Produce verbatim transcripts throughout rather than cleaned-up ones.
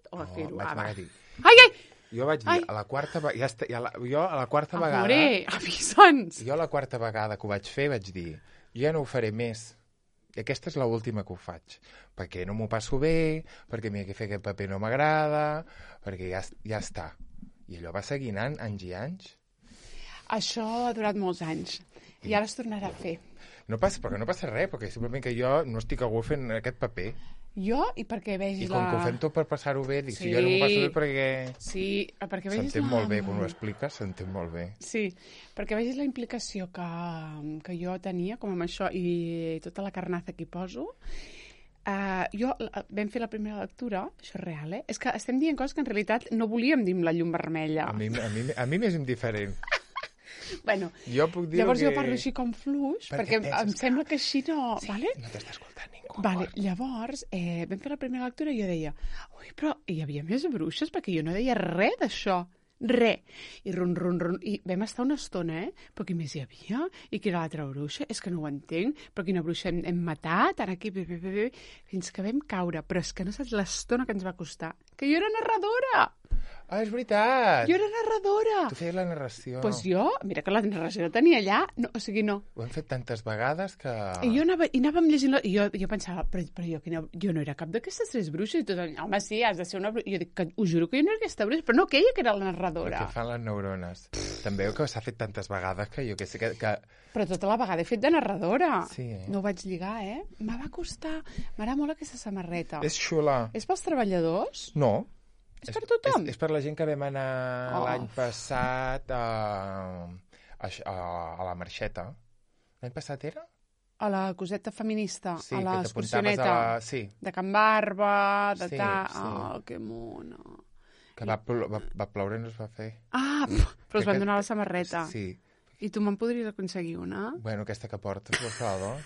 aquest o a fer-ho? vaig Ah, va. negar dir. Ai, ai! Jo vaig dir, Ai. a la quarta, ve- ja està, ja la, jo a la quarta vegada... Amore, avisa'ns! Jo la quarta vegada que ho vaig fer vaig dir, jo ja no ho faré més. I aquesta és l'última que ho faig. Perquè no m'ho passo bé, perquè a mi fer aquest paper no m'agrada, perquè ja, ja està. I allò va seguir anant anys i anys. Això ha durat molts anys. I ara es tornarà a fer. No passa, perquè no passa res, perquè simplement que jo no estic a gust fent aquest paper. Jo, i perquè I vegis com la... que ho fem tot per passar-ho bé, dic, Sí. si jo no m'ho passo bé perquè... Sí, perquè vegis S'entén la... molt bé, quan ho expliques, s'entén molt bé. Sí, perquè vegis la implicació que, que jo tenia, com amb això, i tota la carnaza que hi poso. Uh, jo, uh, vam fer la primera lectura, això és real, eh? És que estem dient coses que en realitat no volíem dir amb la llum vermella. A mi, a mi, a mi m'és indiferent. Bueno, Jo puc dir llavors que... jo parlo així com fluix, perquè, Perquè perquè penses em que- sembla que així no... Sí, vale? no t'està escoltant ningú. Vale, llavors, eh, vam fer la primera lectura i jo deia, ui, però hi havia més bruixes perquè jo no deia res d'això, res. I run, run, run, i vam estar una estona, eh? Però qui més hi havia? I qui era l'altra bruixa? És que no ho entenc. Però quina bruixa hem, hem matat? Ara aquí, bé, bé, bé, bé, fins que vam caure. Però és que no saps l'estona que ens va costar. Que jo era narradora! Ah, és veritat! Jo era narradora! Tu feies la narració. Doncs pues jo, mira que la narració la tenia allà, no, o sigui, no. Ho hem fet tantes vegades que... I jo anava, i anàvem llegint... I jo, jo pensava, però, però jo, quina, jo no era cap d'aquestes tres bruixes. I tot, home, sí, has de ser una bruixa. I jo dic, que, us juro que jo no era aquesta bruixa, però no aquella que era la El narradora. que fan les neurones. També que s'ha fet tantes vegades que jo que sé que... que... Però tota la vegada he fet de narradora. Sí, eh? No ho vaig lligar, eh? Me va costar... M'agrada molt aquesta samarreta. És xula. És pels treballadors? No. És per tothom? És, és per la gent que vam anar Oh. l'any passat a, a, a, a la Marxeta. L'any passat era? A la coseta feminista, Sí, a la que t'apuntaves excursioneta. a la... Sí, De Can Barba, de Sí, ta... sí. Oh, que mona. que va, plo va, va ploure i no es va fer. Ah, però us van Aquest- donar la samarreta. Sí. I tu me'n podries aconseguir una? Bueno, aquesta que portes, per favor.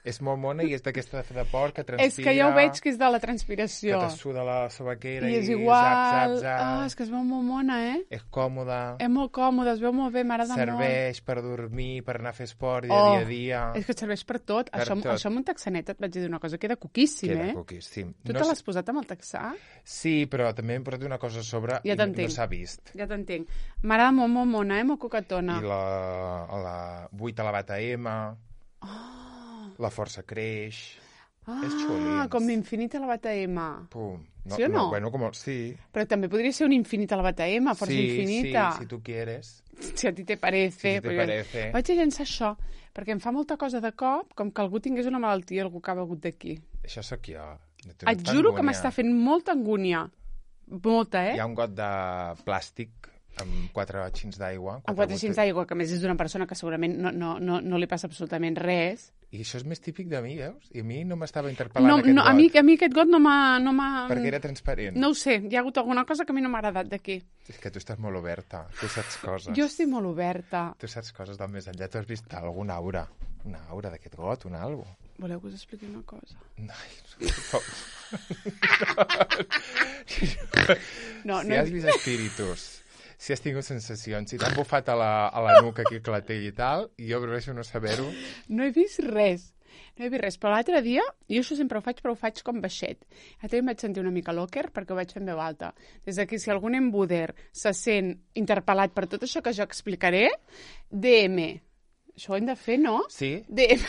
És molt mona i és d'aquesta de porc que transpira... És que ja ho veig que és de la transpiració. Que te suda la sobaquera I i, és igual. zap, zap, zap. Ah, és que es veu molt mona, eh? És còmode, És molt còmode, es veu molt bé, m'agrada molt. serveix per dormir, per anar a fer esport dia Oh, a dia a dia. És que et serveix per tot. Per això, tot. això amb un texanet et vaig dir una cosa, queda coquíssim, Queda eh? poquíssim. Tu No te s- l'has posat amb el texà? Sí, però també hem posat una cosa a sobre Ja i no, t'entenc. no s'ha vist. Ja t'entenc. M'agrada molt, molt mona, eh? Molt coquetona. I la, a la vuit a la bata M, Oh. la força creix... Ah, és xulins. com infinit a la bata M. Pum. Sí o no? Bueno, com, sí. Però també podria ser un infinit a la bata M, força sí, infinita. Sí, si tu quieres. Si a ti te parece. Si te perquè parece. Vaig a llançar això, perquè em fa molta cosa de cop, com que algú tingués una malaltia, algú que ha begut d'aquí. Això sóc jo. No té Et tanta juro que angúnia. m'està fent molta angúnia. Molta, eh? Hi ha un got de plàstic amb quatre xins d'aigua. Amb quatre xins d'aigua, que a més és d'una persona que segurament no, no, no, no li passa absolutament res. I això és més típic de mi, veus? I a mi no m'estava interpel·lant No, aquest no, got. a, mi, a mi aquest got no m'ha... No m'ha- Perquè era transparent. No ho sé, hi ha hagut alguna cosa que a mi no m'ha agradat d'aquí. És que tu estàs molt oberta. Tu saps coses. Jo estic molt oberta. Tu saps coses del més enllà. Tu has vist alguna aura. Una aura d'aquest got, un algo. Voleu que us expliqui una cosa? Ai, No, si no, has vist espíritus, si has tingut sensacions, si t'han bufat a la, a la nuca aquí a la tell i tal, i jo prefereixo no saber-ho. no he vist res. No he vist res, però l'altre dia, jo això sempre ho faig, però ho faig com baixet. L'altre dia em vaig sentir una mica locker perquè ho vaig fer en veu alta. Des d'aquí, si algun embuder se sent interpel·lat per tot això que jo explicaré, D M. Això ho hem de fer, no? Sí? D M.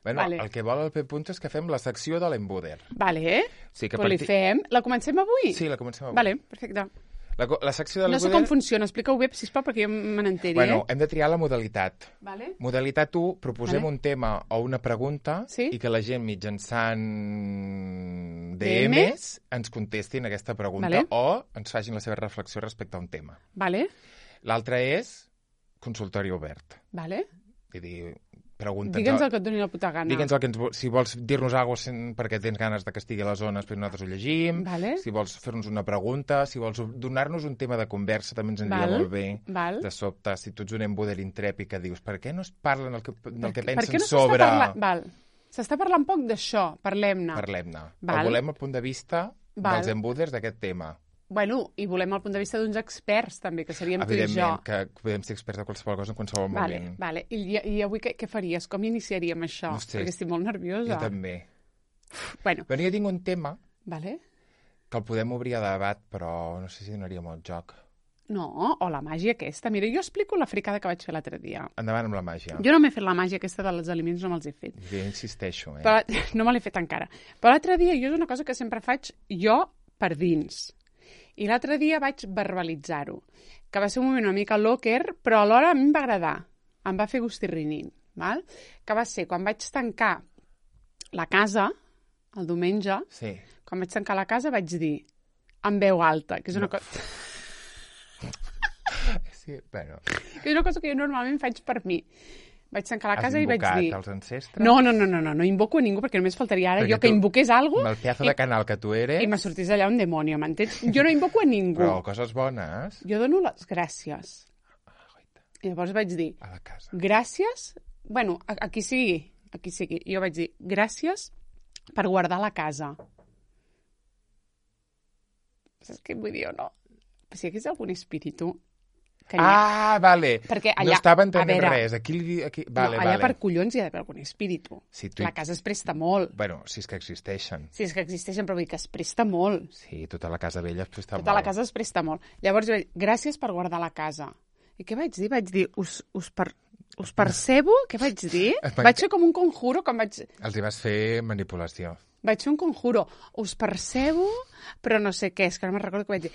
Bueno, Vale. el que vol el P. Punto és que fem la secció de l'embuder. Vale, eh? Sí, que Però li parti- fem... La comencem avui? Sí, la comencem avui. Vale, perfecte. La, co- la secció de No sé l'embuder... com funciona, explica-ho bé, sisplau, perquè jo me n'enteri, Bueno, eh? hem de triar la modalitat. Vale. Modalitat u, proposem Vale. un tema o una pregunta Sí. i que la gent mitjançant D D Ms ens contestin aquesta pregunta Vale. o ens facin la seva reflexió respecte a un tema. Vale, L'altre és consultori obert. vale. Vull dir, pregunta'ns... Digue'ns el que et doni la puta gana. Digue'ns el que ens, vo- si vols dir-nos alguna cosa perquè tens ganes de que estigui a les zones, però nosaltres ho llegim. Vale. Si vols fer-nos una pregunta, si vols donar-nos un tema de conversa, també ens aniria Val. molt bé. Val. De sobte, si tu ets un embuder intrèpid que dius per què no es parlen el que, del que Per pensen què no s'està sobre... parlant- Val. S'està parlant poc d'això, parlem-ne. Parlem-ne. Val. O volem el punt de vista Val. dels embuders d'aquest tema. Bueno, i volem el punt de vista d'uns experts, també, que seríem tu i jo. Evidentment, que podem ser experts de qualsevol cosa en qualsevol Vale, moment. vale. I, I avui què, què faries? Com iniciaríem això? No sé. Perquè estic molt nerviosa. Jo també. Bueno, Però jo tinc un tema vale. que el podem obrir a debat, però no sé si donaria molt joc. No, o la màgia aquesta. Mira, jo explico la fricada que vaig fer l'altre dia. Endavant amb la màgia. Jo no m'he fet la màgia aquesta dels aliments, no me'ls he fet. Jo insisteixo, eh? Però, no me l'he fet encara. Però l'altre dia, jo és una cosa que sempre faig jo per dins. I l'altre dia vaig verbalitzar-ho, que va ser un moment una mica locker, però alhora a mi em va agradar. Em va fer gustirrinint, val? Que va ser quan vaig tancar la casa, el diumenge, sí. Quan vaig tancar la casa vaig dir, en veu alta, que és una no. cosa... Sí, bueno. Que és una cosa que jo normalment faig per mi. Vaig tancar la Has casa i vaig dir... els ancestres? No, no, no, no, no, no invoco a ningú perquè només faltaria ara perquè jo que tu, invoqués alguna cosa... Amb el pedazo de canal que tu eres... I me sortís allà un demonio, m'entens? Jo no invoco a ningú. Però coses bones... Jo dono les gràcies. Ah, I llavors vaig dir... A la casa. Gràcies... Bueno, a, a qui sigui, a qui sigui. Jo vaig dir, gràcies per guardar la casa. Saps què vull dir o no? Si hi hagués algun espíritu... Que ah, vale. Perquè allà, no estava entenent veure, res. Aquí, aquí... Vale, no, allà vale. per collons hi ha d'haver algun espíritu. Sí, tu... La casa es presta molt. Bueno, si és que existeixen. Si és que existeixen, però vull dir que es presta molt. Sí, tota la casa vella es presta tota molt. Tota la casa es presta molt. Llavors jo vaig dir, gràcies per guardar la casa. I què vaig dir? Vaig dir, us, us, per, us percebo? Què vaig dir? Vaig fer com un conjuro, com vaig... Els hi vas fer manipulació. Vaig fer un conjuro. Us percebo, però no sé què. És que no me'n recordo què vaig dir.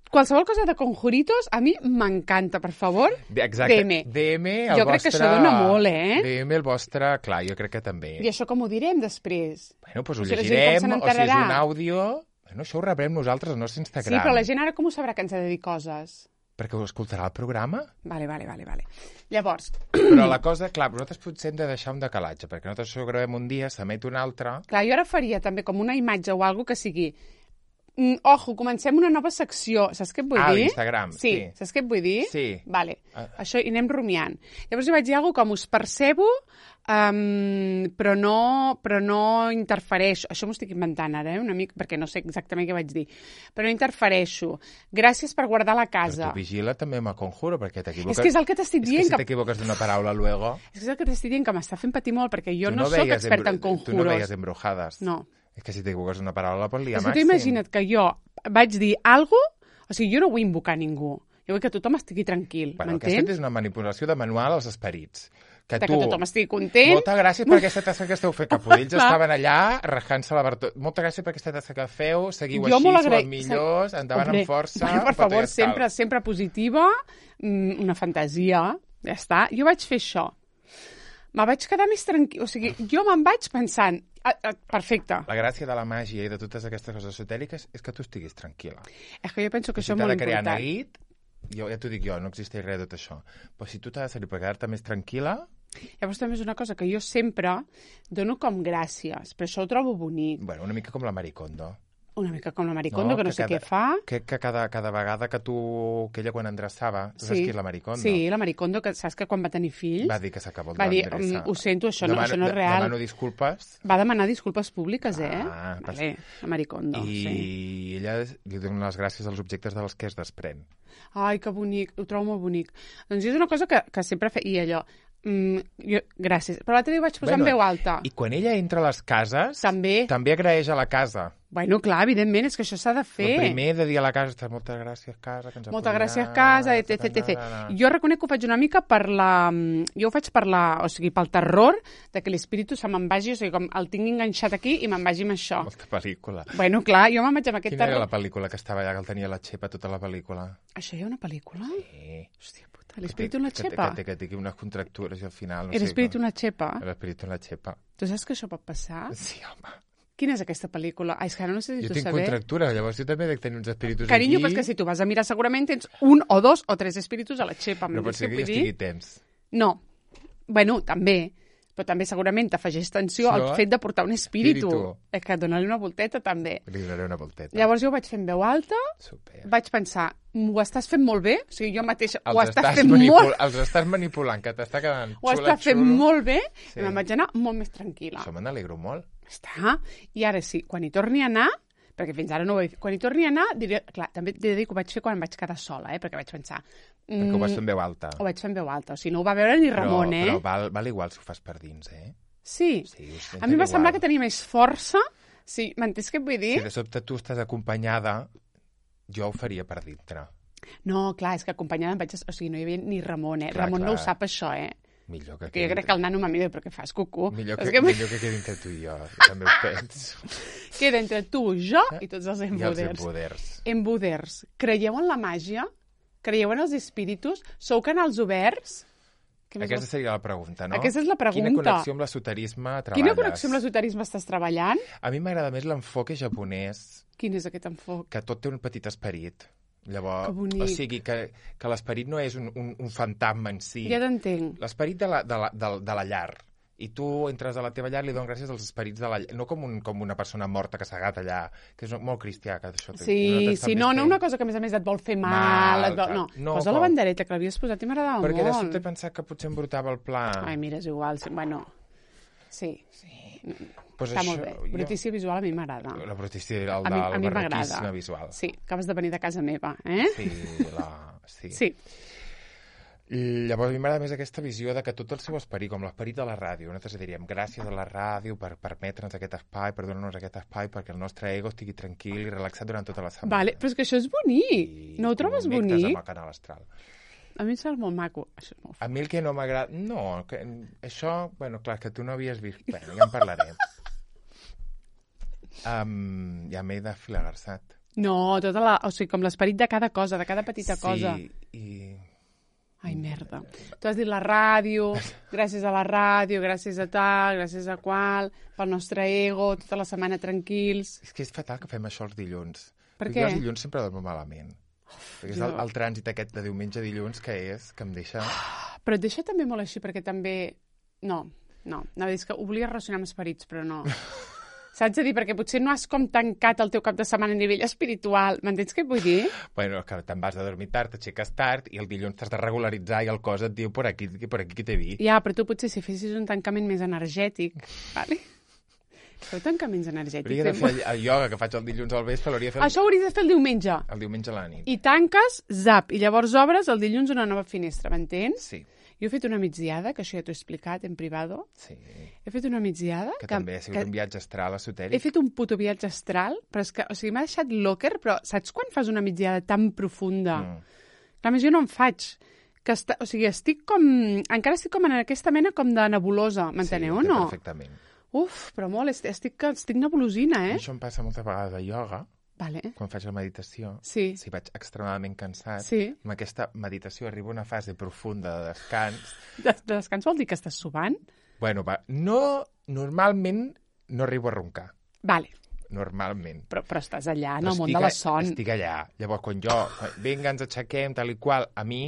Qualsevol cosa de conjuritos a mi m'encanta, per favor. Exacte. D M. D M, el jo vostre... crec que això dona molt, eh? D M, el vostre... Clar, jo crec que també. I això com ho direm després? Bueno, doncs ho o sigui, llegirem, o si és un àudio... Bueno, això ho rebrem nosaltres al nostre Instagram. Sí, però la gent ara com ho sabrà que ens ha de dir coses? Perquè ho escoltarà el programa? Vale, vale, vale, vale. Llavors... Però la cosa, clar, nosaltres potser hem de deixar un decalatge, perquè nosaltres això ho gravem un dia, s'emet un altre... Clar, jo ara faria també com una imatge o alguna que sigui... Mm, ojo, comencem una nova secció. Saps què et vull ah, dir? Ah, l'Instagram, sí. sí. Saps què et vull dir? Sí. Vale. Ah. Això hi anem rumiant. Llavors jo vaig dir alguna com us percebo, um, però, no, però no interfereixo. Això m'ho estic inventant ara, eh, una mica, perquè no sé exactament què vaig dir. Però no interfereixo. Gràcies per guardar la casa. Però tu vigila també amb el conjuro, perquè t'equivoques... És que és el que t'estic dient. És que si t'equivoques d'una paraula, luego... És que és el que t'estic dient, que m'està fent patir molt, perquè jo tu no, no soc experta en conjuros. Tu no veies embrujadas. No. És que si t'equivoques d'una paraula, pots liar és màxim. que tu imagina't que jo vaig dir alguna cosa, o sigui, jo no vull invocar ningú. Jo vull que tothom estigui tranquil, bueno, m'entens? Aquesta és una manipulació de manual als esperits. Que de tu... que tothom estigui content. Moltes gràcies per aquesta tasca que esteu fent, que Podills estaven allà rajant-se la bartó. Moltes gràcies per aquesta tasca que feu, seguiu jo així, sou agra... els millors, endavant Hombre, amb força. Bueno, per favor, sempre, sempre positiva, una fantasia, ja està. Jo vaig fer això. Me vaig quedar més tranquil, o sigui, jo me'n vaig pensant, ah, ah, perfecte. La gràcia de la màgia i de totes aquestes coses esotèriques és que tu estiguis tranquil·la. És que jo penso que I això si és molt t'ha de crear important. neguit, jo ja t'ho dic jo, no existeix res de tot això. Però si tu t'ha de servir per quedar-te més tranquil·la... Llavors també és una cosa que jo sempre dono com gràcies, però això ho trobo bonic. Bueno, una mica com la Maricondo. Una mica com la Maricondo, no, que no que sé cada, què fa. Que, que cada, cada vegada que tu... que ella quan endreçava, tu sí, saps qui és la Maricondo? Sí, la Maricondo, que saps que quan va tenir fills... Va dir que s'acabó Va dir, l'endreça. ho sento, això, demano, no, això no és real. Demano disculpes. Va demanar disculpes públiques, eh? Ah, vale, la Maricondo, I sí. ella li dona les gràcies als objectes dels que es desprèn. Ai, que bonic, ho trobo molt bonic. Doncs és una cosa que, que sempre fe... I allò... Mm, jo, gràcies. Però l'altre dia ho vaig posar bueno, en veu alta. I quan ella entra a les cases, també, també agraeix a la casa. Bueno, clar, evidentment, és que això s'ha de fer. El primer de dir a la casa, està, moltes gràcies, casa, que ens Moltes gràcies, casa, etc, etcètera. Jo reconec que ho faig una mica per la... Jo ho faig per la... O sigui, pel terror de que l'espíritu se me'n vagi, o sigui, com el tinc enganxat aquí i me'n vagi amb això. Molta pel·lícula. Bueno, clar, jo me'n vaig amb aquest Quina terror. era la pel·lícula que estava allà, que el tenia la xepa tota la pel·lícula? Això hi ha una pel·lícula? Sí. Hòstia puta, l'espíritu en la xepa? Que, que, que, que té unes contractures i al final... No Era sé, espíritu en la xepa? L'espíritu en la xepa. Tu saps que això pot passar? Sí, home. Quina és aquesta pel·lícula? Ai, és que ara no sé si jo tu tinc saber. contractures, llavors jo també dec tenir uns espíritus Carinyo, aquí. però és que si tu vas a mirar segurament tens un o dos o tres espíritus a la xepa. No pot ser que jo estigui tens. No. Bueno, també. Però també segurament t'afegeix tensió al fet de portar un espíritu. espíritu. És que donar-li una volteta també. Li donaré una volteta. Llavors jo ho vaig fer en veu alta, Super. vaig pensar, ho estàs fent molt bé? O sigui, jo mateixa els ho estàs, estàs fent manipul... molt... Els estàs manipulant, que t'està quedant Ho xula, estàs fent xulo. molt bé, Sí. i me'n vaig anar molt més tranquil·la. Això me n'alegro molt. Està. I ara sí, quan hi torni a anar, perquè fins ara no ho he fet, quan hi torni a anar, diré, clar, també he de dir que ho vaig fer quan em vaig quedar sola, eh, perquè vaig pensar... Mm, Perquè ho vas fer en veu alta. Ho vaig fer en veu alta, o sigui, no ho va veure ni Ramon, però, eh? Però val, val igual si ho fas per dins, eh? Sí. Sí, A mi em va semblar que tenia més força Sí, m'entens què et vull dir? Si de sobte tu estàs acompanyada, jo ho faria per dintre. No, clar, és que acompanyada em vaig... O sigui, no hi havia ni Ramon, eh? Clar, Ramon clar. no ho sap, això, eh? Millor que, Que jo crec que el nano m'ha dit, però què fas, cucú? millor És que, que... millor que quedi entre tu i jo, jo també ho penso. Queda entre tu, jo i tots els I els embuders. embuders. Embuders. Creieu en la màgia? Creieu en els espíritus? Sou canals oberts? Què més Aquesta vols- seria la pregunta, no? Aquesta és la pregunta. Quina connexió amb l'esoterisme treballes? Quina connexió amb l'esoterisme estàs treballant? A mi m'agrada més l'enfoque japonès, Quin és aquest enfoc? que tot té un petit esperit. Llavors, Que bonic. o sigui, que, que l'esperit no és un, un, un fantasma en si. Ja t'entenc. L'esperit de, la, de, la, de, de la llar. I tu entres a la teva llar i li dones gràcies als esperits de la llar. No com, un, com una persona morta que s'ha agat allà, que és molt cristià. Que això, Sí, nosaltres sí, també no, no estem- una cosa que a més a més et vol fer mal. Mal, et vol... clar. No, No, posa la com- bandereta, que l'havies posat i m'agradava Perquè de molt. sobte he pensat que potser embrutava el pla. Ai, mira, és igual. Sí, bueno, sí. pues Està això, molt bé. jo- Brutícia visual a mi m'agrada. La brutícia, el, A mi- a del mi m'agrada. barroquisme visual. Sí, acabes de venir de casa meva, eh? Sí, la... sí. Sí. I llavors a mi m'agrada més aquesta visió de que tot el seu esperit, com l'esperit de la ràdio, nosaltres diríem gràcies a la ràdio per permetre'ns aquest espai, per donar-nos aquest espai perquè el nostre ego estigui tranquil i relaxat durant tota la setmana. Vale, però és que això és bonic. I No ho trobes connectes bonic? amb el canal astral. A mi em sembla molt maco. Això és molt A mi el que no m'agrada... No, que, això... Bueno, clar, que tu no havies vist... Bueno, ja en parlarem. um, ja m'he desfilagarçat. No, tota la... O sigui, com l'esperit de cada cosa, de cada petita sí, cosa. i... Ai, merda. Tu has dit la ràdio, gràcies a la ràdio, gràcies a tal, gràcies a qual, pel nostre ego, tota la setmana tranquils. És que és fatal que fem això els dilluns. Per Perquè què? jo els dilluns sempre dormo malament. Perquè és el, jo- el trànsit aquest de diumenge a dilluns que és, que em deixa... Però et deixa també molt així, perquè també... No, no. No, és que ho volia relacionar amb esperits, però no. Saps a dir? Perquè potser no has com tancat el teu cap de setmana a nivell espiritual. M'entens què et vull dir? Bueno, que te'n vas a dormir tard, t'aixeques tard i el dilluns t'has de regularitzar i el cos et diu per aquí, per aquí que t'he dit. Ja, però tu potser si fessis un tancament més energètic, vale? Feu tancaments energètics. Hauria de eh? fer el, el ioga que faig el dilluns al vespre, l'hauria de fer el, Això ho hauries de fer el diumenge. el diumenge a la nit. I tanques, zap, i llavors obres el dilluns una nova finestra, m'entens? Sí, Jo he fet una migdiada, que això ja t'ho he explicat en privado. sí. He fet una migdiada... Que, també ha sigut un viatge astral He esotèric. fet un puto viatge astral, però és que, o sigui, m'ha deixat locker, però saps quan fas una migdiada tan profunda? Mm. Clar, a més, jo no en faig. Que està, o sigui, estic com... Encara estic com en aquesta mena com de nebulosa, m'enteneu sí, o no? perfectament. Uf, però molt, estic, estic, estic nebulosina, eh? Això em passa moltes vegades a ioga, Vale. quan faig la meditació. Sí. Si vaig extremadament cansat, Sí. amb aquesta meditació arriba a una fase profunda de descans. De, de descans vol dir que estàs subant? Bueno, va, no, normalment no arribo a roncar. Vale. Normalment. Però, però estàs allà, en Però el món estic de la a- son. Estic allà. Llavors, quan jo... Vinga, ens aixequem, tal i qual. A mi,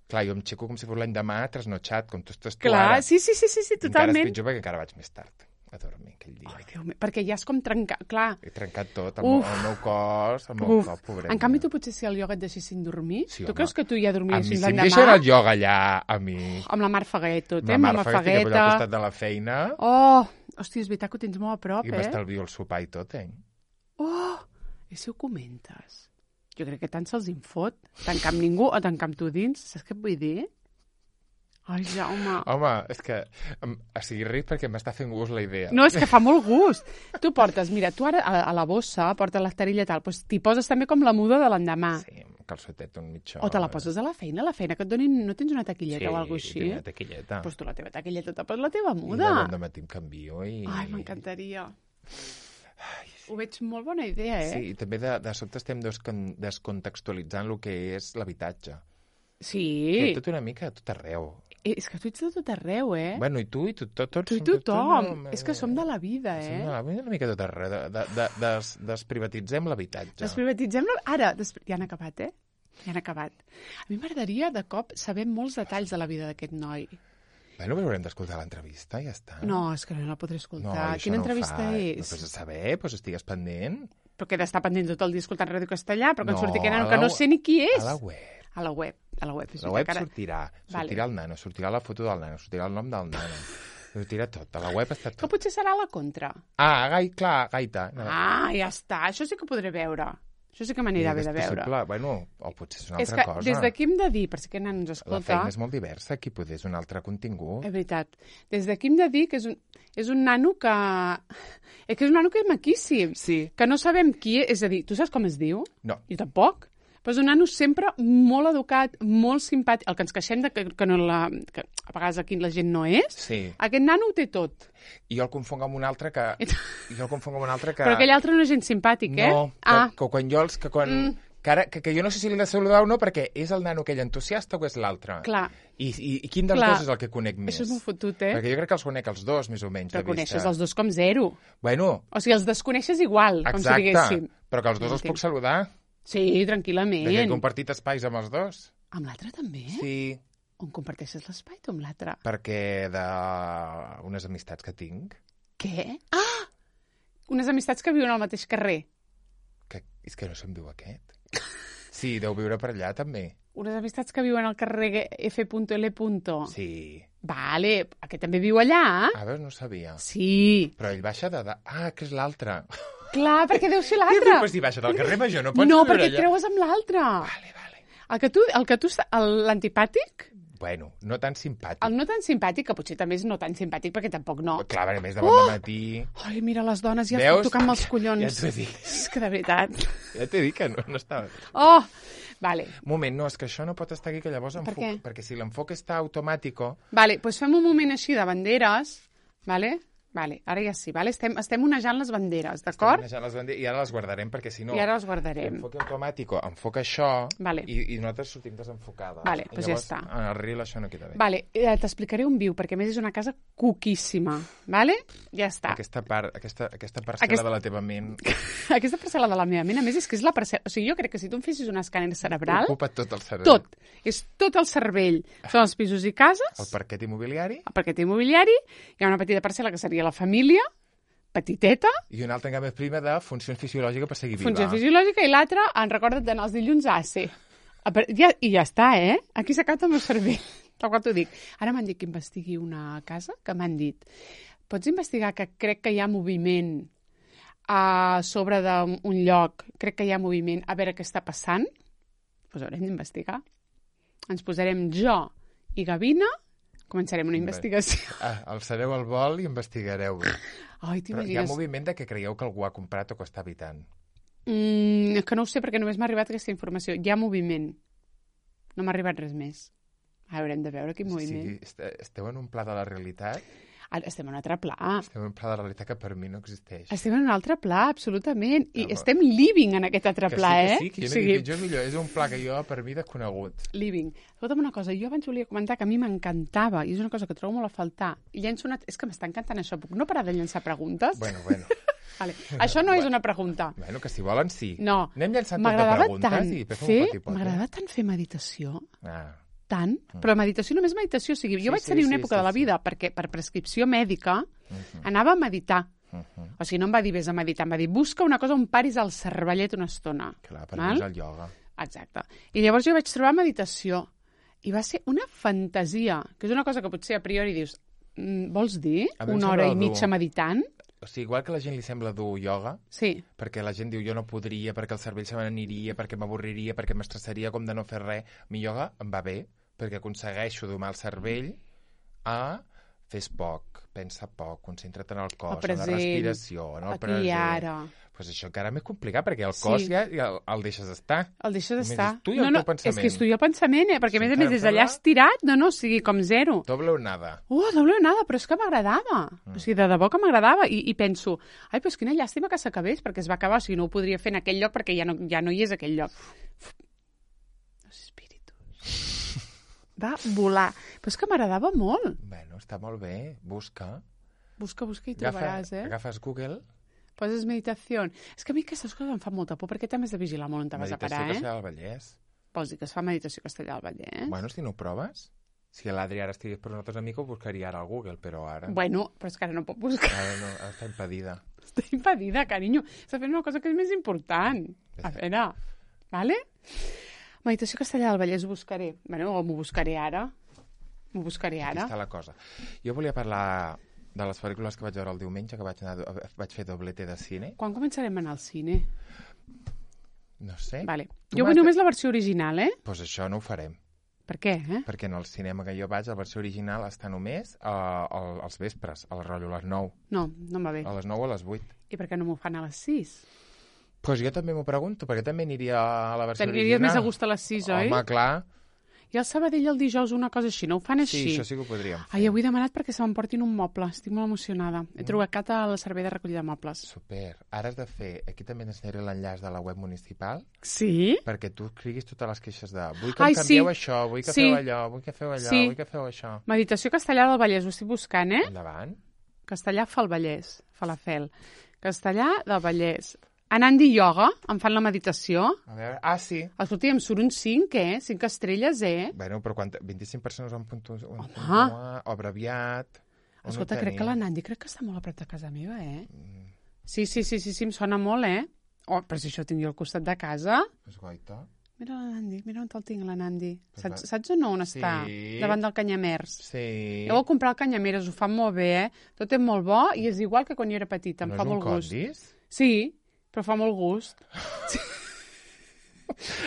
clar, jo em aixeco com si fos l'endemà, trasnotxat, com tu estàs tu Clar, ara. sí, sí, sí, sí, sí, Encara és totalment. pitjor perquè encara vaig més tard a dormir aquell dia. Ai, Déu meu, perquè ja és com trencar... Clar, He trencat tot, el, Uf. meu, el meu cos, el meu uf. cos, pobret. En canvi, tu potser si el ioga et deixessin dormir, Sí, tu home. creus que tu ja A dormies mi, fins si em l'endemà? deixen el ioga allà, a mi... Amb la Mar Faguet, tot, eh? Ma Amb mare la fa que estic allà al Fagueta. costat de la feina Oh, hòstia, és veritat que ho tens molt a prop, i eh? m'estalvio el sopar i tot, eh? Oh, i si ho comentes? Jo crec que tant se'ls infot. Tancar amb ningú o tancar amb tu dins. Saps què et vull dir? Ai, Jaume. Home, és que... em- O sigui, ric perquè m'està fent gust la idea. No, és que fa molt gust. Tu portes, mira, tu ara a, a la bossa portes la tarilla tal, doncs t'hi poses també com la muda de l'endemà. Sí, un calçotet, un mitjó. O te la poses a la feina, a la feina que et donin... No tens una taquilleta sí, o alguna així? tinc una taquilleta. Doncs tu la teva taquilleta te poses la teva I muda. de bon dematí em canvio i... Ai, m'encantaria. Ho veig molt bona idea, eh? Sí, i també de, de sobte estem descon descontextualitzant el que és l'habitatge. Sí. Que tot una mica a tot arreu. Eh, És que tu ets de tot arreu, eh? Bueno, i tu, i tu, tot, tots... Tu i som- tot- tothom. no, És que som de la vida, Som eh? de la vida una mica tot arreu. De, de, de, des, desprivatitzem l'habitatge. Desprivatitzem... La... Ara, des... ja han acabat, eh? Ja han acabat. A mi m'agradaria, de cop, saber molts detalls de la vida d'aquest noi. Bueno, però haurem d'escoltar l'entrevista, ja està. No, és que no la podré no escoltar. i això Quina no ho entrevista fa. és? No pots saber, doncs estigues pendent. Però que he d'estar pendent tot el dia escoltant Ràdio Castellà, però que No, no, surti que, a nano, la que no we- sé ni qui és. A la web. A la web. A la web. És La web veritat que ara- sortirà. Vale. Sortirà el nano, sortirà la foto del nano, sortirà el nom del nano. Sortirà tot. A la web està Que tot. potser serà a la contra. Ah, gai, clar, gaita. No. Ah, ja està. Això sí que ho podré veure. Això sí que m'anirà bé de veure. Possible. Bueno, o potser és una És altra que cosa. des d'aquí hem de dir, per si aquest nen ens escolta... La feina és molt diversa, aquí potser és un altre contingut. És veritat. Des d'aquí hem de dir que és un, és un nano que... És que és un nano que és maquíssim. Sí. Que no sabem qui és. És a dir, tu saps com es diu? No. Jo tampoc. Però és un nano sempre molt educat, molt simpàtic. El que ens queixem de que, que, no la, que a vegades aquí la gent no és. Sí. Aquest nano ho té tot. I jo el confonc amb un altre que... Jo el confonc amb un altre que... Però aquell altre no és gens simpàtic, eh? No, que, ah. que quan jo els... Que, quan... Mm. que, ara, que, que jo no sé si l'he de saludar o no, perquè és el nano aquell entusiasta o és l'altre. Clar. I, i, I quin dels Clar. dos és el que conec més? Això és molt fotut, eh? Perquè jo crec que els conec els dos, més o menys, Però de coneixes vista. els dos com zero. Bueno. O sigui, els desconeixes igual, Exacte, com si diguéssim. Però que els dos els puc saludar. Sí, tranquil·lament. Perquè he compartit espais amb els dos. Amb l'altre també? Sí. On comparteixes l'espai, tu amb l'altre? Perquè de unes amistats que tinc. Què? Ah! Unes amistats que viuen al mateix carrer. Que, és que no se'n diu aquest. Sí, deu viure per allà, també. Unes amistats que viuen al carrer F L. Sí. Vale, aquest també viu allà? A veure, no sabia. Sí. Però ell baixa de... de... Ah, que és l'altre. Clar, perquè deu ser Què l'altre. dius? Pues si baixa del carrer Major, no pots No, viure perquè allà. et creues amb l'altre. Vale, vale. El que tu, el que tu, el- l'antipàtic, Bueno, no tan simpàtic. el no tan simpàtic, que potser també és no tan simpàtic, perquè tampoc no. Clar, a més de bon Oh! matí... Ai, mira, les dones ja Veus? tocant-me els collons. Ja t'ho he dit. És que de veritat. Ja t'he dit que no, no estava... Oh, vale. Un moment, no, és que això no pot estar aquí, que llavors Per enfoc... què? Perquè si l'enfoc està automàtico... Vale, doncs fem un moment així de banderes, vale? Vale, ara ja sí, vale? Estem, estem onejant les banderes, d'acord? Estem les banderes, I ara les guardarem, perquè si no... I ara les guardarem. L'enfoc automàtico enfoca això Vale. i, i nosaltres sortim desenfocades. Vale, I doncs ja llavors, està. En el reel això no queda bé. Vale, eh, t'explicaré on viu, perquè a més és una casa cuquíssima, vale? Ja està. Aquesta part, aquesta, aquesta parcel·la Aquest- de la teva ment Aquesta parcel·la de la meva ment, a més, és que és la parcel·la... O sigui, jo crec que si tu em fessis un escàner cerebral, ocupa tot el cervell. tot, és tot el cervell. Són els pisos i cases, El parquet immobiliari el parquet immobiliari, hi ha una petita parcel·la que seria la família, petiteta, i una altra encara més prima de funció fisiològica per seguir viva. funció fisiològica, i l'altra, en recorda't d'anar els dilluns a A C. A per- Ja, I ja està, eh? Aquí s'ha acabat el meu cervell, tal qual t'ho dic. Ara m'han dit que investigui una casa, que m'han dit, pots investigar que crec que hi ha moviment a sobre d'un lloc, crec que hi ha moviment, a veure què està passant? Doncs haurem d'investigar. Ens posarem jo i Gavina, començarem una investigació. Ah, alçareu el vol i investigareu. Ai, Però hi ha t'imagines? moviment de que creieu que algú ha comprat o que està habitant. Mm, és que no ho sé perquè només m'ha arribat aquesta informació. Hi ha moviment. No m'ha arribat res més. Haurem de veure quin O moviment. sigui, est- esteu en un pla de la realitat, Ara estem en un altre pla. esteu en un pla de la realitat que per mi no existeix. Estem en un altre pla, absolutament. I Home. estem living en aquest altre Que pla, sí, que eh? sí, que jo O no sigui, dic pitjor millor. És un pla que jo, per mi, desconegut. living. Escolta'm una cosa, jo abans volia comentar que a mi m'encantava, i és una cosa que trobo molt a faltar, i llenço una... És que m'està encantant això, puc no parar de llençar preguntes? Bueno, bueno. Vale. Això no és una pregunta. Bueno, que si volen, sí. No. Anem llançant tot de M'agradava preguntes tant i després fem fer, un poti-poti. m'agradava tant fer meditació, Ah, tant, però meditació només meditació. O sigui, jo Sí, vaig sí, tenir una sí, època sí, de la sí. vida perquè per prescripció mèdica uh-huh, anava a meditar. uh-huh. O sigui, no em va dir vés a meditar, em va dir busca una cosa on paris el cervellet una estona. Clar, per Val? mi és el ioga. Exacte. I llavors jo vaig trobar meditació i va ser una fantasia, que és una cosa que potser a priori dius mm, vols dir A mi em una sembla hora i dur. mitja meditant? O sigui, igual que a la gent li sembla dur ioga, Sí. perquè la gent diu jo no podria, perquè el cervell se me n'aniria, perquè m'avorriria, perquè m'estressaria com de no fer res. Mi ioga em va bé, perquè aconsegueixo domar el cervell a fes poc, pensa poc, concentra't en el cos, El present, en la respiració, en el aquí present. i ara. Pues això encara més complicat, perquè el cos Sí. ja, ja el, el deixes estar. El deixes Només d'estar. és tu i el no, no, teu pensament. És que és tu i el pensament, eh? Perquè a Sí, més a encara més em des d'allà sembla- estirat, no, no, o sigui, com zero. Doble o nada. Uh, doble nada, però és que m'agradava. Mm. O sigui, de debò que m'agradava. I, I penso, ai, però és quina llàstima que s'acabés, perquè es va acabar, o sigui, no ho podria fer en aquell lloc perquè ja no, ja no hi és aquell lloc. Los espíritus. Va volar. Però és que m'agradava molt. Bueno, està molt bé, busca. Busca, busca i Agafa, trobaràs, eh? agafes Google, Poses meditació. És que a mi aquestes coses em fan molta por, perquè també has de vigilar molt on te vas a meditació parar, que eh? serà al Vallès. Vols dir que es fa meditació a Castellà del Vallès? Bueno, si no ho proves, si l'Adri ara estigués per nosaltres amics, ho buscaria ara al Google, però ara, Bueno, però és que ara no pot buscar. ara, no, ara està impedida. Està impedida, carinyo. Està fent una cosa que és més important. A veure, vale? Meditació Castellà del Vallès ho buscaré. Bueno, m'ho buscaré ara. M'ho buscaré Aquí ara. està la cosa. Jo volia parlar de les pel·lícules que vaig veure el diumenge, que vaig, anar, vaig fer doblete de cine. Quan començarem a anar al cine? No sé. Vale. Tu Jo m'has vull de- només la versió original, eh? Doncs pues això no ho farem. Per què, eh? Perquè en el cinema que jo vaig, la versió original està només a, a, als vespres, al rotllo, a les nou. No, no em va bé. A les nou o a les vuit. I per què no m'ho fan a les sis? Doncs pues jo també m'ho pregunto, perquè també aniria a la versió T'aniries original. més a gust a les sis, oi? Home, clar. I al Sabadell el dijous una cosa així, no ho fan així? Sí, això sí que ho podríem fer. Ai, avui he demanat perquè se m'emportin un moble. Estic molt emocionada. He trobat al servei de recollida de mobles. Super. Ara has de fer... Aquí també t'ensenyaré l'enllaç de la web municipal Sí? perquè tu escriguis totes les queixes de vull que Ai, em canvieu sí. això, vull que Sí. feu allò, vull que feu allò, Sí. vull que feu això. Meditació Castellà del Vallès, ho estic buscant, eh? Endavant. Castellà fa el Vallès, fa la fel. Castellà del Vallès. Anandi Yoga, em fan la meditació. A veure... Ah, sí. Escolta, em surt un cinc, eh? cinc estrelles, eh? Bueno, però quan... vint-i-cinc persones han puntu... un Home. puntuar, o abreviat... on Escolta, ho crec que tenim? l'Anandi crec que està molt a prop de casa meva, eh? Sí, sí, sí, sí, sí, em sona molt, eh? Oh, però si això ho tinc jo al costat de casa... Pues goita. Mira l'Anandi, mira on el tinc, l'Anandi. Pues Saps, va- saps o no on Sí. està? Davant del Canyamers. Sí. Heu de comprar el Canyameres, ho fan molt bé, eh? Tot és molt bo i és igual que quan jo era petita, em no fa és un molt gust. condis? Sí, però fa molt gust. Sí.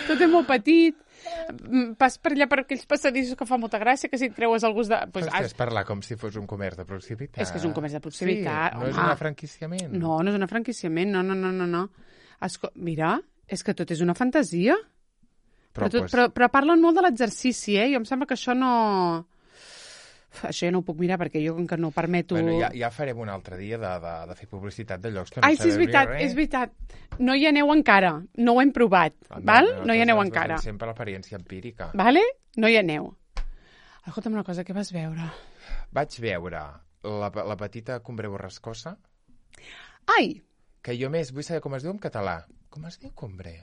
Tot és molt petit. Mm, Pas per allà per aquells passadissos que fa molta gràcia, que si et creues el gust de... Pues, Pues és parlar com si fos un comerç de proximitat. És que és un comerç de proximitat, Sí, no és home. un franquiciament. No, no és un franquiciament, no, no, no, no. no. Esco... Mira, és que tot és una fantasia. Però, Però, tot, pues, però, però parlen molt de l'exercici, eh? Jo em sembla que això no... Uf, això ja no ho puc mirar perquè jo com que no permeto... bueno, ja, ja farem un altre dia de, de, de fer publicitat de llocs que no Ai, sí, és sabem ni veritat, res. és veritat. No hi aneu encara, no ho hem provat, Ah, val? No hi nosaltres aneu ens encara, basem sempre l'experiència empírica. vale? No hi aneu. Escolta'm una cosa, què vas veure? Vaig veure la, la petita Cumbre Borrascosa, Ai, que jo més vull saber com es diu en català. Com es diu Cumbre?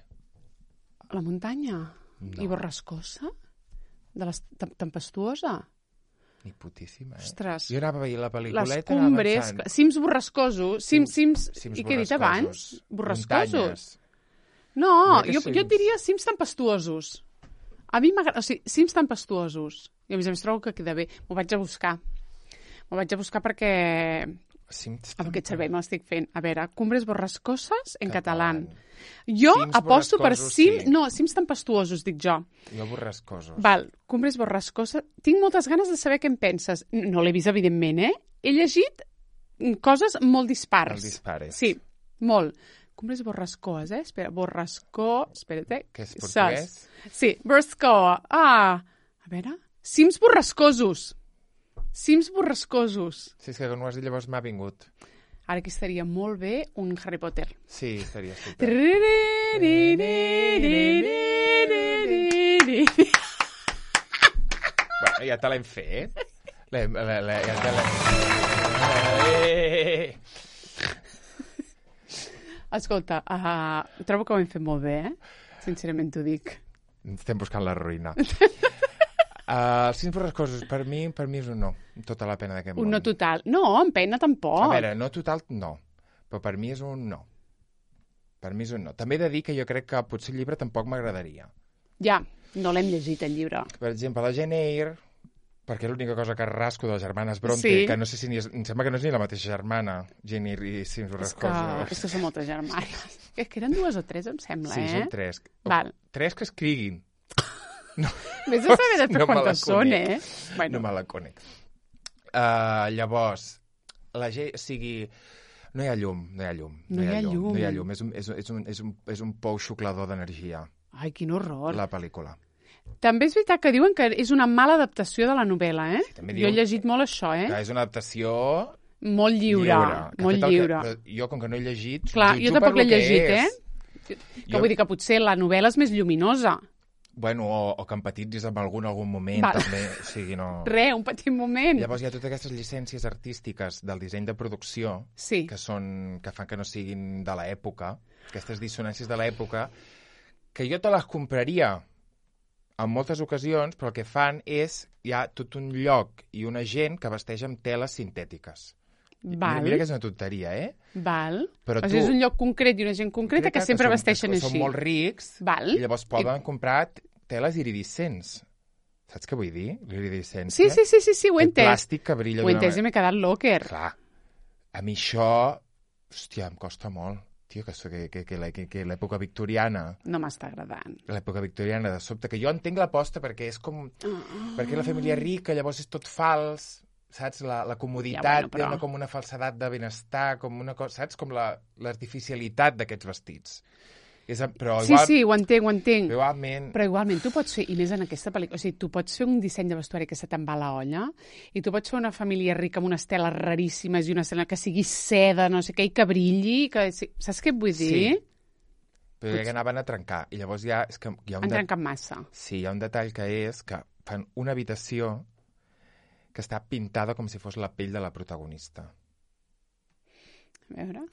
la muntanya. No. I borrascosa? De les tem- tempestuosa? Ni putíssima, eh? Ostres. Jo anava a veure la Les pel·lículeta, anava cumbres, pensant... cims borrascosos, cims, cims, cims i què he dit abans? borrascosos. Borrascosos? Muntanyes. No, Mira que jo, cims. jo et diria cims tempestuosos. A mi m'agrada, o sigui, cims tempestuosos. I a més a més trobo que queda bé. M'ho vaig a buscar. M'ho vaig a buscar perquè Cims amb aquest servei me l'estic fent. A veure, cumbres borrascoses en català. Català. Jo Cims aposto per borrascosos, cim... sí. No, cims tempestuosos, dic jo. Jo borrascosos. Val, cumbres borrascoses. Tinc moltes ganes de saber què en penses. No l'he vist, evidentment, eh? He llegit coses molt dispars. El dispares. Sí, molt. Cumbres borrascoes, eh? Espera, borrascó... Espera't, eh? Que és portuguès? Saps? Sí, borrascoa. Ah, a veure... Cims borrascosos. Cims borrascosos. Sí, és que quan ho has dit llavors m'ha vingut. Ara aquí estaria molt bé un Harry Potter. Sí, seria super. Bueno, ja te l'hem fet. L'hem, la, la, ja te l'hem... Eh! Escolta, uh, trobo que ho hem fet molt bé, eh? Sincerament t'ho dic. Estem buscant la ruïna. Uh, els cims borrascosos, per mi, per mi és un no. Tota la pena d'aquest món. Un no total. No, en pena tampoc. A veure, no total, no. Però per mi és un no. Per mi és un no. També he de dir que jo crec que potser el llibre tampoc m'agradaria. Ja, no l'hem llegit, el llibre. Per exemple, la Jane Eyre, perquè és l'única cosa que rasco de les germanes Bronte, Sí. que no sé si ni és, em sembla que no és ni la mateixa germana, Jane Eyre i Cims És que, borrascosos. és que són moltes germanes. És que eren dues o tres, em sembla, Sí, eh? són tres. Val. Tres que escriguin. Vés a saber després No me la quantes són, conec. eh? Bueno, No me la conec. Uh, llavors, la gent, o sigui, no hi ha llum, no hi ha llum. No hi ha llum. No hi ha llum, és un, és, un- és, un, és, un, és un pou xuclador d'energia, ai, quin horror. la pel·lícula. També és veritat que diuen que és una mala adaptació de la novel·la, eh? també Jo he diuen llegit molt això, eh? Que és una adaptació Molt lliure, que ha molt fet el lliure. Que, però jo, com que no he llegit, Clar, jutjo jo tampoc per l'he lo que llegit, és. eh? Que Jo- vull dir que potser la novel·la és més lluminosa. Bueno, o, o que empatitzis amb algun algun moment, Val. també. O sigui, no... Re, un petit moment. Llavors hi ha totes aquestes llicències artístiques del disseny de producció Sí. que, són, que fan que no siguin de l'època, aquestes dissonàncies de l'època, que jo te les compraria en moltes ocasions, però el que fan és hi ha tot un lloc i una gent que vesteix amb teles sintètiques. Val, Mira que és una tonteria, eh? val. Però o sigui, tu- és un lloc concret i una gent concreta que, sempre són, vesteixen que així. Són molt rics Val. i llavors poden comprar teles iridescents. Saps què vull dir? L'iridescència. Sí, sí, sí, sí, sí, ho he Aquest entès. plàstic que brilla Ho he d'una entès i m'he quedat locker. Clar, a mi això, hòstia, em costa molt. Tio, que, que, que, que, que, que l'època victoriana... No m'està agradant. L'època victoriana, de sobte, que jo entenc l'aposta perquè és com... Oh. Perquè la família rica, llavors és tot fals, saps? La, la comoditat ja, bueno, però... té una, com una falsedat de benestar, com una cosa, saps? Com la, l'artificialitat d'aquests vestits. És, però igual, sí, sí, ho entenc, ho entenc. Però igualment... Però igualment tu pots fer, i més en aquesta pel·lícula, o sigui, tu pots fer un disseny de vestuari que se te'n va a la olla, i tu pots fer una família rica amb unes teles raríssimes i una escena que sigui seda, no sé què, i que brilli, que... Saps què et vull dir? Sí. Però ja que anaven a trencar. I llavors ja... És que hi ha un Han de... trencat massa. Sí, hi ha un detall que és que fan una habitació que està pintada com si fos la pell de la protagonista. A veure...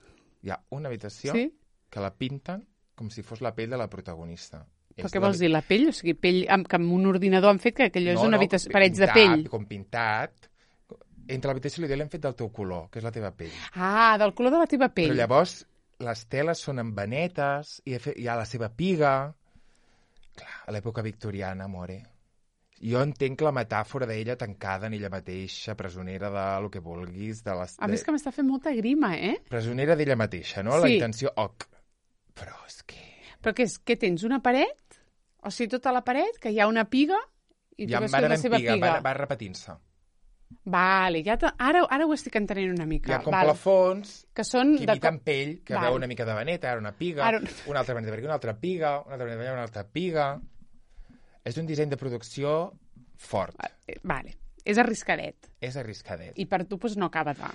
Hi ha una habitació sí? que la pinten com si fos la pell de la protagonista. Però és què vols la... dir, la pell? O sigui, pell amb, que amb un ordinador han fet que aquello no, és una no, habitació, parets pintat, de pell. Com pintat. Entre l'habitació i l'idea l'hem fet del teu color, que és la teva pell. Ah, del color de la teva pell. Però llavors les teles són amb vanetes i hi ha la seva piga. Clar, a l'època victoriana, amore. Jo entenc la metàfora d'ella tancada en ella mateixa, presonera de lo que vulguis. De les... A més que m'està fent molta grima, eh? Presonera d'ella mateixa, no? Sí. La intenció... Oc. Però és que... Però què és? Què tens? Una paret? O sigui, tota la paret, que hi ha una piga i tu veus la seva piga. Va, va repetint-se. Vale, ja ara, ara ho estic entenent una mica. Hi ha com vale. plafons que, són que imiten de... pell, que vale. Veu una mica de vaneta, ara una piga, ara... una altra vaneta per aquí, una altra piga, una altra vaneta per allà, una altra piga... És un disseny de producció fort. Vale, és arriscadet. És arriscadet. I per tu doncs, no acaba de...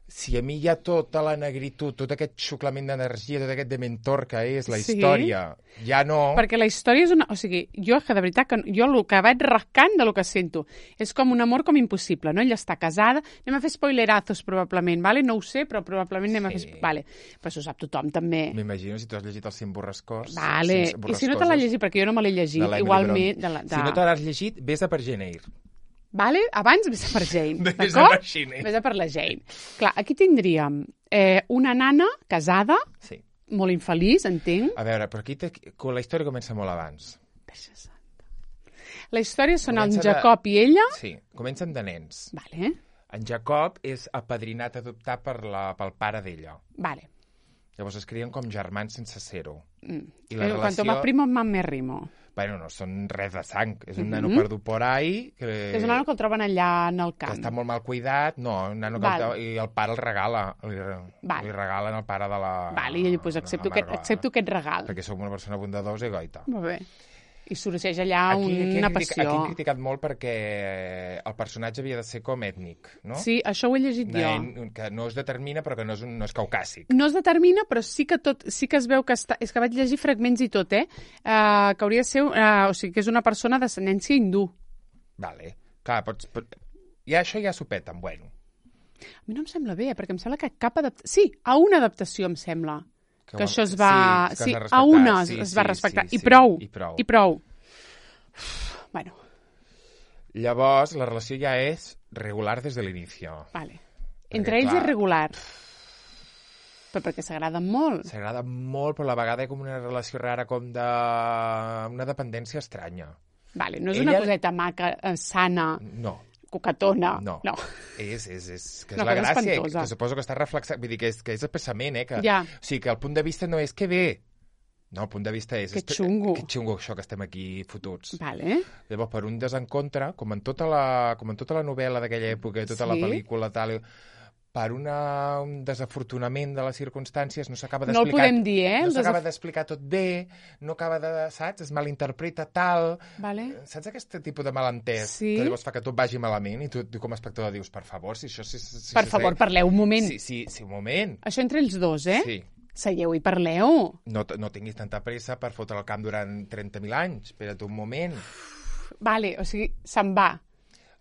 Si a mi hi ha tota la negritud, tot aquest xuclament d'energia, tot aquest dementor que és la sí. història, ja no... Perquè la història és una... O sigui, jo que de veritat, que jo el que vaig rascant de lo que sento és com un amor com impossible, no? Ella està casada, anem a fer spoilerazos probablement, vale? No ho sé, però probablement anem sí. a fer... Vale. Però això ho sap tothom també. M'imagino si tu has llegit els cinc borrascors. Vale. I si no te l'has llegit, perquè jo no me l'he llegit, igualment... De la, de... Si no te l'has llegit, vés a per Jane Eyre. Vale? Abans vés a per Jane, d'acord? Vés a per la Jane. Clar, aquí tindríem eh, una nana casada, sí. molt infeliç, entenc. A veure, però aquí te... la història comença molt abans. Deixa santa. La història són comença en Jacob de... i ella. Sí, comencen de nens. Vale. En Jacob és apadrinat, adoptat per la, pel pare d'ella. Vale. Llavors es crien com germans sense ser-ho. Mm. I la eh, relació... Quanto más primo, más me rimo. Bueno, no són res de sang. És un mm -hmm. nano perdut por ahí. Que... És un nano que el troben allà en el camp. Que està molt mal cuidat. No, un nano que el... i el pare el regala. Li, Vale. li regalen el pare de la... Vale, i ell, pues, accepto, aquest, accepto aquest regal. Perquè sóc una persona bondadosa i goita. Molt bé. I sorgeix allà aquí, aquí una critica, passió. Aquí he criticat molt perquè el personatge havia de ser com ètnic, no? Sí, això ho he llegit jo. Nen, que no es determina, però que no és, un, no és caucàsic. No es determina, però sí que tot, sí que es veu que està... És que vaig llegir fragments i tot, eh? Uh, que hauria de ser... Uh, o sigui, que és una persona d'ascendència hindú. Vale. Clar, pots... Pot... Ja això ja s'ho peten, bueno. A mi no em sembla bé, perquè em sembla que cap adaptació... Sí, a una adaptació em sembla. Que, que això es va... Sí, sí a una sí, es va respectar. Sí, sí, I prou. I prou. I prou. Bueno. Llavors, la relació ja és regular des de l'inici. Vale. Entre ells clar, és regular. Però perquè s'agraden molt. S'agraden molt, però a la vegada hi ha com una relació rara, com de... una dependència estranya. Vale, no és Ella... una coseta maca, sana, no. coquetona. No. no. És, és, és, que és no, la que gràcia, és que suposo que està reflexat, vull dir que és, que és el pensament, eh? Que, ja. O sigui, que el punt de vista no és que bé. No, el punt de vista és... Que xungo. Que xungo això que estem aquí fotuts. Vale. Llavors, per un desencontre, com en tota la, com en tota la novel·la d'aquella època i tota sí. la pel·lícula, tal, per una, un desafortunament de les circumstàncies no s'acaba d'explicar... No el podem dir, eh? No s'acaba desaf... d'explicar tot bé, no acaba de... Saps? Es malinterpreta tal... Vale. Saps aquest tipus de malentès? Sí. Que llavors fa que tot vagi malament i tu, tu com a espectador dius, per favor, si això... Si, si, per si, favor, si, parleu un moment. Sí, sí, sí, un moment. Això entre els dos, eh? Sí. Seieu i parleu. No, no tinguis tanta pressa per fotre el camp durant trenta mil anys. Espera't un moment. Vale, o sigui, se'n va.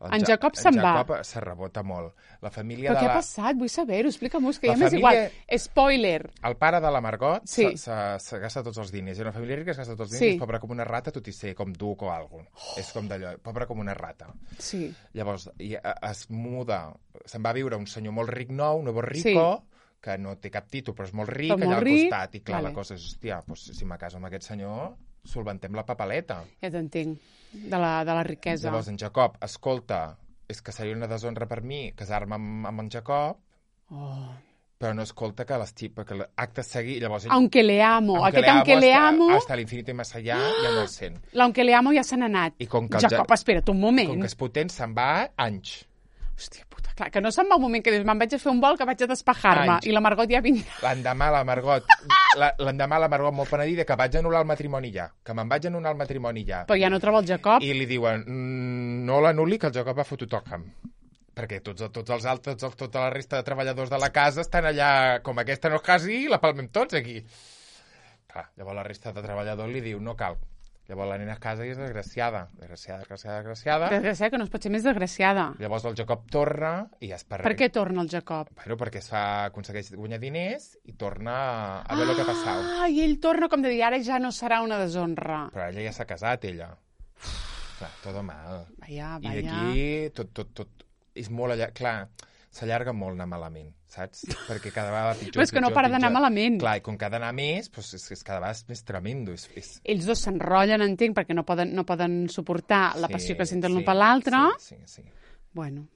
En, en Jacob se'n va. En Jacob se rebota molt. La família Però de què la... ha passat? Vull saber-ho. Explica-m'ho, que la ja m'és família... igual. Spoiler. El pare de la Margot sí. se, se gasta tots els diners. I una família rica es gasta tots els sí. diners. És pobre com una rata, tot i ser com duc o alguna cosa. Oh. És com d'allò, pobre com una rata. Sí. Llavors, i, es muda, se'n va viure un senyor molt ric nou, un nuevo rico, sí. que no té cap títol, però és molt ric, però allà molt al ric. costat. I clar, vale. La cosa és, hòstia, doncs, si me caso amb aquest senyor, solventem la papaleta. Ja t'entenc, de la, de la riquesa. Llavors, en Jacob, escolta, és que seria una deshonra per mi casar-me amb, amb en Jacob, oh. però no escolta que les xipa, que acte seguir, llavors... Ell, Aunque le amo. aunque Aquest aunque le hasta, amo... hasta l'infinito i més allà ja no el sent. L'aunque le amo ja se n'ha anat. I com que el Jacob, ja- espera't un moment. Com que és potent, se'n va anys. Hòstia puta, clar, que no se'n va un moment que dius, me'n vaig a fer un vol que vaig a despejar-me Anys. i la Margot ja vindrà. L'endemà la Margot, la- l'endemà la Margot molt penedida que vaig anul·lar el matrimoni ja, que me'n vaig anul·lar el matrimoni ja. Però ja no troba el Jacob. I li diuen, mm, no l'anul·li, que el Jacob va fotre toca'm. Perquè tots, tots els altres, tots, tota la resta de treballadors de la casa estan allà, com aquesta no es casi, la palmem tots aquí. Clar, llavors la resta de treballadors li diu, no cal. Llavors la nena a casa i és desgraciada. Desgraciada, desgraciada, desgraciada. Desgraciada, que no es pot ser més desgraciada. Llavors el Jacob torna i es per... Per què torna el Jacob? Bueno, perquè es fa, aconsegueix guanyar diners i torna a veure el que ha passat. Ah, i ell torna com de dir, ara ja no serà una deshonra. Però ella ja s'ha casat, ella. Clar, tot mal. Vaja, I vaja. d'aquí tot, tot, tot és molt allà... Clar, s'allarga molt anar malament, saps? Perquè cada vegada pitjor, Però és que no pitjor, para d'anar pitjor. malament. Clar, i com que ha d'anar més, doncs és, és cada vegada és més tremendo. És, és... Ells dos s'enrotllen, entenc, perquè no poden, no poden suportar la passió que senten l'un sí, per l'altre. Sí, sí, sí. Bueno,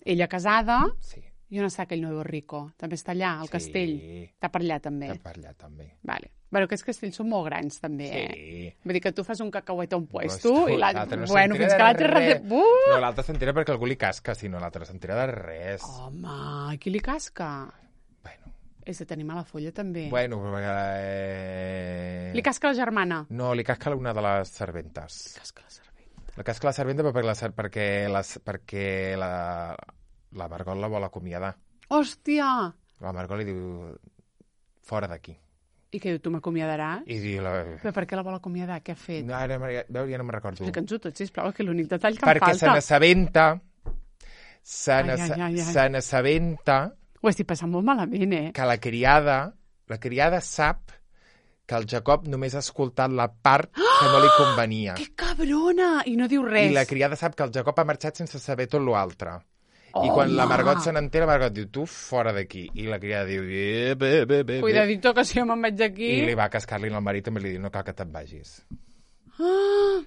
ella casada, sí. i on està aquell nuevo rico? També està allà, al Sí. castell. Està per allà, també. Està per allà, també. Vale. Bueno, aquests castells són molt grans, també, Sí. eh? Vull dir que tu fas un cacauet a un puesto Pues, i l'altre... l'altre no bueno, s'entera fins que de l'altre... res. Rete... Uh! No, l'altre s'entera perquè algú li casca, si no l'altre s'entera de res. Home, qui li casca? Bueno, És de tenir mala folla, també. bueno perquè... Eh... Li casca la germana. No, li casca una de les serventes. Li casca la serventa. La casca la serventa perquè la, ser- perquè la, perquè la, la Margot la vol acomiadar. Hòstia! La Margot li diu, fora d'aquí. I què diu, tu m'acomiadaràs? I diu, la... Però per què la vol acomiadar? Què ha fet? no, ara, ja, veu, ja no me'n recordo. Explica'ns-ho tot, sisplau, que l'únic detall que Perquè em se falta. n'assabenta, se Ai, ai, ai, ai. se n'assabenta Ho estic passant molt malament, eh? que la criada, la criada sap que el Jacob només ha escoltat la part que no li convenia. Que cabrona! I no diu res. I la criada sap que el Jacob ha marxat sense saber tot l'altre. I Home! quan la Margot se n'entera, la Margot diu, tu fora d'aquí. I la criada diu, eh, bé, bé, bé, bé. Cuidadito, que si jo me'n vaig d'aquí... I li va cascar-li al marit, també li diu, no cal que te'n vagis. Ah!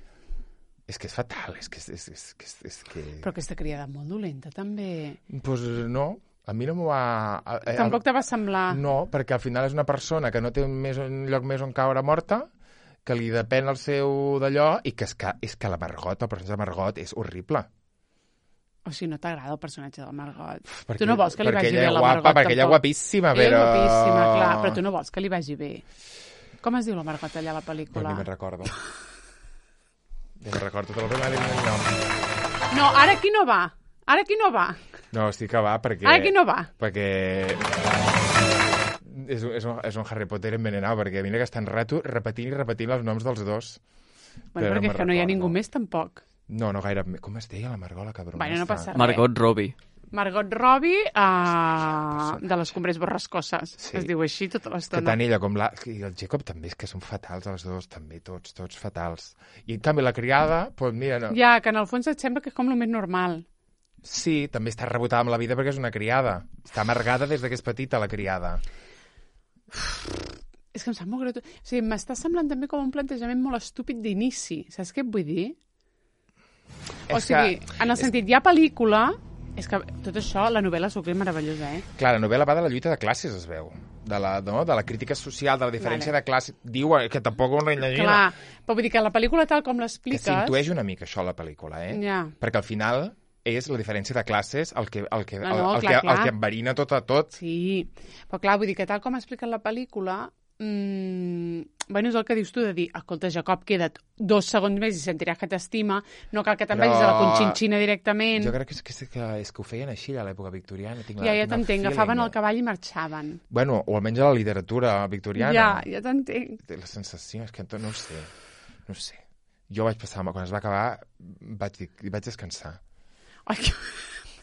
És que és fatal, és que és, és, és, és, és que... Però aquesta criada molt dolenta, també. Pues no, a mi no m'ho va... Eh, Tampoc te va semblar... No, perquè al final és una persona que no té un, més, un lloc més on caure morta, que li depèn el seu d'allò, i que és, que és que la Margot, el personatge de Margot, és horrible. O sigui, no t'agrada el personatge de la Margot. Perquè, tu no vols que li vagi ella bé a és la guapa, Margot, perquè ella és tampoc. guapíssima, Ella però... és guapíssima, clar, però tu no vols que li vagi bé. Com es diu la Margot allà a la Però pel·lícula? ni me'n recordo. Ni me'n recordo, te l'ho dir el nom. No, ara aquí no va. Ara aquí no va. No, estic que va, perquè... Ara aquí no va. Perquè... És, un- és, un, és un Harry Potter envenenat, perquè mira que estan rato repetint i repetint els noms dels dos. Bueno, Però perquè no és que no hi ha me'n ningú recordo. més, tampoc. No, no gaire... Com es deia la Margot, la cabrona? Bueno, no esta? passa res. Margot Robbie. Margot Robbie, uh, de les Cumbres Borrascoses. Sí. Es diu així tota Que l'estona. tant ella com la... I el Jacob també, és que són fatals els dos, també, tots, tots fatals. I en canvi la criada, doncs mira, no. Ja, que en el fons et sembla que és com el més normal. Sí, també està rebotada amb la vida perquè és una criada. Està amargada des de que és petita, la criada. És que em sap molt greu. O sigui, m'està semblant també com un plantejament molt estúpid d'inici. Saps què et vull dir? O És sigui, que- en el és- sentit, hi ha pel·lícula... És que tot això, la novel·la s'ho creu meravellosa, eh? Clar, la novel·la va de la lluita de classes, es veu. De la, no? de la crítica social, de la diferència Vale. de classes. Diu eh, que tampoc ho imagina. Clar, però vull dir que la pel·lícula tal com Que l'expliques... s'intueix una mica això a la pel·lícula, eh? Ja. Perquè al final és la diferència de classes el que, el que, No, el, no, el, clar, que, clar. el que enverina tot a tot. Sí, però clar, vull dir que tal com explica la pel·lícula, mmm, bueno, és el que dius tu de dir, escolta, Jacob, queda't dos segons més i sentiràs que t'estima, no cal que te'n Però- vagis a la Conxinxina directament. Jo crec que és, que, és, que, és que ho feien així a l'època victoriana. Tinc la, Ja, ja tinc el t'entenc, feeling, agafaven eh? el cavall i marxaven. Bueno, o almenys a la literatura victoriana. Ja, ja t'entenc. Té la sensació, és que no ho sé. No ho sé. Jo vaig passar, quan es va acabar, vaig, dir, vaig descansar. Ai, que...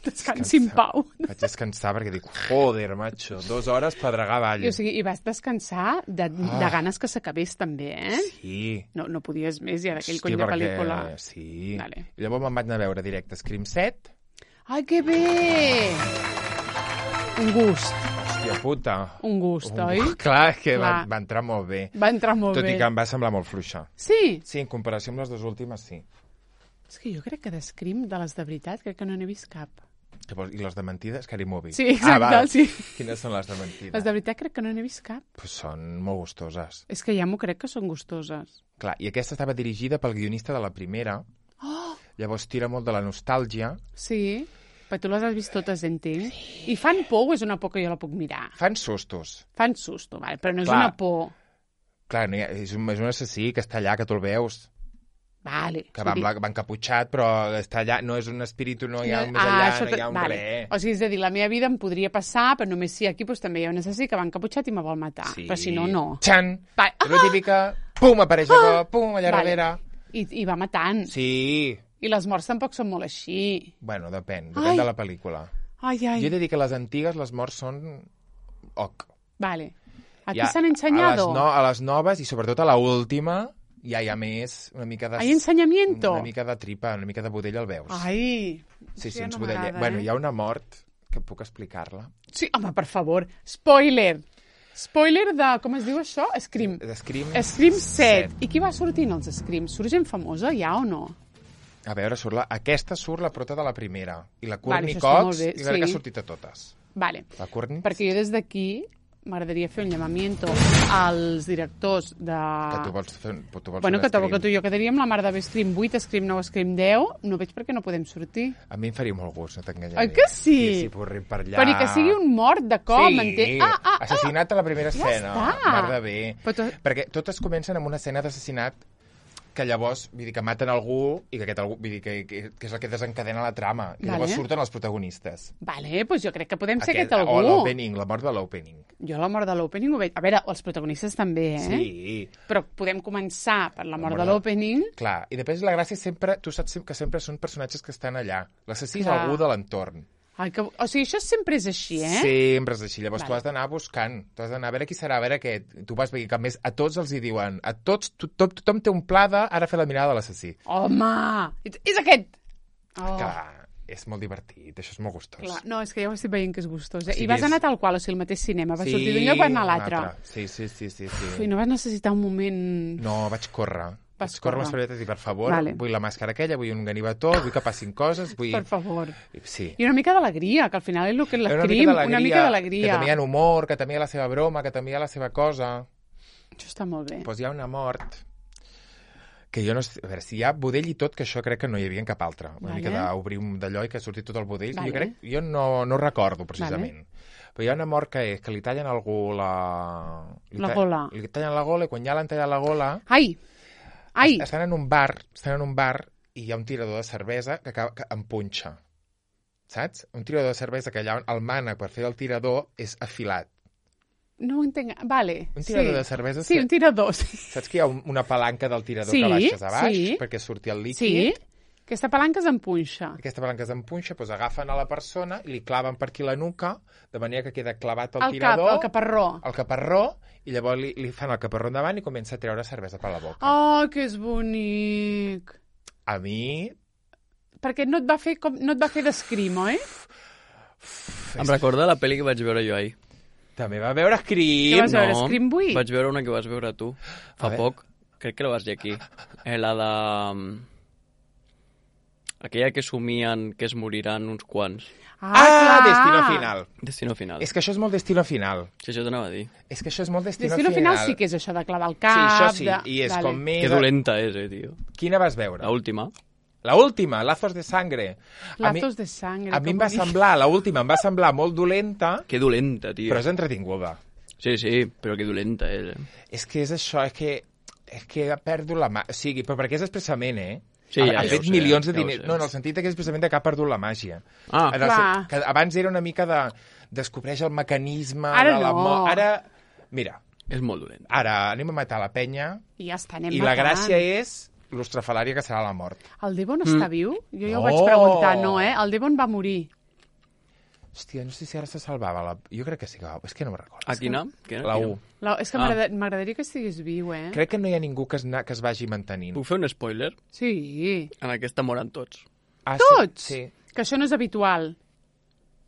descansi en pau. Vaig descansar perquè dic, joder, macho, dues hores pedregar avall. I, o sigui, i vas descansar de, Ah. de ganes que s'acabés també, eh? Sí. No, no podies més ja d'aquell Hosti, cony de perquè- pel·lícula. Sí. Vale. I llavors me'n vaig anar a veure directe Scream set. Ai, que bé! Un gust, Hòstia puta. un gust, Un- oi? Clar, que va, Clar. va entrar molt bé. Va entrar molt Tot bé. i que em va semblar molt fluixa. Sí, Sí, en comparació amb les dues últimes, sí. és que jo crec que de Scream, de les de veritat, crec que no n'he vist cap. Que vols- I les de mentida, Scary Movie. Sí, exacte, ah, val. sí. Quines són les de mentida? Les de veritat crec que no n'he vist cap. Pues són molt gustoses. És que ja m'ho crec que són gustoses. Clar, i aquesta estava dirigida pel guionista de la primera. Oh! Llavors tira molt de la nostàlgia. Sí, però tu les has vist totes, entenc. I fan por o és una por que jo la puc mirar? Fan sustos. Fan susto, vale, però no és Clar. una por. Clar, no hi ha, és, un, és un assassí que està allà, que tu el veus, Vale. que va, amb la, va encaputxat, però està allà, no és un espíritu, no hi ha un més Ah, allà, això no hi ha un vale. res. O sigui, és a dir, la meva vida em podria passar, però només si aquí doncs, també hi ha un assassí que va encaputxat i me vol matar. Sí. Però si no, no. Xan! Va- És la típica, pum, apareix allò, pum, allà Vale. darrere. I, I va matant. Sí. I les morts tampoc són molt així. Bueno, depèn, Ai. depèn de la pel·lícula. Ai, ai. Jo he de dir que les antigues, les morts són... Oc. Vale. Aquí Ja, s'han A ensenyado. les, no, a les noves i sobretot a l'última ja hi ha més, una mica de... Hay ensenyamiento. Una mica de tripa, una mica de budell el veus. Ai. sí, sí, ja uns no budellets. m'agrada, Bueno, eh? hi ha una mort que puc explicar-la. Sí, home, per favor. Spoiler. Spoiler de, com es diu això? Scream. De Scream, Scream set. I qui va sortint als Scream? Surt gent famosa, ja o no? A veure, surt la... aquesta surt la prota de la primera. I la Vale, Courtney això està molt Cox, bé, i crec que sí. ha sortit a totes. Vale. La Courtney, Perquè jo des d'aquí m'agradaria fer un llamamiento als directors de... que tu vols fer... Tu vols Bueno, fer que, un que tu i Scream. jo quedaríem la mar de Scream vuit, Scream nou, Scream deu. No veig per què no podem sortir. A mi em faria molt gust, no t'enganyaré. Oi que sí? Sí, sí, porrim per allà. Però ni que sigui un mort de cop, sí, m'entén? Ah, ah, ah! assassinat a la primera Ja escena. està. Mar de bé. Però tu- Perquè totes comencen amb una escena d'assassinat que llavors, vull dir, que maten algú i que aquest algú, vull dir, que, que, que és el que desencadena la trama. I Vale. llavors surten els protagonistes. Vale, doncs jo crec que podem ser aquest, O algú. l'opening, la mort de l'opening. Jo la mort de l'opening ho veig... A veure, els protagonistes també, eh? Sí. Però podem començar per la mort mort de de- l'opening. Clar, i després la gràcia és sempre, tu saps que sempre són personatges que estan allà. L'assassí és Clar. algú de l'entorn. Ai, que... O sigui, això sempre és així, eh? Sempre és així. Llavors Vale. tu has d'anar buscant. Tu has d'anar a veure qui serà, a veure què. Tu vas veient que a més a tots els hi diuen, a tots, tothom, tothom té un pla de ara fer la mirada de l'assassí. Home! És, és aquest! Oh. Clar, és molt divertit, això és molt gustós. Clar. No, és que ja ho estic veient que és gustós. Eh? Sí, I vas és- anar tal qual, o sigui, el mateix cinema. Vas sortir d'un lloc, vas anar a un l'altre. altre. Sí, sí, sí, sí, sí. Ui, no vas necessitar un moment... No, vaig córrer. Vas vaig córrer amb les córrer. paperetes i, per favor, Vale. vull la màscara aquella, vull un ganivetó, vull que passin coses, vull... Per favor. Sí. I una mica d'alegria, que al final és el que és Una l'escrim. mica Una mica Que d'alegria. també hi ha humor, que també hi ha la seva broma, que també hi ha la seva cosa. Això està molt bé. Doncs hi ha una mort que jo no sé, a veure, si hi ha budell i tot, que això crec que no hi havia en cap altra. Una Vale. mica d'obrir un d'allò i que surti tot el budell. Vale. Jo crec, jo no, no recordo precisament. Però hi ha una mort que és que li tallen a algú la... Li La ta- gola. Li tallen la gola i quan ja l'han tallat la gola... Ai! Ai! es- Estan en un bar, estan en un bar i hi ha un tirador de cervesa que, acaba, que empunxa. Saps? Un tirador de cervesa que allà el mànec per fer el tirador és afilat. No ho entenc. Vale. Un tirador sí. de cervesa... Sí, un tirador, sí. Saps que hi ha un, una palanca del tirador Sí, que baixes a baix sí. perquè surti el Sí? líquid? Aquesta palanca es empunxa. Aquesta palanca s'empunxa, doncs agafen a la persona i li claven per aquí la nuca, de manera que queda clavat el, El cap, tirador, el caparró. el caparró, i llavors li, li fan el caparró endavant i comença a treure cervesa per la boca. Oh, que és bonic. A mi... Perquè no et va fer, com, no et va fer d'escrim, oi? Em recorda la pel·li que vaig veure jo ahir. També va veure Scream. Què vas veure, Scream vuit? Vaig veure una que vas veure tu A fa veure. poc. Crec que la vas dir aquí. Eh, la de... Aquella que somien que es moriran uns quants. Ah, Ah, clar. Destino Final. Destino Final. És que això és molt Destino Final. Sí, això t'anava a dir. És que això és molt Destino, Destino final sí que és això de clavar el Sí, cap. això sí, de... i és vale. com més... Que dolenta és, eh, tio. Quina vas veure? La última. La última, Lazos de Sangre. A mi, Lazos de sangre. a mi que em va bonic. semblar, la última em va semblar molt dolenta, Que dolenta, tio. però és entretinguda. Sí, sí, però que dolenta és, eh. És que és això, és que, és que perdo la mà. O sigui, però perquè és expressament, eh? Sí, ha, ja, ha ja fet ho sé, milions de ja ho diners. sé. No, en el sentit que és expressament que ha perdut la màgia. Ah, En el clar. sen- que abans era una mica de... Descobreix el mecanisme Ara de la no. mort. Ara, mira, és molt dolent. ara anem a matar la penya I ja està, anem i la matant. gràcia és l'ostrafalària que serà la mort. El Devon està viu? Jo ja ho No. vaig preguntar, no, eh? El Devon va morir. Hòstia, no sé si ara se salvava. La... Jo crec que sí que va... És que no me'n recordo. A quina? Quina? La Quina? u. La... És que Ah. m'agrada- m'agradaria que estigués viu, eh? Crec que no hi ha ningú que es, na... que es vagi mantenint. Puc fer un spoiler? Sí. En aquesta moren tots. Ah, Tots? Sí. sí. Que això no és habitual.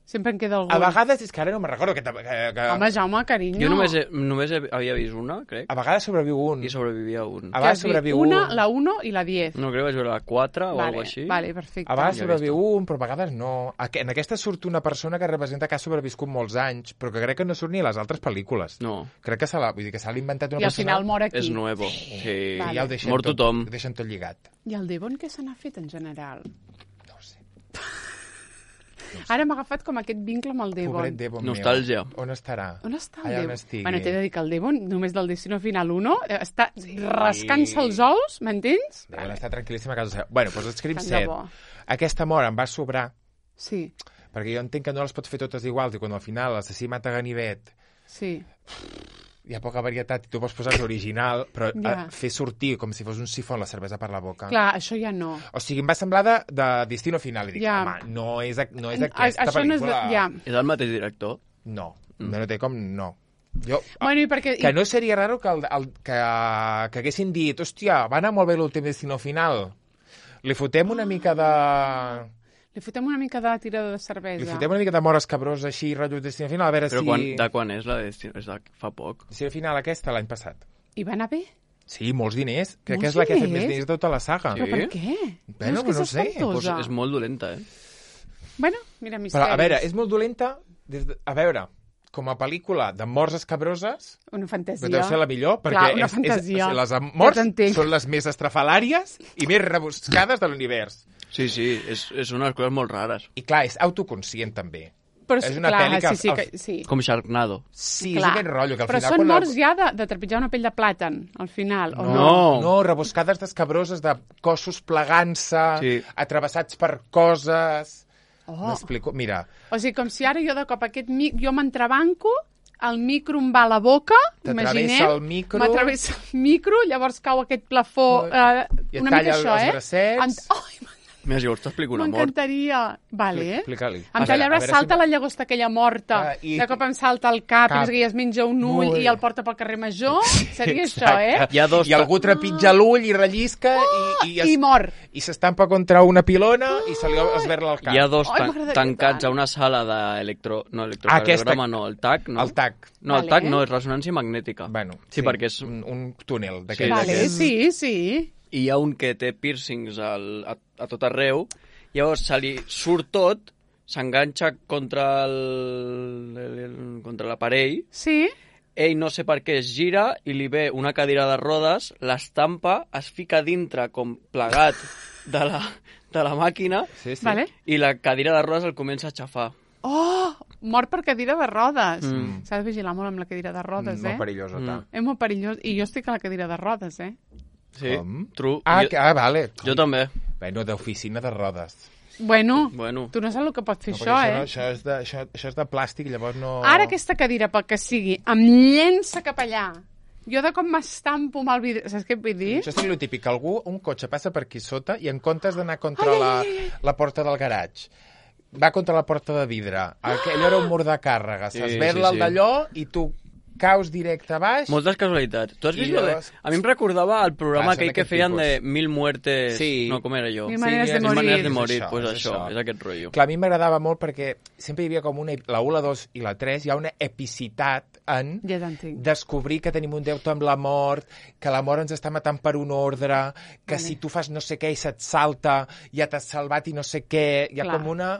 Sempre en queda algun. A vegades, és que ara no me'n recordo que... que, que... Home, Jaume, carinyo. Jo només, he, només he, havia vist una, crec, A vegades sobreviu un. i sobrevivia un. A vegades sobreviu un. Una, la uno i la diez. No, crec que vaig veure la quatre o vale, alguna així. Vale, perfecte. A vegades Ja he sobreviu un, però a vegades no. En aquesta surt una persona que representa que ha sobreviscut molts anys, però que crec que no surt ni a les altres pel·lícules. No, Crec que se l'ha vull dir que s'ha inventat una I al persona... final mor aquí. és nuevo. Sí. Vale. I ja el deixen Mor tot, tothom. Ho deixen tot lligat. I el Devon què se n'ha fet en general? No ho sé. Ara m'ha agafat com aquest vincle amb el Devon. Pobret Devon Nostàlgia. meu. On estarà? On està el Allà on Devon? estigui. Bueno, t'he de dir que el Devon, només del Destino Final uno, eh, està rascant-se els ous, m'entens? Devon està tranquil·líssima a casa seva. Bueno, doncs escrip Tant de set. bo. Aquesta mort em va sobrar, Sí, perquè jo entenc que no les pots fer totes iguals, i quan al final l'assassí mata Ganivet, sí. hi ha poca varietat i tu vols posar l'original, però Ja. eh, fer sortir com si fos un sifó la cervesa per la boca. Clar, això ja no. O sigui, em va semblar de, de Destino Final. I dic, Ja. home, no és, a- no és A- aquesta això no és de- pel·lícula. ja. És el mateix director? No, no té com... No. Jo, Bueno, i perquè... que no seria raro que, el, el, que, que haguessin dit, hòstia, va anar molt bé l'últim Destino Final. Li fotem una mica de... Li fotem una mica de tirada de Li cervesa. fotem una mica de mort escabrós així, rotllo Destino Final, a veure Però si... quan, de quan és la de... És de fa poc. Destino Final aquesta, l'any passat. I va anar bé? Sí, molts diners. Crec Molts que és la que ha fet més diners? diners de tota la saga. Però Sí? per què? Bueno, és que no és sé. Pues espantosa. és molt dolenta, eh? Bueno, mira, misteris. Però, a veure, és molt dolenta... Des de... A veure, com a pel·lícula de morts escabroses, Una fantasia. però deu ser la millor, perquè Clar, una és, fantasia. és, les Ja morts t'entenc. són les més estrafalàries i més rebuscades de l'univers. Sí, sí, és, és unes coses molt rares. I clar, és autoconscient també. Però, és una clar, pel·li que Sí, sí, al- que, sí. Com Sharknado. Sí, Clar. és aquest rotllo que al Però final... són quan morts ja de, de trepitjar una pell de plàtan, al final, o no? No. No, rebuscades d'escabroses, de cossos plegant-se, Sí. atravessats per coses... Oh. M'explico? Mira, O sigui, com si ara jo de cop aquest mic, jo m'entrebanco, el micro em va a la boca, T'atravessa imaginem, el micro. m'atravessa el micro, llavors cau aquest plafó, eh, I et una talla mica això, els eh? bracets. Ent... Ai, Mira, si vols t'explico una mort. m'encantaria. Vale, eh? explica-li. Em A talla veure, el a braç, veure salta si- la llagosta aquella morta, Ah, i- de cop em salta el cap, Cap. i es menja un ull Ull. i el porta pel carrer Major. Seria Exacte. això, eh? Hi ha dos... I algú trepitja l'ull i rellisca i, i, es, I mor. i s'estampa contra una pilona i se li esberla el cap. Hi ha dos Ai, tan m'agradaria tancats tant. a una sala d'electro... No, Aquesta- electrocardiograma, no, el T A C, no? El tac. No, el Vale. T A C no, és ressonància magnètica. Bueno, sí, perquè és... un, un túnel Sí, d'aquests. Vale, d'aquests. sí, sí. I hi ha un que té piercings al, a, a tot arreu, llavors se li surt tot, s'enganxa contra el, el, el contra l'aparell, Sí? ell no sé per què es gira i li ve una cadira de rodes, l'estampa, es fica dintre com plegat de la, de la màquina Sí, sí. Vale. i la cadira de rodes el comença a xafar. Oh, mort per cadira de rodes. Mm. S'ha de vigilar molt amb la cadira de rodes, Mm, eh? molt perillós, Mm. mm. És molt perillós. I jo estic a la cadira de rodes, eh? Sí, Com? true. Ah, jo, que, ah, vale. jo també. Bueno, d'oficina de rodes. Bueno, Bueno. tu no saps el que pot fer No, això, perquè eh? No, això, és de, això, això és de plàstic, llavors no... Ara aquesta cadira, pel que sigui, em llença cap allà. Jo de com m'estampo amb el vidre... Saps què et vull dir? Això és el típic, que algú, un cotxe passa per aquí sota i en comptes d'anar contra Ai, ai, la, ai, ai. la porta del garatge, va contra la porta de vidre. Aquell era un mur de càrrega. Sí, S'esberla sí, el sí. d'allò i tu caus directe a baix. Moltes casualitats. Tu has I vist lo de... llavors- A mi em recordava el programa Passen aquell que aquest feien tipus. de Mil Muertes... Sí. No, com era jo? Mil maneres de és- Mil morir. maneres de és morir, això, pues és això, això. és aquest rotllo. Clar, a mi m'agradava molt perquè sempre hi havia com una... La u, la dos i la tres, hi ha una epicitat en Ja t'entenc. descobrir que tenim un deute amb la mort, que la mort ens està matant per un ordre, que Vale. si tu fas no sé què i se't salta, ja t'has salvat i no sé què... Hi ha Clar. com una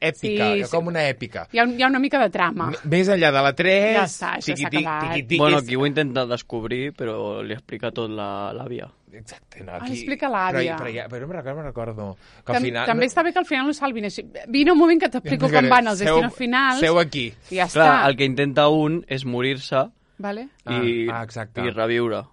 èpica, Sí, hi ha sí. com una èpica. Hi ha, un, hi ha una mica de trama. M- Més enllà de la tres... Ja està, això s'ha tiqui-tic, acabat. tiqui-tic, Bueno, és- aquí ho intenta descobrir, però li explica tot la- l'àvia. Exacte, no, Ah, aquí... explica l'àvia. Però, però, ja, però no me'n recordo, me'n recordo. Que al Tam final... També està bé que al final ho salvin així. Vine un moment que t'explico com van els Seu- destinos finals. Seu aquí. I ja Clar, està. el que intenta un és morir-se Vale? i, Ah, ah, exacte. i reviure.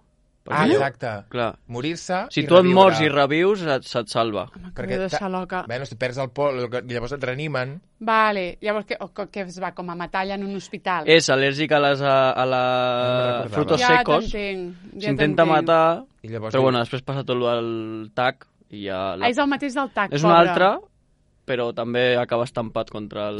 Ah, Perquè- exacte. Clar. Morir-se Si i tu et reviure. mors i revius, et, se't salva. M'acabo Perquè de ta- deixar loca. Bueno, si perds el pol, i llavors et reanimen. Vale, llavors què, o, què es va, com a matar allà en un hospital? És al·lèrgic a les a, a No la me'n recordava. frutos ja secos, t'entenc, ja s'intenta t'entenc. matar, I llavors però bueno, després passa tot el tac i ja... Ah, és el mateix del tac, és pobre. un altre, però també acaba estampat contra el...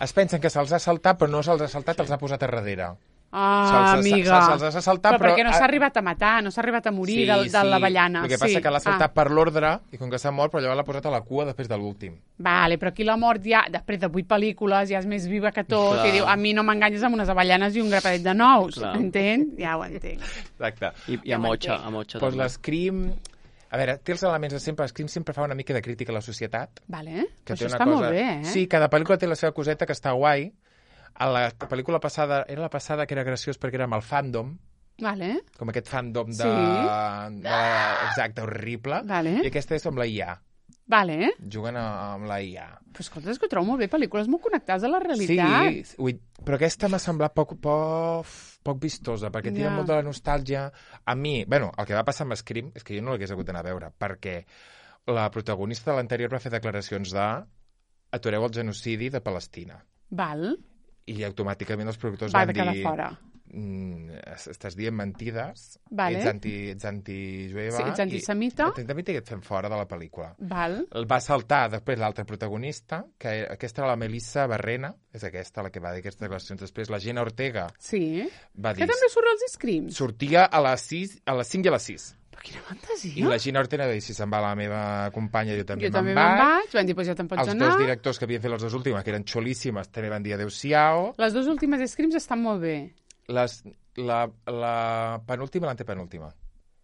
es pensen que se'ls ha saltat, però no se'ls ha saltat, els ha posat a darrere. Ah, Se'ls ha- amiga. se- se'ls ha saltat, però... però- perquè no s'ha arribat a matar, no s'ha arribat a morir de, de l'avellana. El que passa sí. que l'ha saltat ah. per l'ordre, i com que s'ha mort, però llavors l'ha posat a la cua després de l'últim. Vale, però aquí la mort ja, després de vuit pel·lícules, ja és més viva que tot, Clar. i diu, a mi no m'enganyes amb unes avellanes i un grapadet de nous, Clar. entens? Ja ho entenc. Exacte. I, i Ja a ho Motxa, entenc. a Motxa Doncs també. l'Scream... A veure, té els elements de sempre. L'Scream sempre fa una mica de crítica a la societat. Vale, Que això té una està cosa... molt bé, eh? Sí, cada pel·lícula té la seva coseta que està guai. A la pel·lícula passada, era la passada que era graciós perquè era amb el fandom, Vale, com aquest fandom de... Sí. de... Exacte, horrible. Vale. I aquesta és amb la I A. vale. Juguen a- amb la I A. Però escolta, és que ho trobo molt bé, pel·lícules molt connectades a la realitat. Sí, ui, però aquesta m'ha semblat poc, poc, poc vistosa, perquè tira Ja. molt de la nostàlgia. A mi, bueno, el que va passar amb Scream és que jo no l'hagués hagut d'anar a veure, perquè la protagonista de l'anterior va fer declaracions de atureu el genocidi de Palestina. Val, I automàticament els productors va van de quedar dir... fora. Mm, es- estàs dient mentides, Vale. ets, anti, ets antijueva... Sí, ets antisemita. I, ets antisemita i et fem fora de la pel·lícula. Val, El va saltar després l'altre protagonista, que era- aquesta era la Melissa Barrena, és aquesta la que va dir aquestes declaracions. Després la Gina Ortega sí. va dir... Que també surt als Screams. Sortia a les, sis, a les cinc i a les sis. Però quina fantasia. I la Gina Ortega va dir, si se'n va la meva companya, jo també jo també me'n me'n vaig. vaig, van dir, doncs ja te'n pots Els anar. dos directors que havien fet les dues últimes, que eren xolíssimes, també van dir adeu-siau. Les dues últimes Screams estan molt bé. Les, la, la penúltima i l'antepenúltima.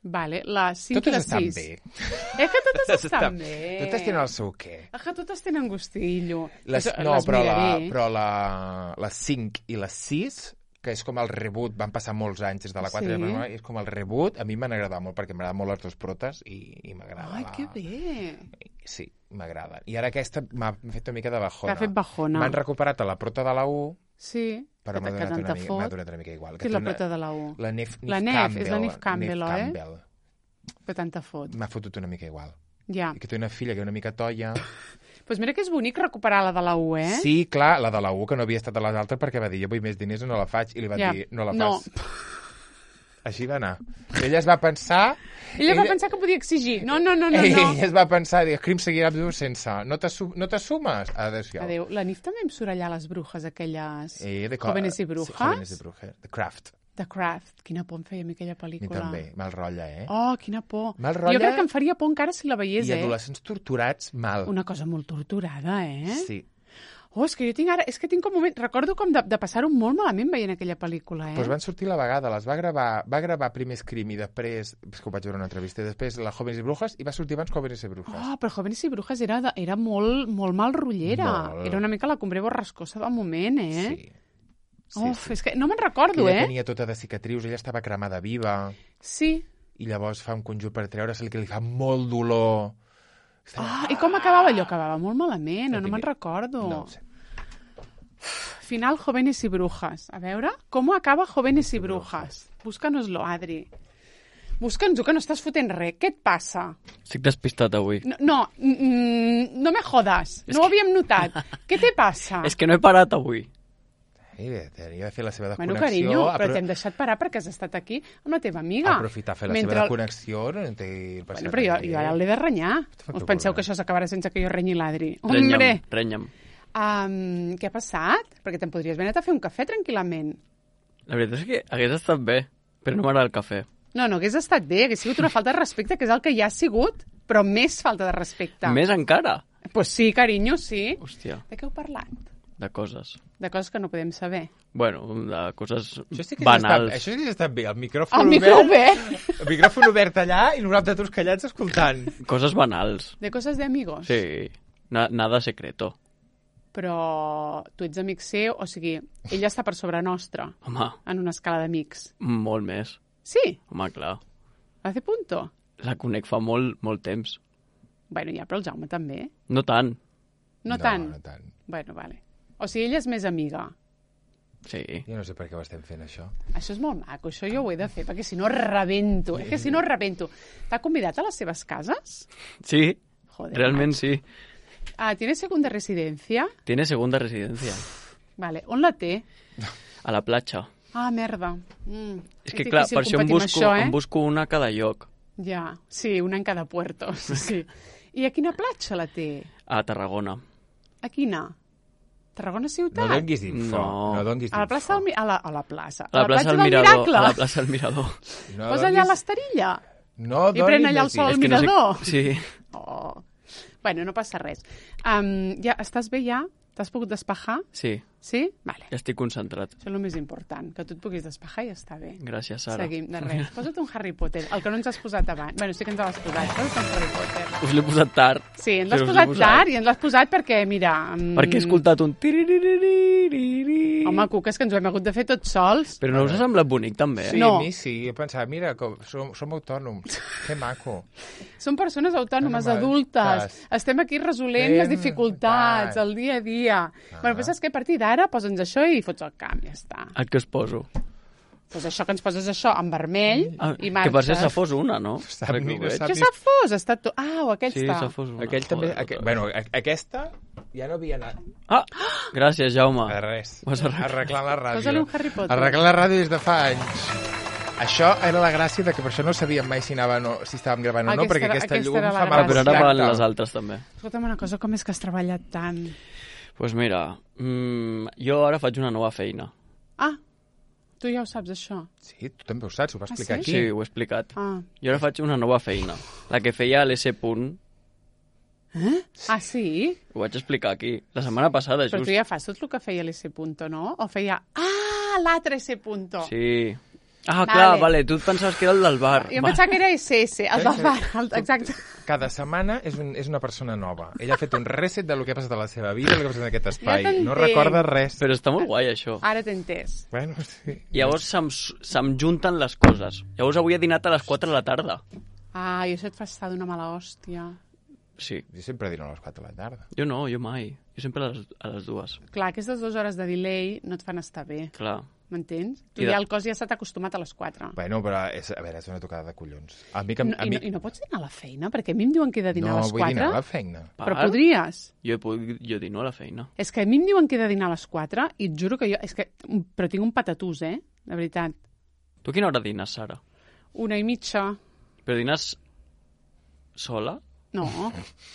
Vale, les cinc Totes i les estan sis. bé. És que totes estan bé. Totes tenen el seu què. És que totes tenen gustillo. Les, Això- no, les però, la, miraré. però la, les cinc i les sis, que és com el reboot, van passar molts anys des de la quatre, Sí. sí. és com el reboot, a mi m'han agradat molt, perquè m'agraden molt les dues protes i, i m'agrada. Ai, la... que bé. Sí, m'agraden. I ara aquesta m'ha fet una mica de bajona. T'ha fet bajona. M'han recuperat a la prota de la U, Sí. però m'ha que donat, tant una te mica, fot. m'ha donat una mica igual. Qui és la prota de la U? La Nef, La Nif Nef, Campbell. és la Nif Campbell, Nif oi? Campbell. Que tant te fot. M'ha fotut una mica igual. Ja. I que té una filla que és una mica toia. Doncs pues mira que és bonic recuperar la de la U, eh? Sí, clar, la de la U, que no havia estat a les altres perquè va dir, jo vull més diners o no la faig. I li van Ja. dir, no la No. fas. Així va anar. Ella es va pensar... Ella va pensar que podia exigir. No, no, no, no. no. Ella es va pensar, dir, Scream seguirà viu sense. No t'assu- no t'assumes? Adéu-siau. Adéu. La Nif també em surt allà les brujes, aquelles... Eh, de co- Jóvenes i Sí, brujas. Jóvenes i brujas. The Craft. The Craft. Quina por em feia a mi aquella A mi pel·lícula. també. Mal rotlla, eh? Oh, quina por. Mal rotlla. Jo crec que em faria por encara si la veiés, I eh? adolescents torturats, mal. Una cosa molt torturada, eh? Sí. Oh, és que jo tinc ara... És que tinc com un moment... Recordo com de, de passar-ho molt malament veient aquella pel·lícula, eh? Pues van sortir la vegada, les va gravar, va gravar primer Scream i després, és que ho vaig veure en una entrevista, i després la Jóvenes i Brujas, i va sortir abans Jóvenes i Brujas. Oh, però Jóvenes i Brujas era, de, era molt, molt mal rotllera. Molt. Era una mica la Cumbre borrascosa del moment, eh? Sí. Sí, Uf, sí. és que no me'n Que recordo, ella eh? tenia tota de cicatrius, ella estava cremada viva, Sí. i llavors fa un conjur per treure-se-li que li fa molt dolor. Ah, i com acabava allò? Acabava molt malament, No no, no me'n tinc- recordo. No ho sé. Final Jóvenes y Brujas. A veure, com acaba Jóvenes y Brujas? Búscanos-lo, Adri. Búscanos-ho, que no estàs fotent res. Què et passa? Estic despistat avui. No, no, mm, no me jodas. És No ho que- havíem notat. Què te passa? És que no he parat avui. I bé, tenia de fer la seva Bueno, desconnexió. carinyo, però apro- t'hem deixat parar perquè has estat aquí amb la teva amiga. Aprofitar a fer la Mentre seva el- desconnexió, no té passat Bueno, però jo, res. jo ara l'he de renyar. Fa Us tu penseu problema. que això s'acabarà sense que jo renyi l'Adri? Renya'm, Hombre! renya'm. Um, què ha passat? Perquè te'n podries haver anat a fer un cafè tranquil·lament. La veritat és que hagués estat bé, però no m'agrada el cafè. No, no hagués estat bé, hagués sigut una falta de respecte, que és el que ja ha sigut, però més falta de respecte. Més encara. Pues sí, carinyo, sí. Hòstia, De què heu parlat? de coses. De coses que no podem saber. Bueno, de coses Això sí que hagués estat, banals. això sí que hagués estat bé, el micròfon El micro obert, obert. el micròfon obert allà i nosaltres tots callats escoltant. Coses banals. De coses de amigos. Sí, Na, nada secreto. Però tu ets amic seu, o sigui, ella està per sobre nostra, Home, en una escala d'amics. molt més. Sí, Home, clar. hace punto. La conec fa molt, molt temps. Bueno, ja, però el Jaume també. No tant. No, tant. No tant. Bueno, vale. O sigui, ella és més amiga. Sí. Jo no sé per què ho estem fent, això. Això és molt maco, això jo ho he de fer, perquè si no rebento. És que si no rebento. T'ha convidat a les seves cases? Sí, Joder. realment sí. Ah, ¿tienes segunda residencia? Tiene segunda residencia. Vale, on la té? A la platja. Ah, merda. Mm, És que, clar, per això em competir amb busco, això, eh? em busco una a cada lloc. Ja, sí, una en cada puerto. Sí. I a quina platja la té? A Tarragona. A quina? Tarragona ciutat? No donguis info. No. No donguis A la info. plaça del... Mi- A la, a la plaça. A la plaça platja del Mirador. Miracle. A la plaça del Mirador. No Posa allà donguis- l'esterilla. No I pren donis allà el més sol al info. És que no mirador. sé... Sí. Oh. Bueno, no passa res. Um, ja estàs bé ja? T'has pogut despejar? Sí, Sí? Vale. ja estic concentrat. Això és el més important, que tu et puguis despejar i ja està bé. Gràcies, Sara. Seguim, de res. Posa't un Harry Potter, el que no ens has posat abans. Bueno, sí que ens l'has posat, posa't un Harry Potter. Us l'he posat tard. Sí, ens l'has Però us posat l'he tard i ens l'has posat perquè, mira... Mm, Perquè he escoltat un... tiririririri. Home, Cuca, és que ens ho hem hagut de fer tots sols. Però no us ha semblat bonic, també? Sí, No. a mi sí. Jo pensava, mira, com, som, som autònoms. Que maco. Som persones autònomes, Home, adultes. saps? Estem aquí resolent Fem, les dificultats, tal. el dia a dia. Ah. Bueno, però saps què? A partir d'ara posa'ns això i fots el camp, ja està. El que us poso. Pues això que ens poses això en vermell Ah, i que marxes. per ser Safos una, no? Sap, Ara que ho mira, veig. sap. Que Safos està tot... Ah, o aquell Sí, està. Safos una. Aquell també... Joder, Aqu... tota. Bueno, a- aquesta ja no havia anat Ah, gràcies, Jaume. a res. Ho has arreglat. Arreglant la ràdio. Posa-li un Harry Potter. Arreglant la ràdio des de fa anys. Això era la gràcia de que per això no sabíem mai si, anava, no, si estàvem gravant o no, Aquesta perquè era- aquesta, aquesta llum era la fa gràcia. mal Però ara van contacte. les altres, també. Escolta'm una cosa, com és que has treballat tant? Doncs pues mira, mmm, jo ara faig una nova feina. Ah, tu ja ho saps, això. Sí, tu també ho saps, ho va explicar sí? aquí. Sí, ho he explicat. Ah, Jo ara faig una nova feina. La que feia a l'S. Punt. ah sí? Ho vaig explicar aquí. La setmana passada, Però just. tu ja fas tot el que feia l'S. Punto, no? O feia... Ah, l'altre S. Punto. Sí. Ah, Vale. clar, vale, tu et pensaves que era el del bar. Jo em Va. pensava que era S S, el del bar. El, exacte. Cada setmana és, un, és una persona nova. Ella ha fet un reset de lo que ha passat a la seva vida, el que ha passat en aquest espai. t'entenc. No recorda res. Però està molt guai, això. Ara t'he entès. Bueno, sí. Llavors se'm, se'm junten les coses. Llavors avui he dinat a les quatre de la tarda. Ah, i això et fa estar d'una mala hòstia. Sí. Jo sempre dino a les quatre de la tarda. Jo no, jo mai. Jo sempre a les, a les dues. Clar, aquestes dues hores de delay no et fan estar bé, Clar. m'entens? Tu I de- ja el cos ja s'ha acostumat a les quatre. Bueno, però, és, a veure, és una tocada de collons. A mi que... No, a i, mi... no, I no pots dinar a la feina? Perquè a mi em diuen que he de dinar no a les vull dinar quatre. a la feina. Però Per? podries. Jo, puc, jo dino a la feina. És que a mi em diuen que he de dinar a les quatre i et juro que jo... És que, però tinc un patatús, eh? De veritat. Tu a quina hora dines, Sara? Una i mitja. Però dines sola? No,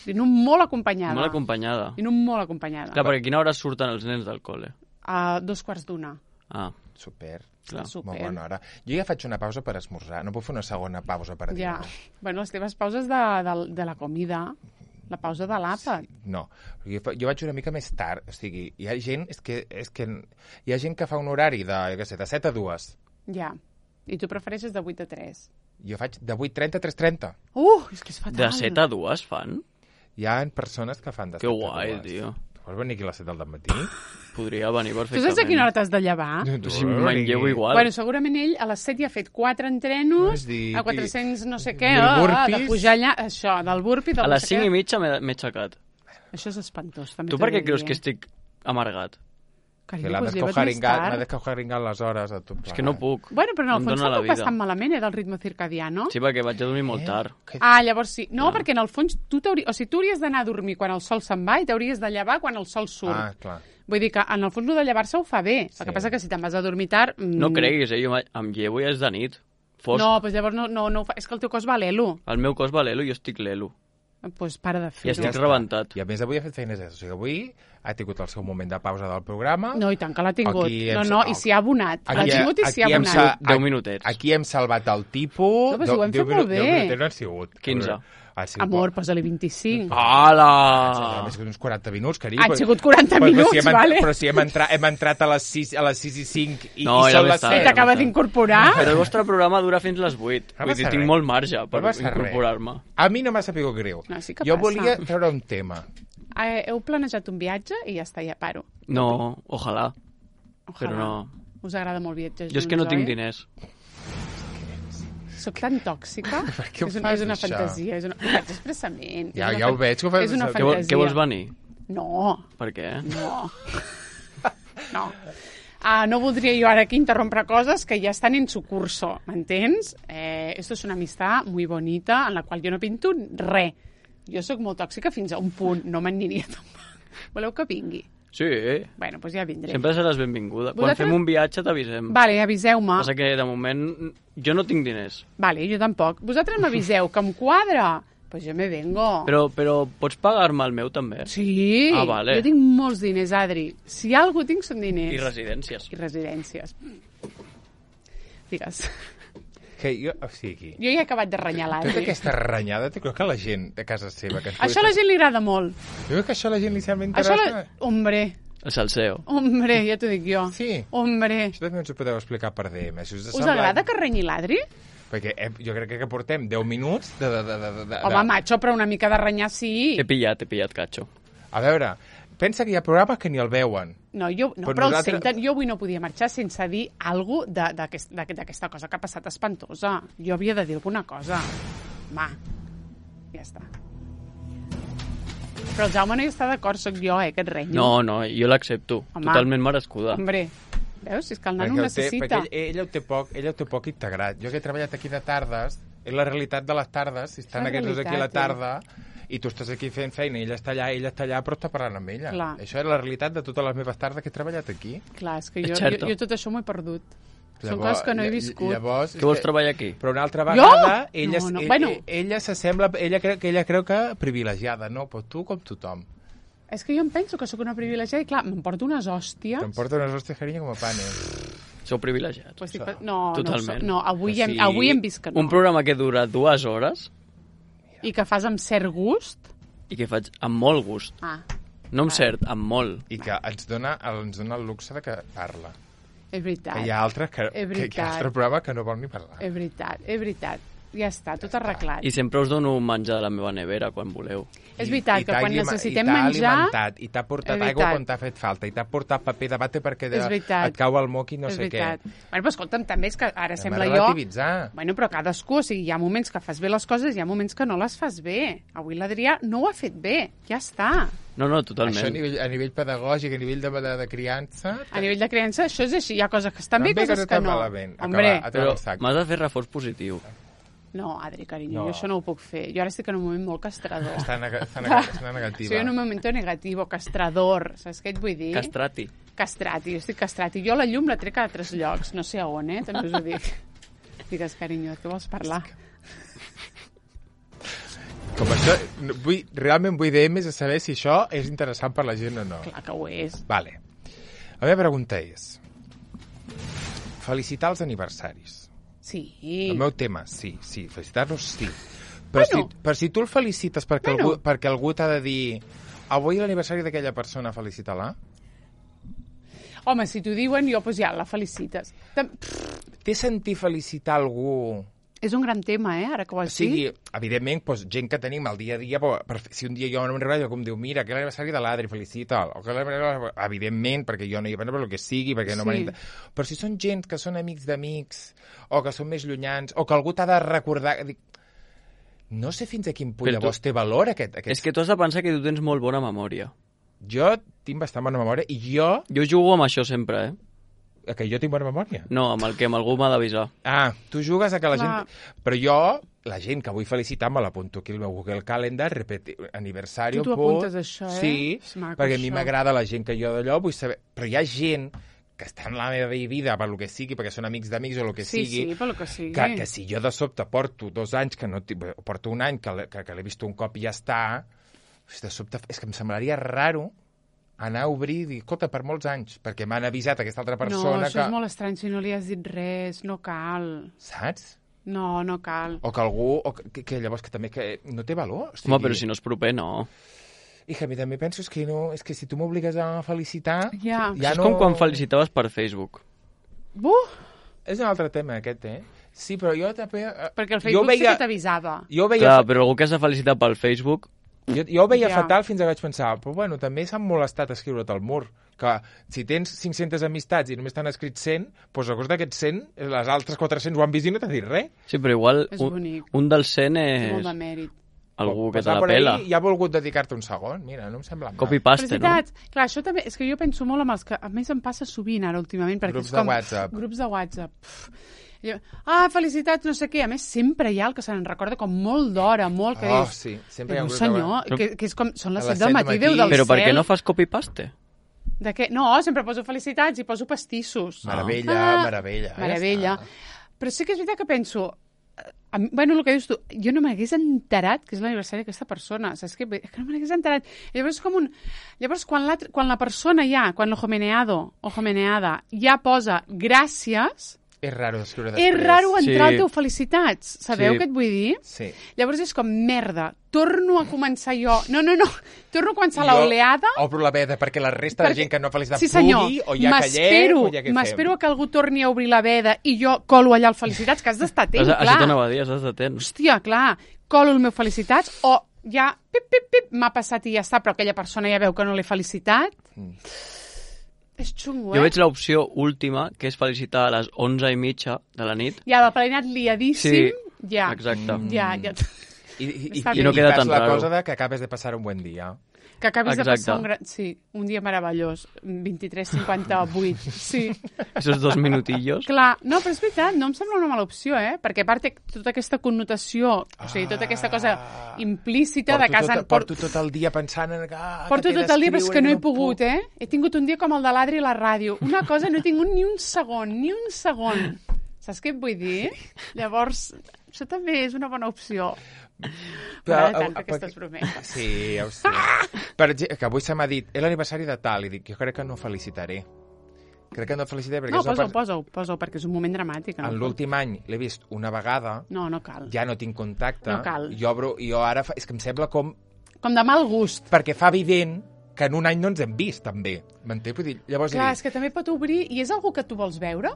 dino molt acompanyada. Molt acompanyada. Dino molt acompanyada. Clar, perquè a quina hora surten els nens del col·le? A dos quarts d'una. Ah, Super. clar. Super. Molt bona hora. Jo ja faig una pausa per esmorzar. No puc fer una segona pausa per Ja. dinar. Bueno, les teves pauses de, de, de la comida, la pausa de l'àpat. No, jo, fa- jo vaig una mica més tard. O sigui, hi ha gent... És que, és que hi ha gent que fa un horari de, jo què sé, de set a dues. Ja. I tu prefereixes de vuit a tres. Jo faig de vuit trenta a tres trenta. Uh, és que és fatal. De set a dues fan? Hi ha persones que fan de Que set guai, a dues. tio. Tu vols venir aquí a les set del matí? Podria venir Tu perfectament. saps a quina hora t'has de llevar? Tu Si vols manlleu venir? igual. Bueno, segurament ell a les set ja ha fet quatre entrenos, És dir, a quatre-cents no sé què, mil ah, ah, de burpees. pujar allà, això, del burpee, del A no les sé cinc què. i mitja m'he m'he aixecat. Això és espantós, també Tu t'ho per què he de creus dir, que eh? estic amargat? Que Carinyo, l'ha doncs lleva't més descojaringat, m'ha tard. descojaringat les hores a tot És que no puc. Bueno, però en No el em fons dóna la tampoc vas vida. tan malament, eh, del ritme circadiano. Sí, perquè vaig a dormir molt Eh? tard. Que... Ah, llavors sí. No, perquè en el fons tu t'hauries... O sigui, tu hauries d'anar a dormir quan el sol se'n va i t'hauries de llevar quan el sol surt. Ah, clar. Vull dir que en el fons el de llevar-se ho fa bé. Sí. El que passa que si te'n vas a dormir tard... mm, No creguis, eh? Jo ma- em llevo i és de nit. Fosc. No, doncs llavors no, no, no ho fa. És que el teu cos va a l'elo. El meu cos va l'elo i jo estic l'elo. Doncs pues para de I fer-ho. estic està. rebentat. I a més avui ha fet feines extra. O sigui, avui ha tingut el seu moment de pausa del programa. No, i tant que l'ha tingut. Aquí hem- No, no, i s'hi ha abonat. L'ha Aquí- tingut i s'hi ha aquí hem abonat. sa- Deu minutets. Aquí hem salvat el tipus. No, però si ho hem Deu fet molt minu- deu bé. minutets no han sigut. quinze. Ha sigut Amor, posa-li vint-i-cinc. Hola! Ha sigut uns quaranta minuts, carinyo. Han Però- sigut quaranta però- però minuts, si hem, vale? Però si hem, entrat, hem entrat a les sis, a les sis i cinc i, No, i ja són ho les està. I set. t'acaba d'incorporar? Però el vostre programa dura fins les vuit. No Vull dir, passa tinc res. molt marge per No passa res. incorporar-me. A mi no m'ha sabut greu. No, sí que jo passa. volia treure un tema. Eh, heu planejat un viatge i ja està, ja paro. No, ojalà. Ojalà. Però no. Us agrada molt viatjar junts, Jo és que no tinc oi? diners. Soc tan tòxica. Per què ho és, una, fas, és una això? fantasia. És una... Ho faig expressament. Ja- és una ja ho veig que ho fas És una expressament. Què, vol, fantasia. què vols venir? No, Per què? no. No. Ah, no voldria jo ara aquí interrompre coses que ja estan en su curso, m'entens? Eh, esto es una amistad muy bonita en la qual jo no pinto res. Jo sóc molt tòxica fins a un punt, no m'aniria tampoc. Voleu que vingui? Sí, Bueno, doncs ja vindré. sempre seràs benvinguda. Quan Vosaltres- fem un viatge t'avisem. Vale, aviseu-me. Passa que de moment jo no tinc diners. Vale, jo tampoc. Vosaltres m'aviseu que em quadra Pues jo me vengo. Però, però pots pagar-me el meu, també? Sí, Ah, vale. jo tinc molts diners, Adri. Si algú tinc són diners. I residències. I residències. Digues. Que jo, o sigui, Jo ja he acabat de renyar tota l'Adri. aquesta renyada, tu crec que la gent de casa seva... Que ens Això a la gent li agrada molt. Jo crec que això a la gent li sembla Això interessant. la... Hombre, El salseo. hombre, ja t'ho dic jo. Sí. Hombre. Això també ens ho podeu explicar per D M. Si us, Us agrada que renyi l'Adri? Perquè eh, jo crec que portem deu minuts de... de, de, de, de Home, macho, però una mica de renyar sí. T'he pillat, he pillat, catxo. A veure, pensa que hi ha programes que ni el veuen. No, jo, no Però però nosaltres- el senten. Jo avui no podia marxar sense dir alguna cosa d'aquest, d'aquesta cosa que ha passat espantosa. Jo havia de dir alguna cosa. Va, ja està. Però el Jaume no hi està d'acord, sóc jo, eh, que et renyo. No, no, jo l'accepto. Home. Totalment merescuda. Hombre, veus? Si és que el nano Perquè, ho el té, necessita. perquè ell, ell, ho té poc, ell ho té poc integrat. Jo que he treballat aquí de tardes, és la realitat de les tardes, si estan És la aquests dos aquí a la realitat, tarda, i tu estàs aquí fent feina, i ella està allà, ella està allà, però està parlant amb ella. Clar. Això és la realitat de totes les meves tardes que he treballat aquí. Clar, és que jo, És jo, certo. jo tot això m'ho he perdut. Són Llavors- coses que no he ll- viscut. Llavors, Què vols treballar aquí? Però una altra Jo? vegada, ella, No, no, ell- bueno. ella s'assembla, ella, creu, que ella creu que privilegiada, no? Però tu com tothom. És que jo em penso que sóc una privilegiada i, clar, m'emporto unes hòsties. T'emporta unes hòsties, carinyo, com a panes. Sou privilegiats. Pues estic... No, Totalment. no, no, avui, O hem, sigui, avui hem vist que no. Un programa que dura dues hores I que fas amb cert gust. i que faig amb molt gust. Ah, No amb cert, amb molt. I que ens dona, ens dona el luxe de que parla. és veritat. Que hi ha altres que, És que, que hi veritat. ha altres programes que no vol ni parlar. És veritat, és veritat. Ja està, tot arreglat. I sempre us dono menjar de la meva nevera quan voleu. És veritat I que t'ha quan alima- necessitem i t'ha menjar... alimentat, I t'ha portat És aigua veritat. quan t'ha fet falta, i t'ha portat paper de bate perquè de, És veritat. et cau el moc i no és sé veritat. què. Bueno, però escolta'm, també és que ara Hem sembla de jo... relativitzar. Bueno, però cadascú, o sigui, hi ha moments que fas bé les coses i hi ha moments que no les fas bé. Avui l'Adrià no ho ha fet bé, ja està. No, no, Això a totalment. nivell, a nivell pedagògic, a nivell de, de, de criança... A nivell de creença, això és així. Hi ha coses que estan bé i També coses que estan no. malament. Hombre, Acabar, Però el sac. m'has de fer reforç positiu. no, Adri, carinyo, No. jo això no ho puc fer. Jo ara estic en un moment molt castrador. Està, neg està, neg està negativa. Soy en un momento negativo, castrador, saps què et vull dir? Castrati. Castrati, jo estic castrati. Jo la llum la trec a altres llocs, no sé a on, eh? També us ho dic. Digues, carinyo, què vols parlar? Com això, no- vull, realment vull D Ms a saber si això és interessant per la gent o no. Clar que ho és. Vale. La meva pregunta és... Felicitar els aniversaris. Sí. El meu tema, sí, sí, felicitar-los, sí. Però, Bueno. si, però si tu el felicites perquè, Bueno. algú, perquè algú t'ha de dir avui l'aniversari d'aquella persona, felicita-la, Home, si t'ho diuen, jo, doncs ja, la felicites. Tam- té sentit felicitar algú... És un gran tema, eh, ara que ho O has sigui, dit. evidentment, doncs, gent que tenim al dia a dia, però, per, si un dia jo no me'n recordo, com diu, mira, que és l'aniversari de l'Adri, felicita'l. O que l'aniversari- evidentment, perquè jo no hi vaig, per el que sigui, perquè no Sí. m'han... Però si són gent que són amics d'amics, o que són més llunyans, o que algú t'ha de recordar... Dic, no sé fins a quin punt Però tu- llavors té valor aquest... aquest... És que tu has de pensar que tu tens molt bona memòria. Jo tinc bastant bona memòria, i jo... Jo jugo amb això sempre, eh? Que jo tinc bona memòria? No, amb el que amb algú m'ha d'avisar. Ah, tu jugues a que la Clar. gent... Però jo, la gent que vull felicitar, me l'apunto aquí al meu Google Calendar, repeti... aniversari... Tu t'ho punt. apuntes, això, eh? Sí, És maco, perquè a mi això. m'agrada la gent que jo d'allò vull saber... Però hi ha gent que està en la meva vida per lo que sigui, perquè són amics d'amics o el que Sí, sigui, sí, per lo que sigui. que, que si jo de sobte porto dos anys, que no tinc- porto un any, que, l'he- que, que l'he vist un cop i ja està, de sobte és que em semblaria raro anar a obrir i dir, escolta, per molts anys, perquè m'han avisat aquesta altra No, persona això que... és molt estrany, si no li has dit res, no cal. Saps? No, no cal. O que algú... O que, que llavors que també que no té valor. O sigui, Home, però si no és proper, no. I que a mi també penso és que, no, és que si tu m'obligues a felicitar... Ja. ja és no... com quan felicitaves per Facebook. Buf, És un altre tema, aquest, eh? Sí, però jo també... eh, perquè el jo Facebook veia, sí que t'avisava. jo veia, Clar, però algú que has de felicitar pel Facebook... jo, jo ho veia Ja. fatal fins que vaig pensar, però bueno, també s'han molestat a escriure't al mur, que si tens cinc-centes amistats i només t'han escrit cent, doncs a cos d'aquests cent, les altres quatre-cents ho han vist i no t'ha dit res. Sí, però igual És un, bonic. un dels cent Té és molt de mèrit. algú que Pues te va la por ahí pela. i ha volgut dedicar-te un segon, mira, no em sembla mal. Copy-paste, no? Felicitats. Clar, això també... És que jo penso molt amb els que... A més, em passa sovint ara, últimament, perquè Grups és com... de WhatsApp. Grups de WhatsApp. Pff. Jo, ah, felicitats, no sé què. A més, sempre hi ha el que se'n recorda com molt d'hora, molt, que Oh, dius... sí, sempre hi ha Però, un grup de senyor, WhatsApp. que, que és com... Són les A les set del set matí, del Déu matí. del Però per què cel. no fas copy-paste? De què? No, sempre poso felicitats i poso pastissos. Meravella, Ah, meravella. Meravella. Ja està. Però sí que és veritat que penso... eh, A mi, bueno, el que dius tu, jo no m'hagués enterat que és l'aniversari d'aquesta persona, saps què? És que no m'hagués enterat. Llavors, és com un... Llavors, quan la, quan la persona ja, quan l'homeneado o homeneada ja posa gràcies... És raro escriure després. És raro entrar Sí. al teu felicitats. Sabeu Sí. què et vull dir? Sí. Llavors és com, merda, torno a començar jo. No, no, no, torno a començar l'oleada. Jo obro la veda perquè la resta Perquè- de gent que no ha felicitat Sí, senyor. pugui, o ja M'espero- callem, o ja què fem. M'espero que algú torni a obrir la veda i jo colo allà el felicitats, que has d'estar atent, Això clar. t'anava a dir, has d'estar atent. Hòstia, clar, colo el meu felicitats o ja, pip, pip, pip, m'ha passat i ja està, però aquella persona ja veu que no l'he felicitat. Mm. És xungo, Jo eh? veig l'opció última, que és felicitar a les onze i mitja de la nit. Ja, del planat liadíssim, Sí, ja. Exacte. Ja, ja. I, i, i, Està i, bé. no queda fas tan la raro. cosa de que acabes de passar un buen dia. Que acabis de Exacte. passar un gran... Sí, un dia meravellós. vint-i-tres cinquanta-vuit. Sí. Esos dos minutillos. Clar, no, però és veritat, no em sembla una mala opció, eh? Perquè a part té tota aquesta connotació, o sigui, tota aquesta cosa implícita de Porto casa... tot, porto tot el dia pensant en... Ah, Porto que t'he tot el dia, però és que no he d'escriure, pogut, eh? He tingut un dia com el de l'Adri i la ràdio. Una cosa, no he tingut ni un segon, ni un segon. Saps què et vull dir? Llavors, això també és una bona opció. M'agrada tant fer aquestes brometes. Sí, ja ho sé. Per exemple, que avui se m'ha dit, és l'aniversari de tal, i dic, jo crec que no felicitaré. Crec que no felicitaré perquè No, és una posa-ho, per- posa-ho, posa-ho, perquè és un moment dramàtic. en l'últim any l'he vist una vegada, No, no cal. ja no tinc contacte, No cal. jo, obro, jo ara, fa, és que em sembla com... Com de mal gust. Perquè fa evident que en un any no ens hem vist, també. M'entén? Vull dir, llavors Clar, he és dit, que també pot obrir... I és algú que tu vols veure?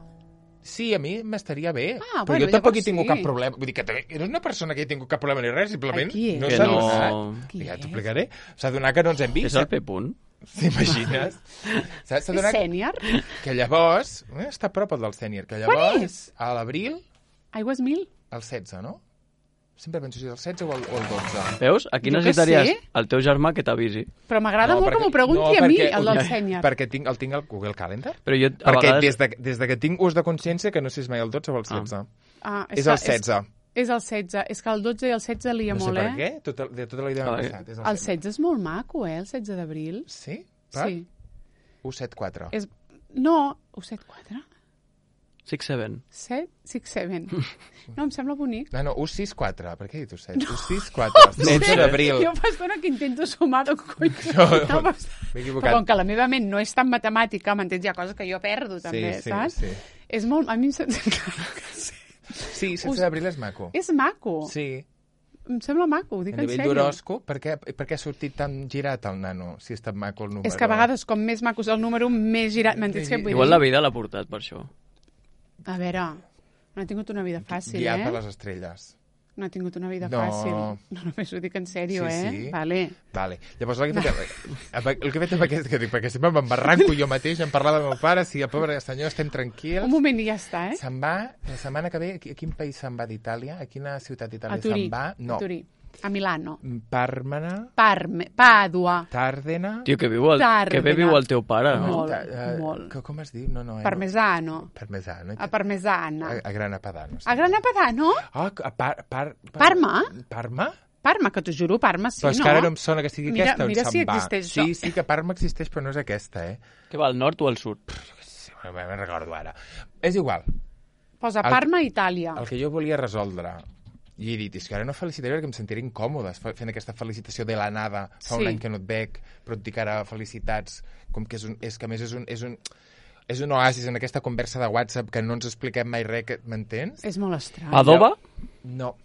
sí, a mi m'estaria bé, Ah, però bueno, jo tampoc llavors he tingut sí. cap problema. Vull dir que també, no és una persona que he tingut cap problema ni res, simplement Ai, qui és? no Que s'ha no- donat. Qui Ja és? t'explicaré. S'ha donat que no ens hem vist. És el P-punt. T'imagines? S'ha s'ha És donat sènior? que llavors... Eh, està a prop el del sènior. Que Quan llavors, és? a l'abril, Aigües mil? el setze, no? Sempre penso si és el setze o el, o el dotze. Veus? Aquí Jo què necessitaries sé. el teu germà que t'avisi. Però m'agrada molt que m'ho pregunti no, a mi, perquè- el del sènior. Perquè tinc, el tinc al Google Calendar. Però jo, a Perquè vegades... des, de, des de que tinc ús de consciència, que no sé si és mai el dotze o el setze. Ah, És que- el setze. És, és el setze. És que el dotze i el setze lia No sé molt, per eh? què, tot, el- de tota la idea m'ha Ah, passat. És El setze és molt maco, eh? El setze d'abril. Sí? Per? Sí. u set quatre. És... No, u set quatre? Six Seven. set, sis, set. No, em sembla bonic. No, no, u sis quatre. Per què he dit u set? u sis quatre. setze d'abril. Jo fa estona que intento sumar de cony. No, No, però, m'he però equivocat. com que la meva ment no és tan matemàtica, m'entens? Hi ha coses que jo perdo, també, sí, saps? sí. És molt... A mi em sembla... Claro que sí. Sí, setze d'abril és maco. És maco. Sí. Em sembla maco, ho dic A en nivell sèrio. d'horòscop, per, què, per què ha sortit tan girat el nano, si està maco el número? És que a vegades, com més maco és el número, més girat... M'entens què vull Igual dir? la vida l'ha portat per això. A veure, no he tingut una vida fàcil, Guiat per eh? les estrelles. No he tingut una vida No. fàcil. No, només ho dic en sèrio, Sí, eh? sí. Vale. Vale. Llavors, el que he fet, el que he fet amb aquest, que dic, perquè sempre m'embarranco jo mateix en parlar del meu pare, si el pobre senyor estem tranquils. Un moment i ja està, eh? Se'n va, la setmana que ve, a quin país se'n va d'Itàlia? A quina ciutat A d'Itàlia Turí. se'n va? No. A Turí. A Milano. Parmena, Parme. Pàdua. Tàrdena... Tio, que, viu el, Tàrbena. que bé viu el teu pare, no? Molt, Ta- eh, molt. que- Com es diu? No, no, eh, Parmesano. No. Parmesano. A Parmesana. A, a Grana Padano. A Grana Padano? Ah, a par, par, par, Parma? Parma? Parma, que t'ho juro, Parma sí, Però és no? que ara no em sona que sigui Mira- aquesta on mira se'n si va. existeix Sí, això. sí que Parma existeix, però no és aquesta, eh? Que va al nord o al sud? Sí, bueno, me'n recordo ara. És igual. Posa El- Parma, Itàlia. El que jo volia resoldre, i he dit, és que ara no felicitaré perquè em sentiré incòmode fa- fent aquesta felicitació de la nada. Fa Sí. un any que no et veig, però et dic ara felicitats, com que és, un, és que a més és un, és un, és un oasis en aquesta conversa de WhatsApp que no ens expliquem mai res, que- m'entens? És molt estrany. Padova? No.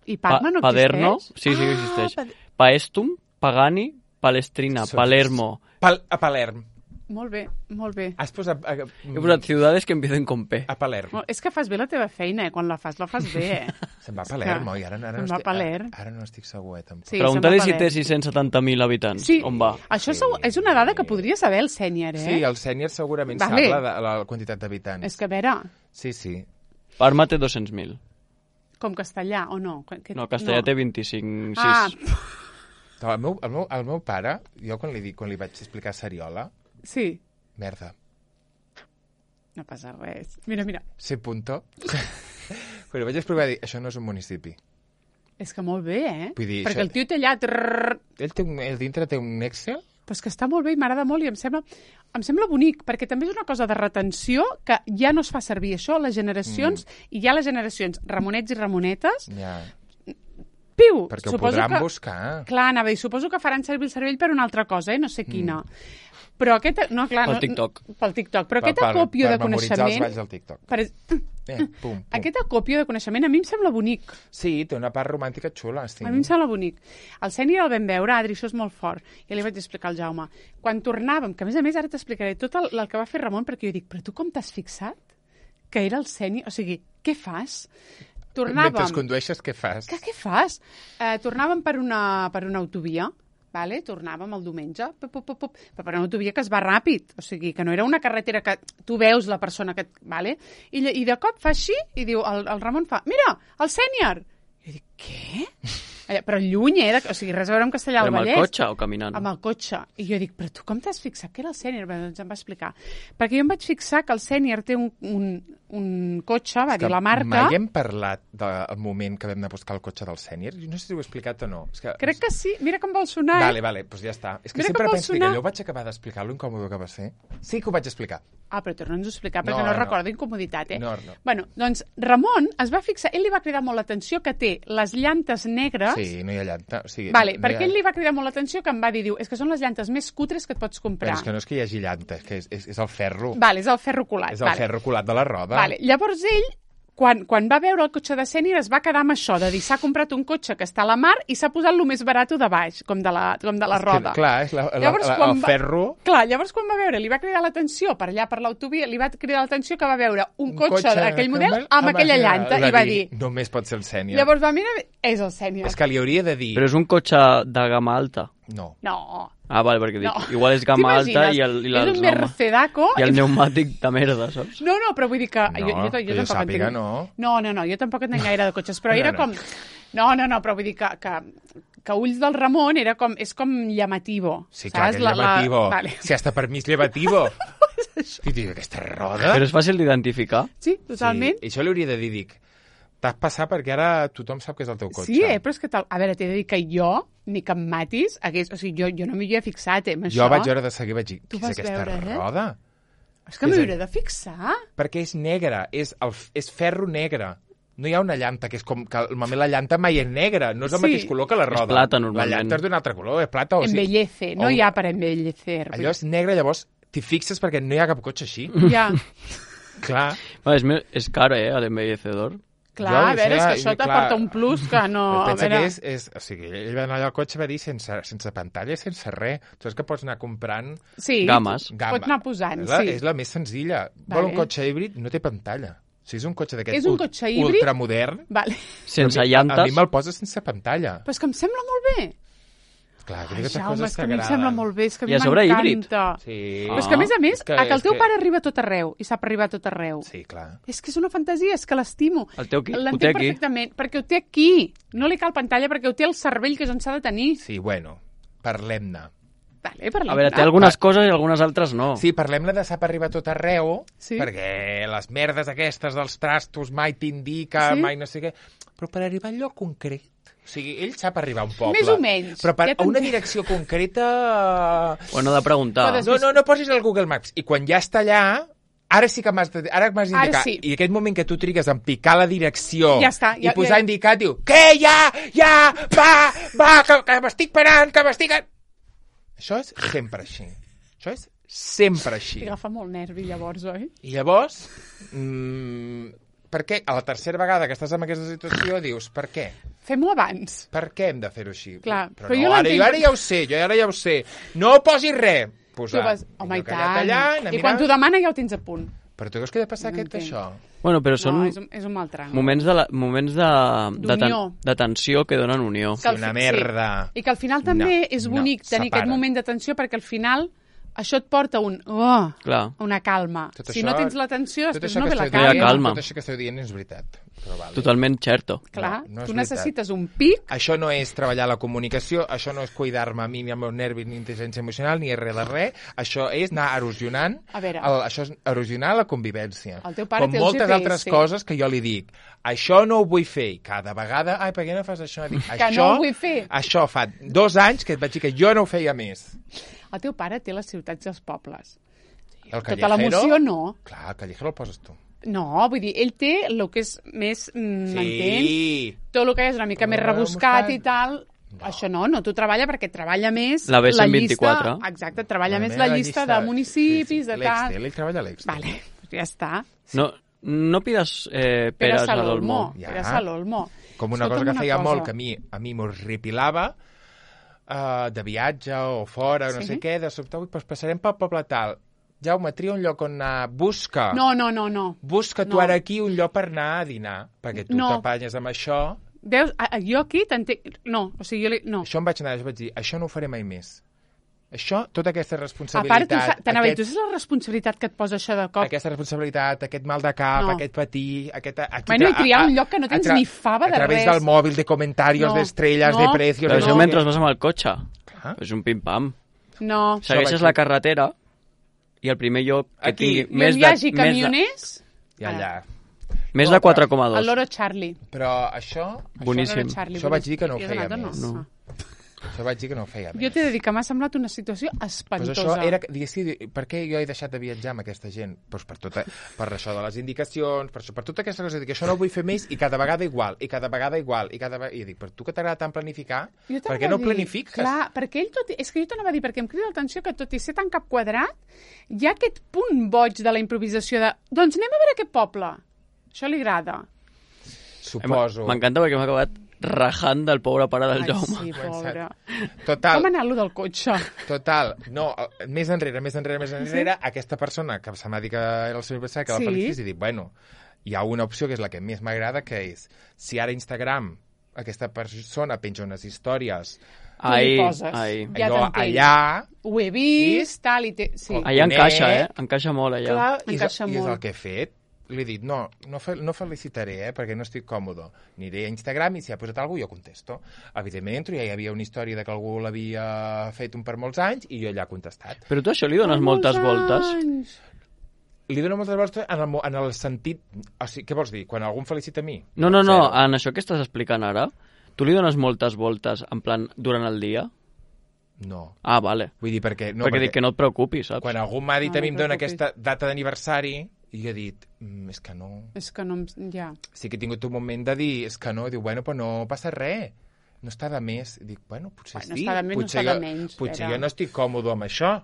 I Parma no Paderno? existeix? Sí, sí que Ah, existeix. Pad- Paestum, Pagani, Palestrina, Són- Palermo. Pal a Palerm. Molt bé, molt bé. Has posat... A, He posat ciudades que empiecen con P. a Palerm. Molt- És que fas bé la teva feina, eh? Quan la fas, la fas bé, eh? Se'n va a És Palerm, que oi? Ara, ara, se'n no va a estic, Palerm. ara, ara no estic segur, eh, tampoc. Sí, Pregunta-li se'n va si a té Palerm. sis-cents setanta mil habitants. Sí, On va? això Sí. és una dada que podria saber el sènior, eh? Sí, el sènior segurament Vale. sap la, la, la quantitat d'habitants. És que, a veure, Sí, sí. Parma té dos-cents mil. com castellà, o no? Que- No, castellà té vint-i-cinc, Ah, sis. El meu, el, meu, el meu pare, jo quan li, dic, quan li vaig explicar Sariola, sí, merda, no passa res. Mira, mira, sé punto. Quan li vaig explicar, dir, això no és un municipi. és que molt bé, eh? Vull dir, Perquè això- el tio té allà... Trrr, Ell, té un, ell dintre té un Excel Però és que està molt bé i m'agrada molt i em sembla, em sembla bonic, perquè també és una cosa de retenció que ja no es fa servir això, les generacions, mm. i ja les generacions, ramonets i ramonetes, Ja. piu! Perquè ho suposo podran que, buscar. Clar, anava a dir, suposo que faran servir el cervell per una altra cosa, eh? No sé quina. Mm. Però aquest... No, clar, Pel no, TikTok. Pel TikTok. Però Per- aquest per- acòpio per de memoritzar els coneixement... balls del TikTok. Per... Eh, pum, pum. Aquest acòpio de coneixement a mi em sembla bonic. Sí, té una part romàntica xula. Sí. A mi em sembla bonic. El Sènior el vam veure, Adri, això és molt fort. Ja li vaig explicar al Jaume. Quan tornàvem, que a més a més ara t'explicaré tot el, el que va fer Ramon, perquè jo dic, però tu com t'has fixat que era el Sènior? O sigui, què fas? Tornàvem... Mentre condueixes, què fas? Que, què fas? Eh, tornàvem per una, per una autovia, vale? Tornàvem el diumenge, pop, pop, pop, pop, però per una autovia que es va ràpid, o sigui, que no era una carretera que tu veus la persona que... Vale? I, I de cop fa així i diu, el, el Ramon fa, mira, el Sènior! I jo dic, què? Però lluny, eh? De, o sigui, res a veure amb Castellà del Amb Vallès. el cotxe o caminant? Amb el cotxe. I jo dic, però tu com t'has fixat que era el Sènior? Bé, doncs em va explicar. Perquè jo em vaig fixar que el Sènior té un, un, un cotxe, va dir la marca... Mai hem parlat del moment que vam anar a buscar el cotxe del Sènior. No sé si ho he explicat o no. És que... Crec que sí. Mira com vol sonar, eh? Vale, vale, doncs ja està. És que Mira sempre com vol penso que sonar. allò vaig acabar d'explicar, lo incòmode que va ser. Sí que ho vaig explicar. Ah, però torna'ns a explicar, perquè No, no, no no. recordo incomoditat, eh? No, no. Bueno, doncs Ramon es va fixar, ell li va cridar molt l'atenció que té les llantes negres. Sí, no hi ha llanta. O sigui, Vale, no perquè hi ha... ell li va cridar molt l'atenció que em va dir, diu, és que són les llantes més cutres que et pots comprar. Però és que no és que hi hagi llanta, és que és, és, és el ferro. Vale, és el ferro colat. És el vale. ferro colat de la roda. Vale. Llavors ell, quan, quan va veure el cotxe de Sènior, es va quedar amb això, de dir, s'ha comprat un cotxe que està a la mar i s'ha posat lo més barat de baix, com de la, com de la És roda. Que, clar, és la, la, Llavors, la, quan el va- ferro... Clar, llavors quan va veure, li va cridar l'atenció per allà, per l'autovia, li va cridar l'atenció que va veure un, cotxe, d'aquell model amb, aquella llanta i va dir... Només pot ser el Sènior. Llavors va mirar, és el Sènior. És que li hauria de dir... Però és un cotxe de gamma alta. No. No. Ah, vale, perquè dic, No. igual és gamma alta i el, i, és les un pneuma- Mercedaco... i el pneumàtic de merda, saps? No, no, però vull dir que... No, jo, jo, jo, que jo tampoc sàpiga, entenc... no. No, no, no, jo tampoc entenc gaire de cotxes, però No, era no. com... No, no, no, però vull dir que, que, que ulls del Ramon era com, és com llamativo. Sí, clar, saps? que és llamativo. Vale. Si hasta per mi és llamativo. I dic, aquesta roda... Però és fàcil d'identificar. Sí, totalment. Sí, i això li hauria de dir, dic, t'has passat perquè ara tothom sap que és el teu cotxe. Sí, eh, però és que, tal... a veure, t'he de dir que jo, ni que em matis, hagués... o sigui, jo, jo no m'hi havia fixat, eh, amb Jo això. vaig veure de seguir, vaig dir, Tu què és vas aquesta veure, eh? roda? És que m'hi És a- hauré de fixar. Perquè és negra, és, el, és ferro negre. No hi ha una llanta, que és com que normalment la llanta mai és negra, no és el Sí. mateix color que la roda. plata, La normalment. llanta és d'un altre color, és plata o sigui... Embellece, no o- hi ha per embellecer. Allò és negre, llavors t'hi fixes perquè no hi ha cap cotxe així. Ja, Clar. Va, és, me- és caro, eh, l'embellecedor. clar, Jo, a veure, és això que era- això clar. t'aporta un plus que no... a Pensa veure... que és, és... O sigui, ell va anar allà al cotxe i va dir sense, sense pantalla, sense res. Tu saps que pots anar comprant... Sí, Games. Gamma. pots anar posant, és la, sí. És la més senzilla. Vale. Vol un cotxe híbrid, no té pantalla. O sigui, és un cotxe d'aquest És un ult- cotxe híbrid? ultramodern. Vale. Sense A mi- llantes. A mi me'l posa sense pantalla. Però és que em sembla molt bé. Clar, que Ai, aquestes Jaume, coses és que a mi em sembla molt bé, és que a I mi a sobre híbrid. m'encanta. Sí. Però és que, a més a més, És que- a que el és teu que- pare arriba a tot arreu i sap arribar a tot arreu. Sí, clar. És que és una fantasia, és que l'estimo. El teu qui? Ho té L'entenc aquí? perfectament, perquè ho té aquí. No li cal pantalla perquè ho té el cervell, que és on s'ha de tenir. Sí, bueno, parlem-ne. Vale, parlem. A veure, té algunes coses i algunes altres no. Sí, parlem-ne de sap arribar a tot arreu, Sí. perquè les merdes aquestes dels trastos mai t'indica, Sí. mai no sé què... Però per arribar al lloc concret... O sigui, ell sap arribar a un poble. Més o menys. Però per Ja a una t'entenc. direcció concreta... Ho no de preguntar. Podes- No, no, no posis el Google Maps. I quan ja està allà, ara sí que m'has de- ara m'has Ara d'indicar. sí. I aquest moment que tu trigues en picar la direcció Ja està, ja- i posar ja- indicatiu, què, ja, ja, va, va, que, que m'estic parant, que m'estic... Això és sempre així. Això és sempre així. I agafa molt nervi, llavors, oi? I llavors, mmm, per què a la tercera vegada que estàs en aquesta situació dius, per què? Fem-ho abans. Per què hem de fer-ho així? Clar, però, però no, jo ara, l'entenc jo ara perquè- ja ho sé, jo ara ja ho sé. No posis res. Posar. Tu vas... Home, i Jo callat tant. allà, anar I quan mirant. t'ho demana ja ho tens a punt. Però tu creus que ha de passar No aquest entenc. això? Bueno, però són No, és un, és un mal tram. moments de, la, moments de, de, ten, D'unió. de tensió que donen unió. Que al una fi- merda. Sí. I que al final també No, és no, bonic tenir separa't. aquest moment d'atenció perquè al final això et porta un... Oh, Clar. una calma. Tot si això- no tens l'atenció, Tot després això no que ve la esteu calma. dient- calma. Tot això que esteu dient és veritat. Però vale. Totalment certo. Clar, No, no és tu veritat. necessites un pic. Això no és treballar la comunicació, això no és cuidar-me a mi, ni el meu nervi, ni intel·ligència emocional, ni res de res. Això és anar erosionant, A veure. el, això és erosionar la convivència. El teu pare Com té el moltes G P S. altres coses que jo li dic, això no ho vull fer, i cada vegada, ai, per què no fas això? Dic, Que això, no ho vull fer. Això fa dos anys que et vaig dir que jo no ho feia més. El teu pare té les ciutats i els pobles. El Tota l'emoció no. Clar, el callejero el poses tu. No, vull dir, ell té el que és més, mm, m'entens? Sí. Tot el que és una mica més No, rebuscat rebuscat. i tal. No. Això no, no t'ho treballa perquè treballa més La B cent llista... vint-i-quatre. Exacte, treballa La més meva la llista de municipis, sí, sí. de L'Extel, tal... ell treballa a l'Extel. Vale, pues ja està. No, no pides eh, Pere peres a Salolmo. l'Olmo. Ja. Pere Salolmo. Com una Escolta'm cosa que una feia cosa. molt, que a mi a mi m'horripilava, uh, de viatge o fora, o no Sí. sé què, de sobte, ui, doncs passarem pel poble tal. Jaume, tria un lloc on anar, busca. No, no, no, no. Busca tu No. ara aquí un lloc per anar a dinar, perquè tu No. t'apanyes amb això. Veus, a, a, jo aquí t'entenc... No, o sigui, jo li... No. Això em vaig anar, jo vaig dir, això no ho faré mai més. Això, tota aquesta A part, responsabilitat... tu sa- t'anava a dir, aquest, tu saps la responsabilitat que et posa això de cop? aquesta responsabilitat, aquest mal de cap, No. aquest patir, aquest... Aquí, Bueno, i tra- triar a- un lloc que no a tens tra- ni fava de A través res. del mòbil, de comentaris, No. d'estrelles, de No. precios... Però de això no. mentre vas amb el cotxe. Clar. És un pim-pam. No. Segueixes vaig la dir. carretera i el primer lloc que Aquí. tingui I on més hi de, hagi més de, camioners... I allà. més de quatre coma El dos. Loro Charlie. Però això... Boníssim. El Loro Charlie. Això vaig dir que no ho I has feia anat o més. No. Això vaig dir que no ho feia més. Jo t'he de dir que m'ha semblat una situació Pues espantosa. això era, diguéssim, per què jo he deixat de viatjar amb aquesta gent? Pues per, tota, per això de les indicacions, per, això, per tota aquesta cosa, que això no ho vull fer més i cada vegada igual, i cada vegada igual, i cada vegada... I dic, per tu que t'agrada tant planificar, Jo per t'anava què no a dir, planifiques? Clar, perquè ell tot... És que jo t'anava a dir, perquè em crida l'atenció que tot i ser tan cap quadrat, hi ha aquest punt boig de la improvisació de... Doncs anem a veure aquest poble. Això li agrada. Suposo. M'encanta perquè m'ha acabat rajant del pobre pare del Ai, Jaume. sí, pobre. Total, Com anar-lo del cotxe? total, no, eh, més enrere, més enrere, més enrere, aquesta persona que se'm va dir que era el seu aniversari, que Sí. la felicités, i dic, bueno, hi ha una opció que és la que més m'agrada, que és, si ara Instagram, aquesta persona penja unes històries, Tu li Ai, poses. ai. Ja allò t'entenc. allà, Ho he vist, tal, i té... Sí. Com- Allà Bonet. encaixa, eh? Encaixa molt, allà. Clar, i és, encaixa i és el molt. que he fet. Li he dit, no, no, fe, no felicitaré, eh, perquè no estic còmode. Aniré a Instagram i si ha posat alguna cosa jo contesto. Evidentment, entro, ja hi havia una història de que algú l'havia fet un per molts anys i jo allà he contestat. Però tu això li dones Per moltes molts voltes. anys. Li dono moltes voltes en el, mo- en el sentit... O sigui, què vols dir? Quan algú em felicita a mi? No, no, no, Zero. en això que estàs explicant ara, tu li dones moltes voltes, en plan, durant el dia? No. Ah, vale. Vull dir, perquè... No, perquè, dic que no et preocupis, saps? Quan algú m'ha dit No, a mi no em dona preocupis. aquesta data d'aniversari, i jo he dit, mm, és que no... És que no em... Ja. Sí que he tingut un moment de dir, és que no, diu, bueno, però no passa res, no està de més. I dic, bueno, potser Bueno, sí. està de més, no potser està de jo, menys, Potser Pere. jo no estic còmode amb això.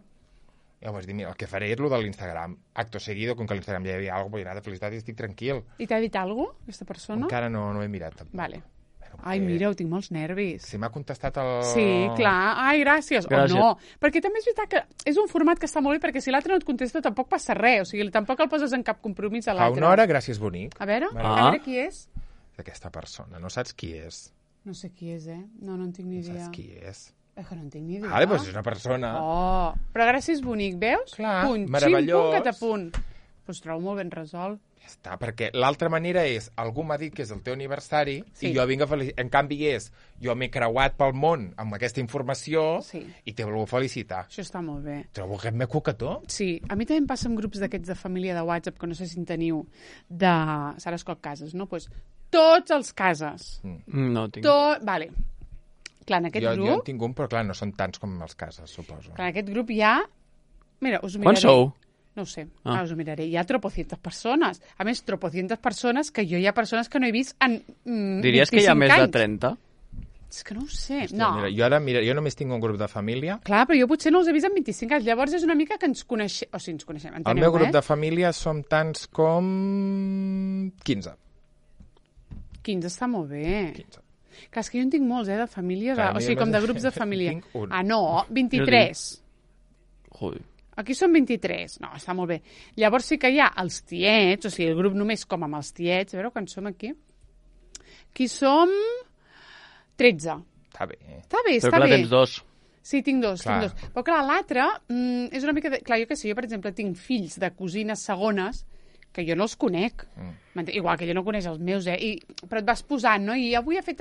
Llavors dic, mira, el que faré és el de l'Instagram. Acto seguido, com que a l'Instagram ja hi havia alguna cosa, vull anar de felicitat i estic tranquil. I t'ha dit alguna cosa, aquesta persona? Encara no, no he mirat, tampoc. Vale. Bueno, Ai, perquè mira, ho tinc molts nervis. Si m'ha contestat el... Sí, clar. Ai, gràcies. Gràcies. O no. Perquè també és veritat que és un format que està molt bé perquè si l'altre no et contesta tampoc passa res. O sigui, tampoc el poses en cap compromís a Fa l'altre. una hora, gràcies, bonic. A veure, Vale. a Ah. veure qui és. D'aquesta persona. No saps qui és. No sé qui és, eh? No, no en tinc ni No idea. saps qui és. És que no en tinc ni idea. Vale, doncs és una persona... Oh, però gràcies, bonic, veus? Clar, punt, meravellós. Xim, punt, catapunt. Pues trobo molt ben resolt. Ja està, perquè l'altra manera és, algú m'ha dit que és el teu aniversari Sí. i jo vinc a felicitar. En canvi és, jo m'he creuat pel món amb aquesta informació Sí. i t'he volgut felicitar. Això està molt bé. Trobo aquest me cucató. Sí, a mi també em passa amb grups d'aquests de família de WhatsApp, que no sé si en teniu, de Sara Escot Cases, no? Pues, tots els cases. Mm, No tinc. Tot... Vale. Clar, en aquest Jo, jo en grup... tinc un, però clar, no són tants com els cases, suposo. Clar, en aquest grup hi ha... Mira, us ho miraré. Quants sou? No ho sé, Ah. ah. us ho miraré. Hi ha tropocientes persones. A més, tropocientes persones que jo hi ha persones que no he vist en mm, Diries que hi ha vint-i-cinc més de anys. trenta? És que no ho sé. Hòstia, no. Mira, jo ara, mira, jo només tinc un grup de família. Clar, però jo potser no els he vist en vint-i-cinc anys. Llavors és una mica que ens coneixem... O sigui, ens coneixem, enteneu, El meu grup eh? de família som tants com... quinze. quinze està molt bé. quinze. Clar, és que jo en tinc molts, eh, de famílies... Clar, o a mi sigui, com només de grups de família. tinc un. Ah, no, vint-i-tres. Joder. Aquí són vint-i-tres. No, està molt bé. Llavors sí que hi ha els tiets, o sigui, el grup només com amb els tiets. A veure, quan som aquí? Aquí som tretze. Està bé. Està bé, Però està clar, bé. tens dos. Sí, tinc dos, Clar. tinc dos. Però clar, l'altre mm, és una mica... De... Clar, jo què sé, jo per exemple tinc fills de cosines segones que jo no els conec. Mm. Igual que jo no coneix els meus, eh? I, però et vas posant, no? I avui ha fet...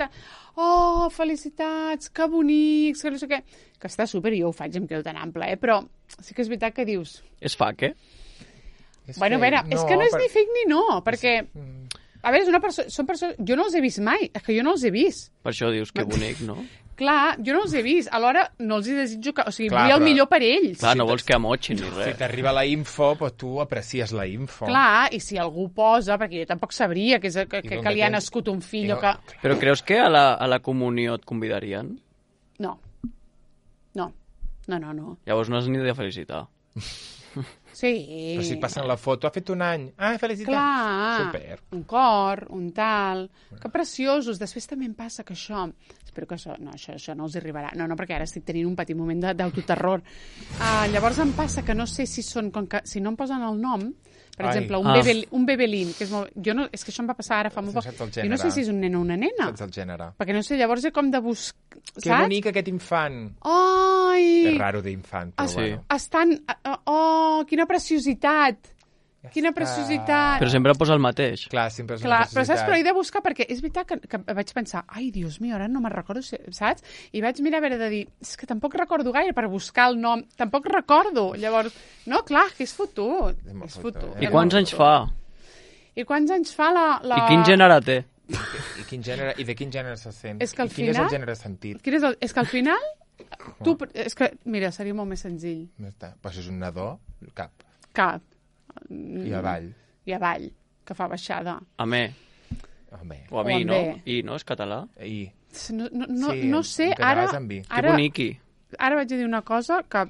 Oh, felicitats, que bonics, que no sé què... Que està súper, jo ho faig, em quedo tan ample, eh? Però sí que és veritat que dius... És fac, eh? És bueno, a veure, no, és que no és per... ni fake ni no, perquè... A veure, és una persona... Són persones... Jo no els he vist mai, és que jo no els he vist. Per això dius que bonic, no? Clar, jo no els he vist. Alhora, no els hi desitjo que... O sigui, Clar, vull el però... millor per ells. Clar, no vols que amotxin ni res. Si t'arriba la info, però tu aprecies la info. Clar, i si algú posa, perquè jo tampoc sabria que, és, que, que, que li ha nascut un fill o que... Però creus que a la, a la comunió et convidarien? No. No. No, no, no. Llavors no has ni de felicitar. Sí. Però si passen la foto, ha fet un any. Ah, felicitats. Clar, Super. un cor, un tal... Que preciosos. Després també em passa que això... Espero que això... No, això, això no els arribarà. No, no, perquè ara estic tenint un petit moment d'autoterror. Uh, llavors em passa que no sé si són... Com que, si no em posen el nom, per Ai. exemple, un, Ah. bebel, un bebelín, que és molt... Jo no, és que això em va passar ara fa molt No poc. saps el Jo no gènere. sé si és un nen o una nena. Saps el gènere. Perquè no sé, llavors és com de buscar... Que bonic aquest infant. Ai! És raro d'infant, però Es, bueno. estan... Oh, quina preciositat! Ja Quina està. preciositat! Però sempre posa el mateix. Clar, sempre és Clar, una però saps, però he necessitat. de buscar perquè és veritat que, que vaig pensar, ai, Dios mío, ara no me'n recordo, si- saps? I vaig mirar a veure de dir, és que tampoc recordo gaire per buscar el nom, tampoc recordo. Llavors, no, clar, que és fotut. És molt És fotut, fotut. eh? I quants anys fa? I quants anys fa la... la... I quin gènere té? I, quin gènere, I de quin gènere se sent? És que al I quin és final- el gènere sentit? Quin és, el... és que al final, tu... És que, mira, seria molt més senzill. No està. Però si és un nadó, cap. Cap. I avall. I avall, que fa baixada. A me. Home. O a O mi, amb no? B. I, no? És català? I... No, no, no, Sí, no sé, en català ara... és amb vi. Que ara boniqui. ara vaig a dir una cosa que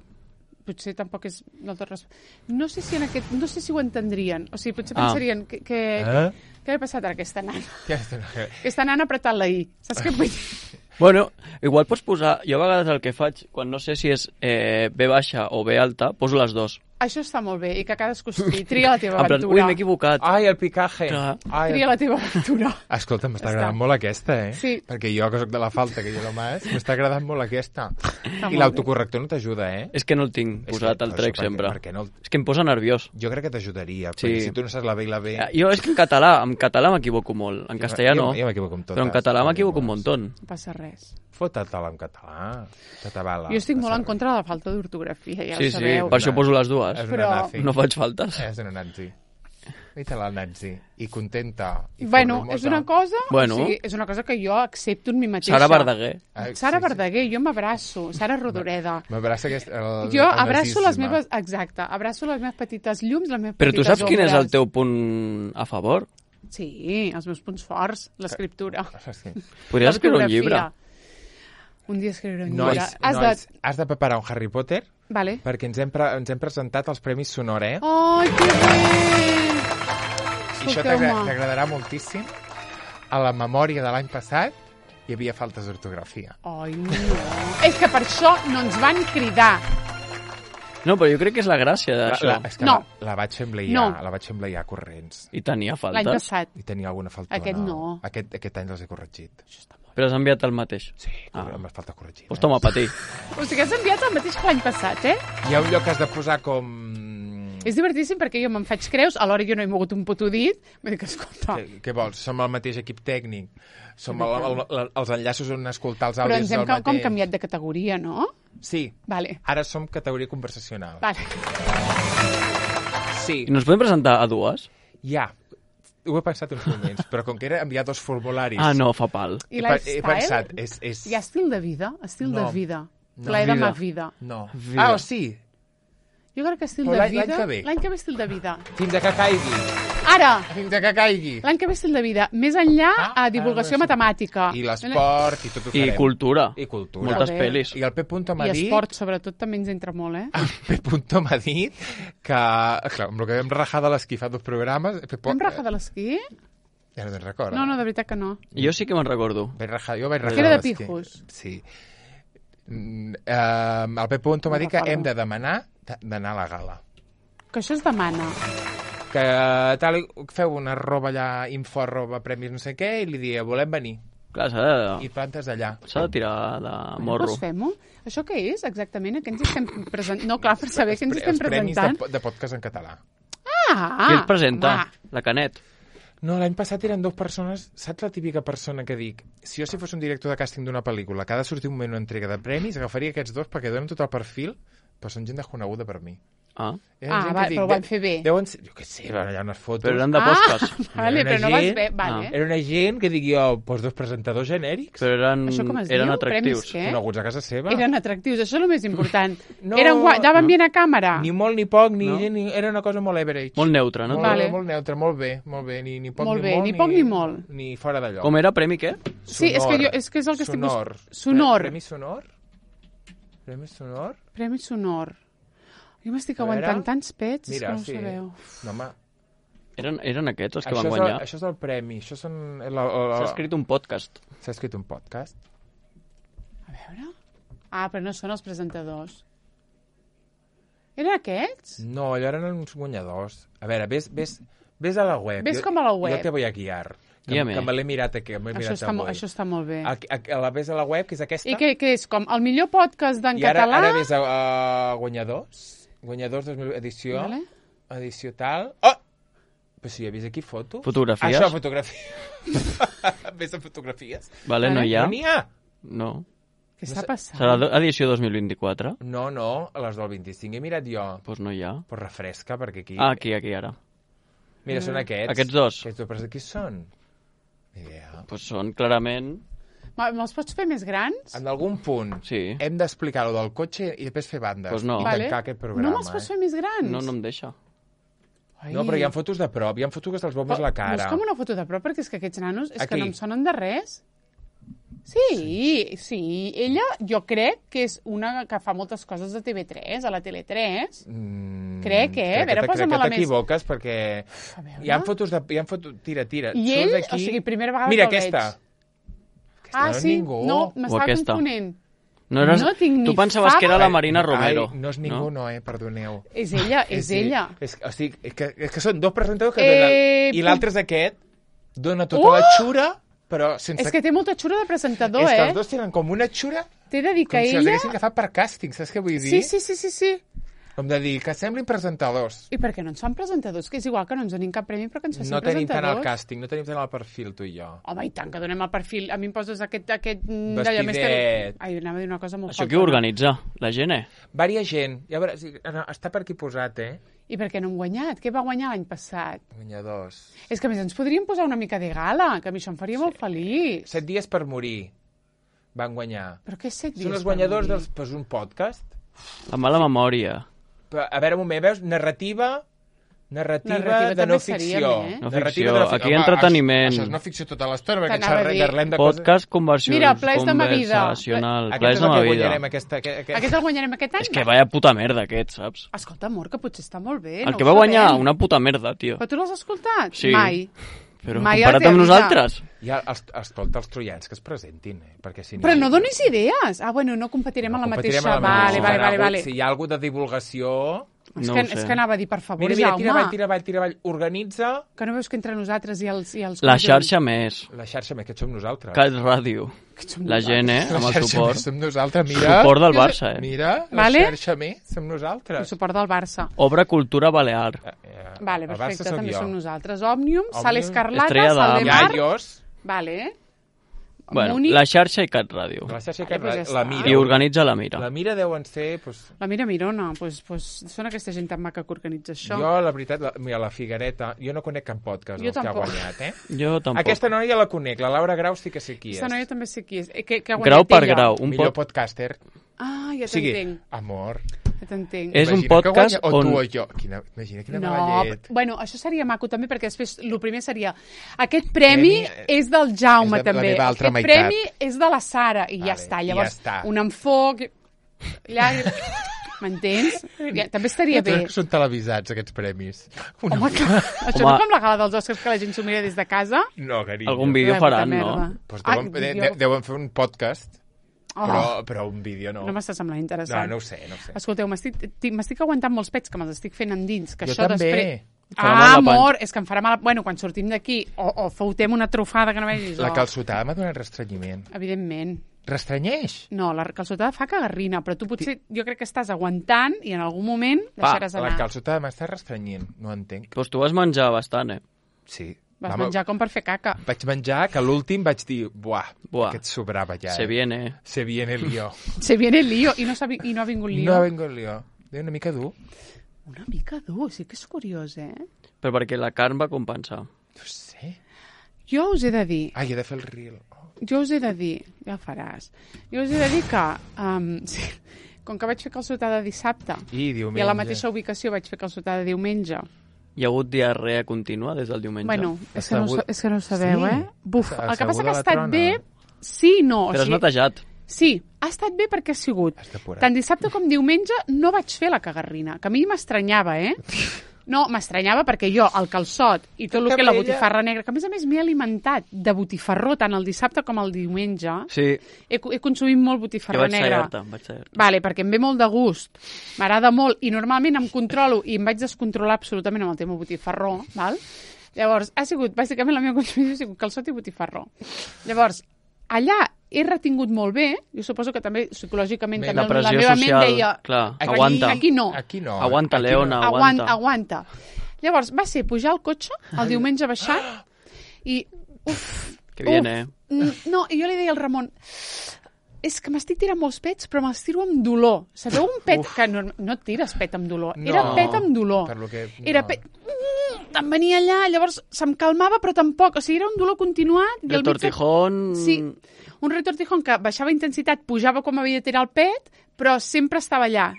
potser tampoc és del tot res... No sé si en aquest... No sé si ho entendrien. O sigui, potser Ah. pensarien que... que Eh? Què ha passat a aquesta nana? Ja està. Aquesta nana ha apretat la I. Saps què vull dir? Bueno, igual pots posar... Jo a vegades el que faig, quan no sé si és eh, B baixa o B alta, poso les dues. Això està molt bé i que cadascú estigui. Tria la teva En plan, ui, aventura. m'he equivocat. Ai, el picaje. Clar. Ai, Tria el... la teva aventura. Escolta, m'està Ja agradant està. molt aquesta, eh? Sí. Perquè jo, que soc de la falta, que jo només, m'està agradant molt aquesta. molt I l'autocorrector no t'ajuda, eh? És que no el tinc És posat que- al això trec perquè- sempre. perquè no el- És que em posa nerviós. Jo crec que t'ajudaria, Sí. perquè si tu no saps la B i la B... Eh, Jo és que en català, en català m'equivoco molt. En castellà jo, no. Jo m'equivoco amb totes. Però en català m'equivoco un Molts. montón. No passa res. Fota-te'l en català. Se t'avala. Jo estic molt Passa en contra de la falta d'ortografia, ja Sí, ho sí, sabeu. per això poso les dues. És una Però- nazi. No faig faltes. És una nazi. Vita la nazi. I contenta. I Bueno, formosa. és una cosa... Bueno. O sigui, és una cosa que jo accepto en mi mateixa. Sara Verdaguer. Ah, Sara sí, sí. Verdaguer, jo m'abraço. Sara Rodoreda. M'abraça aquest... El, Jo el abraço les nazisme. meves... Exacte, abraço les meves petites llums, les meves Però tu petites saps quin és el ombres. teu punt a favor? Sí, els meus punts forts, l'escriptura. Sí. Podries escriure un llibre. L'ortografia. Un dia escriuré un llibre. Nois, Has nois, de... has de preparar un Harry Potter Vale. perquè ens hem, pre ens hem presentat als Premis Sonor, eh? Ai, que bé! I això t'agra- Escolteu-me. t'agradarà moltíssim. A la memòria de l'any passat hi havia faltes d'ortografia. Ai, no. És que per això no ens van cridar. No, però jo crec que és la gràcia La, d'això. la, és que No. la, la vaig fer embleiar, No. la vaig fer embleiar corrents. I tenia L'any faltes. passat. I tenia alguna falta. Aquest no. Aquest, aquest any les he corregit. Això està molt Però has enviat el mateix. Sí, Ah. amb les falta corregida. Pues toma, patir. bé. O sigui, has enviat el mateix que l'any passat, eh? Hi ha un lloc que has de posar com... És divertíssim perquè jo me'n faig creus, alhora jo no he mogut un puto dit. Vull dir que, escolta, Què, què vols? Som el mateix equip tècnic. Som el, el, el, els enllaços on escoltar els però àudios ens hem del ca- mateix. com canviat de categoria, no? Sí. Vale, Ara som categoria conversacional. vale. Sí. I no ens podem presentar a dues? Ja. Ho he pensat uns moments, però com que era enviar dos formularis... Ah, no, fa pal. I he, pe- he lifestyle? pensat, és... és... Hi ha estil de vida? Estil No. de vida. No. Plaer de Vida. ma vida. No. Vida. Ah, o sí. Jo crec que estil Però de l'any- vida... l'any que ve. L'any que ve estil de vida. Fins a que caigui. Ara! Fins a que caigui. L'any que ve estil de vida. Més enllà Ah, a divulgació ah, sí. matemàtica. I l'esport, i tot ho I farem. cultura. I cultura. Moltes Joder. pel·lis. I el P. Punto m'ha I dit... esport, sobretot, també ens entra molt, eh? El P. Punto m'ha dit que... Clar, amb el que vam rajar de l'esquí fa dos programes... P. Vam rajar de l'esquí? Ja no te'n recordes? No, no, de veritat que no. Jo sí que me'n recordo. Vaig rajar, jo vaig rajar Que era de l'esquí. pijos. Sí. Mm, eh, el P. Punto m'ha No dit que recordo. hem de demanar de- d'anar a la gala. Que això es demana. Que tal, feu una arroba allà, info arroba premis no sé què, i li dia, volem venir. Clar, s'ha de, I plantes d'allà. s'ha de tirar de morro. Doncs fem-ho. Això què és, exactament? A què ens estem presentant? No, clar, per saber què ens Pre- estem els premis presentant. de, de podcast en català. Ah! Qui el presenta? Home. La Canet. No, l'any passat eren dues persones... Saps la típica persona que dic? Si jo si fos un director de càsting d'una pel·lícula que ha de sortir un moment una entrega de premis, agafaria aquests dos perquè donen tot el perfil, però són gent desconeguda per mi. Ah, Ah, va, però ho van fer bé. Deuen ser, jo què sé, hi ha unes fotos. però eren de Ah, podcast. vale, Era però no una vas gent- bé. Vale. Ah. Era una gent que dic jo, doncs dos presentadors genèrics, Però eren, Això com es eren diu? atractius. Premis què? coneguts a casa seva. Eren atractius, això és el més important. No, Eren guai, daven no. bien a càmera. Ni molt ni poc, ni, No. ni era una cosa molt average. Molt neutre, no? Molt, Vale. molt neutre, molt bé, molt bé, ni, ni poc Molt ni bé, molt, ni poc ni molt. Ni fora d'allò. Com era? Premi què? Sí, és que, jo, és que és el que estic sonor. buscant. Sonor. Premi sonor? Premi sonor? Premi sonor. Jo m'estic A veure. aguantant tants pets, Mira, que no ho sí. sabeu. No, home, Eren, eren aquests els que això van és, el, guanyar. això és el premi, això són... La, la, la... S'ha escrit un podcast. S'ha escrit un podcast. A veure... Ah, però no són els presentadors. Eren aquests? No, allò eren uns guanyadors. A veure, ves, ves, ves a la web. Ves Jo- com a la web. Jo te voy a guiar. Que, Guia'me. que me l'he mirat aquí, me l'he Això mirat està, mo- avui. això està molt bé. A, a, a la ves a la web, que és aquesta. I què, què és? Com el millor podcast d'en I ara, català? ara ves a, a guanyadors. Guanyadors dos mil edició. Vale. Edició tal. Oh! Però si ja he vist aquí fotos. Fotografies. Això, fotografies. Ves a fotografies. Vale, no Vale. hi ha? No n'hi ha. No. Què està passant? Serà do- edició dos mil vint-i-quatre? No, no, a les del vint-i-cinc he mirat jo. Doncs pues no hi ha. Pues refresca, perquè aquí... Ah, aquí, aquí, ara. Mira, són aquests. Aquests dos? Aquests dos, però qui són? Ni idea. Doncs pues són clarament... Me- Me'ls pots fer més grans? En algun punt Sí. hem d'explicar lo del cotxe i després fer bandes. Pues no. I Vale. tancar aquest programa. No me'ls pots fer més grans? No, no em deixa. Ai. No, però hi ha fotos de prop, hi ha fotos que se'ls veu més la cara. Busca'm una foto de prop, perquè és que aquests nanos és Aquí. que no em sonen de res. Sí, sí. Ella, jo crec que és una que fa moltes coses de T V tres, a la Tele tres. Mm, Crec, eh? A veure, que, posa'm crec la que més- t'equivoques perquè A veure. hi ha fotos de... Hi ha fotos... Tira, tira. I Surts ell, aquí... o sigui, primera vegada Mira, que el aquesta. veig. Aquesta Ah, no és sí? ningú. No, O m'estava aquesta. confonent. No, eres... No tinc ni Tu pensaves que era fava. la Marina Romero. Ai, no és ningú, no, eh? Perdoneu. És ella, és ella. És, o sigui, és, que, és que són dos presentadors que Eh, donen... I puc- l'altre és aquest. Dona tota Uh! la xura, però sense... És que té molta xura de presentador, és que eh? els dos tenen com una xura T'he de dir com que si els ella... haguessin agafat per càsting, saps què vull dir? Sí, sí, sí, sí, sí. Com de dir que semblin presentadors. I per què no ens fan presentadors? Que és igual que no ens donin cap premi, però que ens facin No tenim tant presentadors. el càsting, no tenim tant el perfil, tu i jo. Home, i tant, que donem el perfil. A mi em poses aquest... aquest mm, d'allò més Vestidet. Ai, anava a dir una cosa molt Això qui faltona. ho organitza? La gent, eh? Varia gent. Ja veuràs, sí, no, està per aquí posat, eh? I per què no hem guanyat? Què va guanyar l'any passat? Guanyadors. És que a més ens podríem posar una mica de gala, que a mi això em faria molt feliç. Set dies per morir van guanyar. Però què és set dies? Són els per guanyadors morir? dels... Pues un podcast. La mala memòria. Però, a veure, un moment, veus? Narrativa... Narrativa, Narrativa de també no seria ficció. bé. No Narrativa ficció, de no aquí Home, entreteniment. Això, això és no ficció tota l'estona, perquè T'anava a xerrem, dir. parlem de coses... Podcast conversió, Mira, Plaers de ma vida. conversacional. Aquest Plaers és de el ma que vida. guanyarem, aquesta... Aquest, aquest... Aquest el guanyarem aquest any? És que vaya puta merda, aquest, saps? Escolta, amor, que potser està molt bé. El no que ho va guanyar, sabem. una puta merda, tio. Però tu l'has escoltat? Sí. Mai. Però Mai comparat els he amb avisat. nosaltres... Ja, els, escolta, els troians que es presentin, eh? Perquè si Però no donis idees. Ah, bueno, no competirem en la competirem mateixa... en la Vale, mateixa. vale, Farà vale, algú- vale. Si hi ha alguna de divulgació... És, No que, ho sé. és que anava a dir, per favor, Mira, mira, Jaume, tira avall, tira avall, tira avall. Organitza que no veus que entre nosaltres i els... I els La conjunts- xarxa més. la xarxa, més que som nosaltres. Cat Ràdio. que som La gent, eh? La Amb el xarxa suport. més som nosaltres, mira. Suport del Barça, eh? Mira, la Vale. xarxa més som El nosaltres. suport del Barça. Obra Cultura Balear. Eh, eh, Vale, el Barça perfecte, sóc també jo. som nosaltres. Òmnium, Sal Òmnium, Escarlata, Estrella Sal de d'Am. Mar... Iaios, Vale. Bueno, Múnich. la xarxa i Cat Ràdio. la xarxa Vale, que pues ja la està. mira. I organitza la Mira. La mira deuen ser... Pues, La Mira Mirona, pues, pues, són aquesta gent tan maca que organitza això. jo, la veritat, la, mira, la Figuereta, jo no conec cap podcast Jo dels que ha tampoc. guanyat, eh? Jo tampoc. Aquesta noia la conec, la Laura Grau sí que sé qui és. Aquesta noia també sé qui és. Eh, Que, que ha Grau guanyat per ella. grau. Un Millor pod... podcaster. Ah, ja O sigui, t'entenc. amor. Ja t'entenc. És un Imagina que podcast guanya, o on- tu o jo. Quina, imagina quina No, mala llet. bueno, això seria maco també, perquè després el primer seria aquest premi Premi, eh, és del Jaume és de la també, meva altra aquest meitat. premi és de la Sara i ja Vale, està, i llavors ja està. un enfoc llàgrim... m'entens? Ja, també estaria bé. Que són televisats, aquests premis. Una... Home, clar, això Home. no com la gala dels Oscars que la gent s'ho mira des de casa. No, carinyo. Algun vídeo La puta faran, merda. no? Pues Ai, deuen, de, jo- de, deuen fer un podcast, Oh, però, però un vídeo no. no m'està semblant no, interessant. no ho sé, no ho sé. Escolteu, m'estic ti- m'estic aguantant molts pets que me'ls estic fent endins, que Jo això també. després... Farà mal Ah, la panxa. amor, és que em farà mal... Bueno, quan sortim d'aquí, o, o foutem una trufada que no vegis... La o- calçotada m'ha donat restrenyiment. Evidentment. Restrenyeix. No, la calçotada fa cagarrina, però tu potser, jo crec que estàs aguantant i en algun moment deixaràs La anar. calçotada m'està restrenyent, no entenc. Doncs tu vas menjar bastant, eh? Sí. Vas Vam- menjar com per fer caca. Vaig menjar que l'últim vaig dir, buah, Buah. aquest sobrava ja. Se eh? viene, eh? Se viene el lío. Se viene el lío i no, s'ha vi- i no ha vingut lío. No vengo el lío. Déu, una mica dur. Una mica dur, sí que és curiós, eh? Però perquè la carn va compensar. No sé. Jo us he de dir, Ai, he de fer el reel. Oh. jo us he de dir, ja ho faràs, jo us he de dir que, um, sí, com que vaig fer calçotada dissabte I diumenge. i a la mateixa ubicació vaig fer calçotada diumenge, Hi ha hagut diarrea contínua des del diumenge? bueno, és Està que, no, ho hagut- sa- és que no ho sabeu, Sí. eh? Buf, Està el que passa asseguda que ha la estat trona. bé, sí i no. o Però has sigui, netejat. Sí, ha estat bé perquè ha sigut. Has depurat. Tant dissabte com diumenge no vaig fer la cagarrina, que a mi m'estranyava, eh? No, m'estranyava perquè jo, el calçot i tot el que la Ella- botifarra negra, que a més a més m'he alimentat de botifarró tant el dissabte com el diumenge, Sí, he, he consumit molt jo botifarró vaig negra. tallar-te, vaig tallar-te. Vale, perquè em ve molt de gust, m'agrada molt i normalment em controlo i em vaig descontrolar absolutament amb el tema botifarró, val? Llavors, ha sigut, bàsicament la meva consumició ha sigut calçot i botifarró. Llavors, allà he retingut molt bé, jo suposo que també psicològicament Bé, també La pressió meva social, ment deia clar, Aquí- aguanta. aquí no. Aquí no. Aguanta, aquí Leona, no. aguanta. aguanta, aguanta. Llavors, va ser pujar al cotxe el diumenge baixat i, uf, Que bien, uf, eh? mm, no, i jo li deia al Ramon, és que m'estic tirant molts pets, però me'ls tiro amb dolor. Sabeu un pet que no, no et tires pet amb dolor? No, Era pet amb dolor. per lo que- Era no. pet... Mm, Em venia allà, llavors se'm calmava, però tampoc. O sigui, era un dolor continuat. i al mig de- Retortijón... Sí, un retortijón que baixava intensitat, pujava com havia de tirar el pet, però sempre estava allà.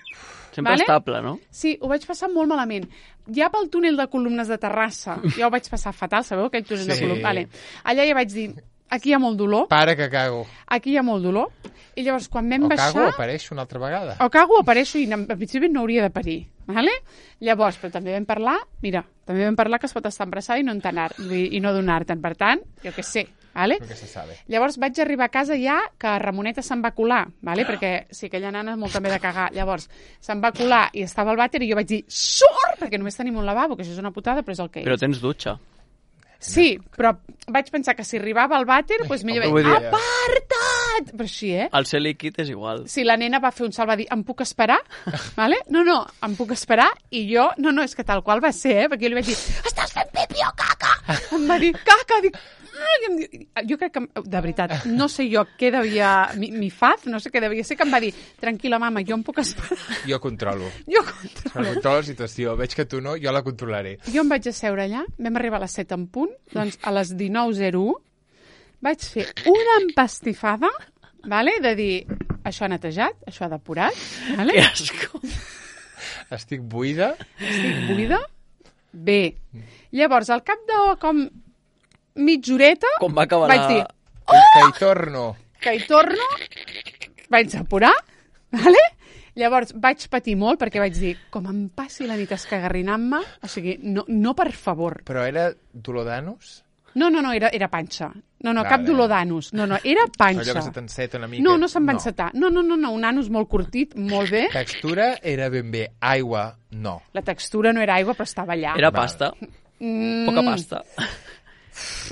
Sempre Vale? estable, no? Sí, ho vaig passar molt malament. Ja pel túnel de columnes de Terrassa, jo ho vaig passar fatal, sabeu aquell túnel de Sí. columnes? Vale. Allà ja vaig dir, aquí hi ha molt dolor, Para que cago. aquí hi ha molt dolor, i llavors quan vam O baixar... cago o apareixo una altra vegada. O cago o apareixo i en principi no hauria de parir. Vale? Llavors, però també vam parlar, mira, també vam parlar que es pot estar embarassada i no entenar, i no donar-te'n. Per tant, jo què sé, vale? Lo que se sabe. Llavors vaig arribar a casa ja que Ramoneta se'n va colar, vale? Perquè sí, aquella nana és molt també de cagar. Llavors se'n va colar i estava al vàter i jo vaig dir sort, perquè només tenim un lavabo, que això és una putada, però és el que és. Però tens dutxa. Sí, però vaig pensar que si arribava al vàter, doncs millor Vull vaig dir- dir, aparta't! Però així, eh? El ser líquid és igual. Si la nena va fer un salt, va dir, em puc esperar? Vale? No, no, em puc esperar? I jo, no, no, és que tal qual va ser, eh? Perquè jo li vaig dir, estàs fent pipi o caca? Em va dir, caca, dic, "Ah", i em diu, jo crec que, de veritat, no sé jo què devia, mi, mi faz, no sé què devia ser, que em va dir, tranquil·la, mama, jo em puc esperar. Jo controlo. Jo Jo controlo. controlo la situació. Veig que tu no, jo la controlaré. Jo em vaig asseure allà, vam arribar a les set en punt, doncs a les dinou zero u vaig fer una empastifada, vale? De dir, això ha netejat, això ha depurat, vale? Que asco. Estic buida. Estic buida? Bé. Llavors, al cap de com mitja horeta, Com va acabar vaig la... dir, Que hi torno. que hi torno, vaig apurar, vale? Llavors vaig patir molt perquè vaig dir, com em passi la nit escagarrinant-me, o sigui, no, no per favor. Però era dolor d'anus? No, no, no, era, era panxa. No, no, Vale. cap dolor d'anus. No, no, era panxa. Allò que se t'enceta una mica. No, no se'm va encetar. No, no, no, no, un anus molt curtit, molt bé. Textura era ben bé. Aigua, no. La textura no era aigua, però estava allà. Era Val. pasta. Mm, Poca pasta.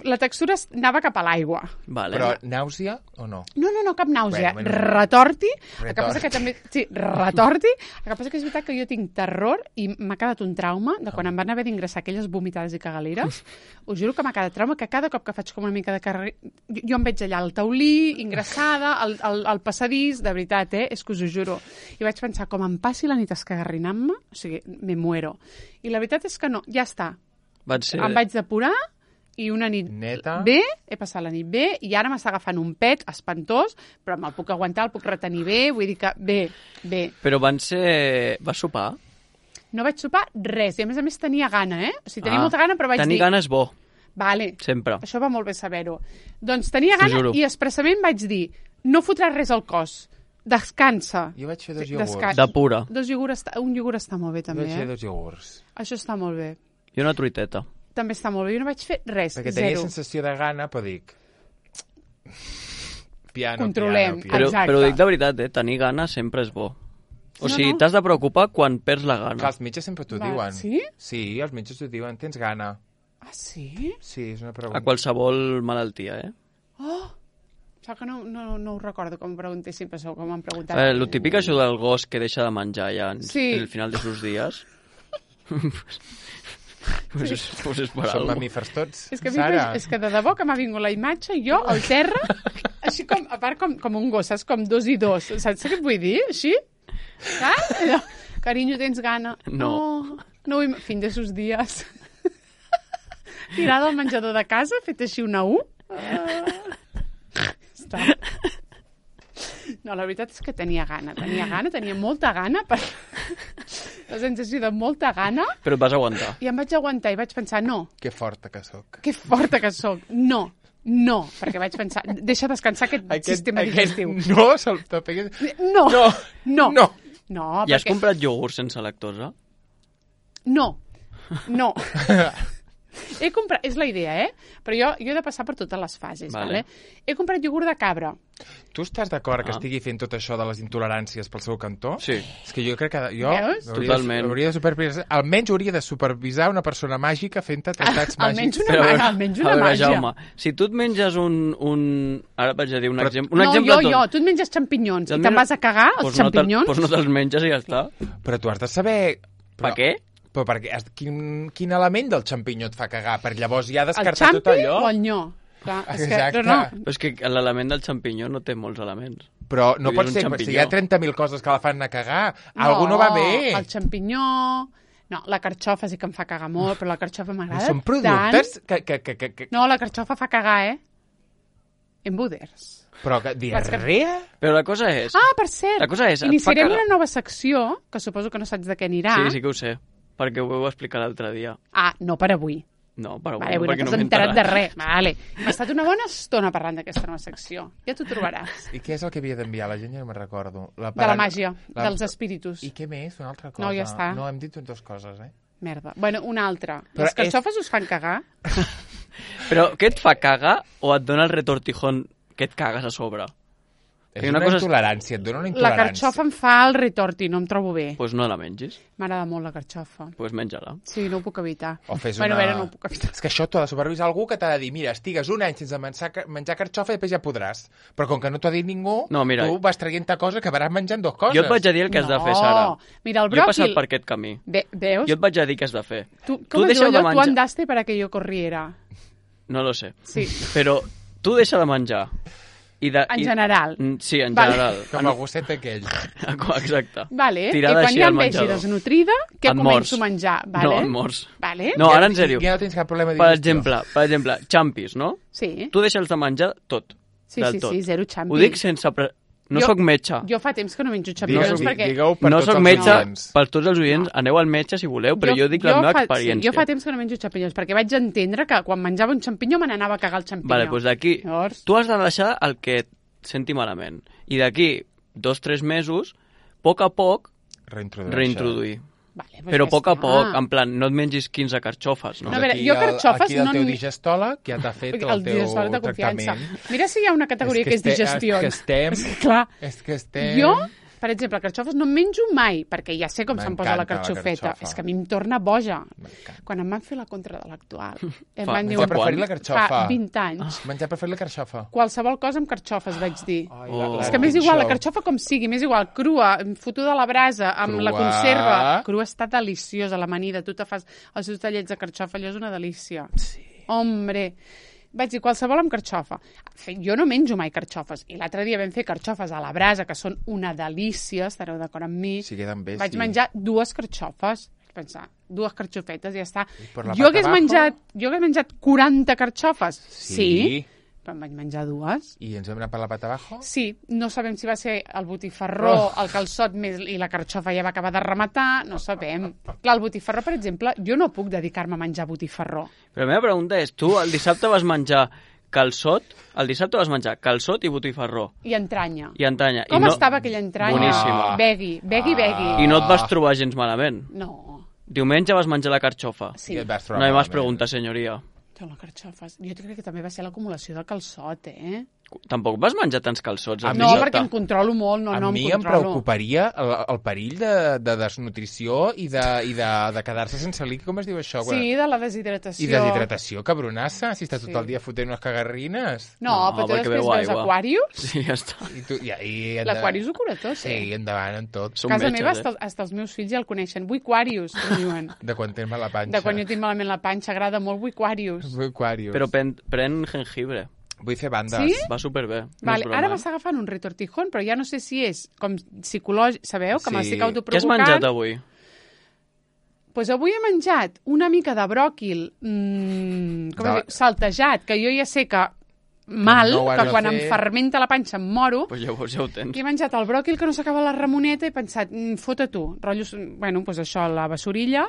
La textura es- anava cap a l'aigua. Vale. Però nàusea o no? No, no, no, cap nàusea. Bueno, bueno. Retorti. El que Retort. passa que també... Sí, retorti. El que passa que és veritat que jo tinc terror i m'ha quedat un trauma de quan em van haver d'ingressar aquelles vomitades i cagaleres. Us juro que m'ha quedat trauma, que cada cop que faig com una mica de carrer... Jo, jo em veig allà al taulí, ingressada, al, al, al passadís, de veritat, eh? És que us ho juro. I vaig pensar, com em passi la nit escagarrinant-me, o sigui, me muero. I la veritat és que no, ja està. Van ser... Em vaig depurar i una nit Neta. bé, he passat la nit bé, i ara m'està agafant un pet espantós, però me'l puc aguantar, el puc retenir bé, vull dir que bé, bé. Però van ser... Vas sopar? No vaig sopar res, i a més a més tenia gana, eh? O sigui, tenia Ah, molta gana, però vaig tenir dir... gana és bo, Vale, sempre. això va molt bé saber-ho. Doncs tenia T'ho gana juro. i expressament vaig dir, no fotràs res al cos, descansa. Jo vaig fer dos Sí, iogurts. desca- De pura. Dos iogurts, està... un iogurt està molt bé Jo també, vaig fer eh? dos iogurts. Això està molt bé. I una truiteta. També està molt bé. Jo no vaig fer res, Perquè tenia zero. sensació de gana, però dic... Piano, Controlem. piano, piano. Però, Exacte. però dic de veritat, eh? Tenir gana sempre és bo. O No, sigui, no. t'has de preocupar quan perds la Clar, gana. els metges sempre t'ho Va, diuen. sí? Sí, els metges t'ho diuen. Tens gana. Ah, sí? Sí, és una pregunta. A qualsevol malaltia, eh? Oh, Sóc que no, no, no ho recordo com em preguntessin, però segur que m'han preguntat. Eh, lo típic això del gos que deixa de menjar ja en, Sí. en el final de sus días. pues, és, pues és per Som algo. mamífers tots, És que, a mi, Sara. és que de debò que m'ha vingut la imatge, jo al terra, així com, a part com, com un gos, saps? Com dos i dos. Saps què et vull dir? Així? Saps? Allò, carinyo, tens gana? No. No, no vull... Fin de sus dies. Tirada al menjador de casa, fet així una U. Uh... Està. No, la veritat és que tenia gana, tenia gana, tenia molta gana, per... la sensació de molta gana, Però et vas aguantar. i em vaig aguantar i vaig pensar, no, Que forta que sóc. que forta que sóc, no, no, perquè vaig pensar, deixa descansar aquest, aquest sistema digestiu. No, se'l topi. No, No, no, no. no, I has perquè... comprat iogurt sense lactosa? No, no. He comprat, és la idea, eh? Però jo, jo he de passar per totes les fases, Vale. vale? He comprat iogurt de cabra. Tu estàs d'acord que Ah. estigui fent tot això de les intoleràncies pel seu cantó? Sí. És que jo crec que jo Veus? hauria Totalment. de, hauria de supervisar, almenys hauria de supervisar una persona màgica fent tractats Almenys màgics. una, Però, mà- almenys una a veure, màgia. Jaume, si tu et menges un... un... Ara et vaig a dir un, Però- exemple, un no, exemple... jo, jo, tu et menges xampinyons i Et te'n menges- vas a cagar, els Pues no te'l- xampinyons. Pues no te'ls menges i ja està. Però tu has de saber... Per Però, què? però perquè, has- quin, quin element del xampinyó et fa cagar? Per llavors ja El descartar tot xampi allò? o el nyó? Clar, és que, Exacte. però no, Però és que l'element del xampinyó no té molts elements. Però no Vull dir, pot és un ser, si xampinyó. hi ha trenta mil coses que la fan anar a cagar, algú no va bé. El xampinyó... No, la carxofa sí que em fa cagar molt, però la carxofa m'agrada Són productes que, que, que, que, que... tant. No, la carxofa fa cagar, eh? Embuders. Però que diarrea? Però la cosa és... Ah, per cert, La cosa és, et fa iniciarem cagar. una nova secció, que suposo que no saps de què anirà. Sí, sí que ho sé, perquè ho vau explicar l'altre dia. Ah, no per avui. No, però Vale, avui perquè no no t'has m'he enterat de res. Vale. Hem estat una bona estona parlant d'aquesta nova secció. Ja t'ho trobaràs. I què és el que havia d'enviar? La gent ja no me'n recordo. La De la màgia, dels espíritus. I què més? Una altra cosa? No, ja està. No, hem dit dues coses, eh? Merda. Bueno, una altra. Però Les carxofes us fan cagar? Però què et fa cagar o et dona el retortijón que et cagues a sobre? És I una, una cosa és- intolerància, et dona una La intolerància. carxofa em fa el retorti, no em trobo bé. Doncs pues no la mengis, M'agrada molt la carxofa. doncs pues menja-la. Sí, no ho puc evitar. O fes bueno, una... a veure, no ho puc evitar. És que això t'ho ha de supervisar algú que t'ha de dir, mira, estigues un any sense menjar, menjar carxofa i després ja podràs. Però com que no t'ho ha dit ningú, No, mira, tu vas traient-te cosa que acabaràs menjant dues coses. Jo et vaig a dir el que has de fer, Sara. Mira, el Jo he passat bròquil... per aquest camí. Ve, veus? Jo et vaig a dir què has de fer. Tu, tu com es deixa diu de allò? Tu menjar- andaste para que yo corriera. No lo sé. Sí, Però tu deixa de menjar. I de, en i... general. Mm, Sí, en Vale. general. Com el gosset aquell. Exacte. Vale, Tirada i quan així ja al em vegi menjador. desnutrida, què Et començo mors. a menjar? Vale? No, et mors. Vale? No, ara en sèrio. Ja no tens cap problema de Per digestió. exemple, per exemple, xampis, no? Sí, Tu deixes de menjar tot. sí, del sí, tot. sí, zero xampi. Ho dic sense... Pre... No Jo- sóc metge. Jo fa temps que no menjo Digueu, xampinyons di- perquè... digueu per no tots sóc els metge, oients. per tots els oients, aneu al metge si voleu, però jo, dic la meva fa, experiència. Sí, jo fa temps que no menjo xampinyons, perquè vaig entendre que quan menjava un xampinyó me n'anava a cagar el xampinyó. Vale, doncs d'aquí, Llavors... tu has de deixar el que et senti malament. I d'aquí dos, tres mesos, a poc a poc, Reintroduir. reintroduir. Vale, doncs Però ja a poc a està. poc, en plan, no et mengis quinze carxofes, no? No, a veure, Aquí jo el- carxofes Aquí el no teu n'hi- digestòleg ja t'ha fet el, El teu digestòleg de confiança. tractament. Mira si hi ha una categoria que és, este- digestions. És que estem... És que, clar, És que estem... jo, per exemple, carxofes no en menjo mai, perquè ja sé com se'm posa la M'encanta la carxofeta. carxofa. És que a mi em torna boja. M'encanta. Quan em van fer la contra de l'actual, em Fa- van dir... Menjar quan? preferir la carxofa. Fa vint anys. Menjar preferir la carxofa. Qualsevol cosa amb carxofes, vaig dir. Ai, Oh. És que m'és igual, la carxofa com sigui, m'és igual, crua, fotuda a la brasa, amb la Crua. conserva. Crua està deliciosa, l'amanida. Tu te fas els seus tallets de carxofa, allò és una delícia. Sí. Hombre, vaig dir qualsevol amb carxofa. Jo no menjo mai carxofes. I l'altre dia vam fer carxofes a la brasa, que són una delícia, estareu d'acord amb mi. Si queden bé, Vaig sí. menjar dues carxofes. Vaig pensar, dues carxofetes i ja està. per la Jo pata hagués, abajo? menjat, jo hagués menjat quaranta carxofes. Sí. sí, però en vaig menjar dues. I ens vam anar per la pata abajo? Sí, no sabem si va ser el botifarró, Oh. el calçot més, i la carxofa ja va acabar de rematar, no sabem. Clar, el botifarró, per exemple, jo no puc dedicar-me a menjar botifarró. Però la meva pregunta és, tu el dissabte vas menjar calçot, el dissabte vas menjar calçot i botifarró, I entranya. i entranya. Com I no, estava aquella entranya? Boníssima. Begui, begui, begui. I no et vas trobar gens malament. No, Diumenge vas menjar la carxofa. sí. I et vas trobar No hi más malament. preguntes, senyoria. Té la carxofes. Jo crec que també va ser l'acumulació del calçot, eh? Tampoc vas menjar tants calçots. A al mi- No, dissabte? perquè em controlo molt, no, a no em mi em controlo. preocuparia el, el perill de, de desnutrició i de, i de, de quedar-se sense líquid, com es diu això? Sí, de la deshidratació. I deshidratació, cabronassa, si estàs tot Sí. el dia fotent unes cagarrines. No, No, però tu perquè després beu veus aigua. Aquarius, Sí, ja està. I tu, i, i endavant. l'Aquarius ho cura tot, Sí, eh? endavant en tot. Som A casa metges, meva, eh? hasta, hasta els meus fills ja el coneixen. Vull Aquarius, em diuen. De quan tens mal la panxa. De quan jo tinc malament la panxa, agrada molt Vull Aquarius. Vull Aquarius. Però pren, pren jengibre. Vull fer bandes. Sí? Va superbé. No Vale, és broma, ara eh? m'està agafant un retortijón, però ja no sé si és com psicològic, sabeu? Que Sí. m'estic Què has autoprovocant. menjat avui? Pues avui he menjat una mica de bròquil mmm, com De- es diu? Saltejat, que jo ja sé que mal, No ho has que de quan em fer. fermenta la panxa em moro. Pues llavors ja ho tens. I he menjat el bròquil que no s'acaba la ramoneta i he pensat, mm, fota tu, rotllos, bueno, pues això, la bessorilla,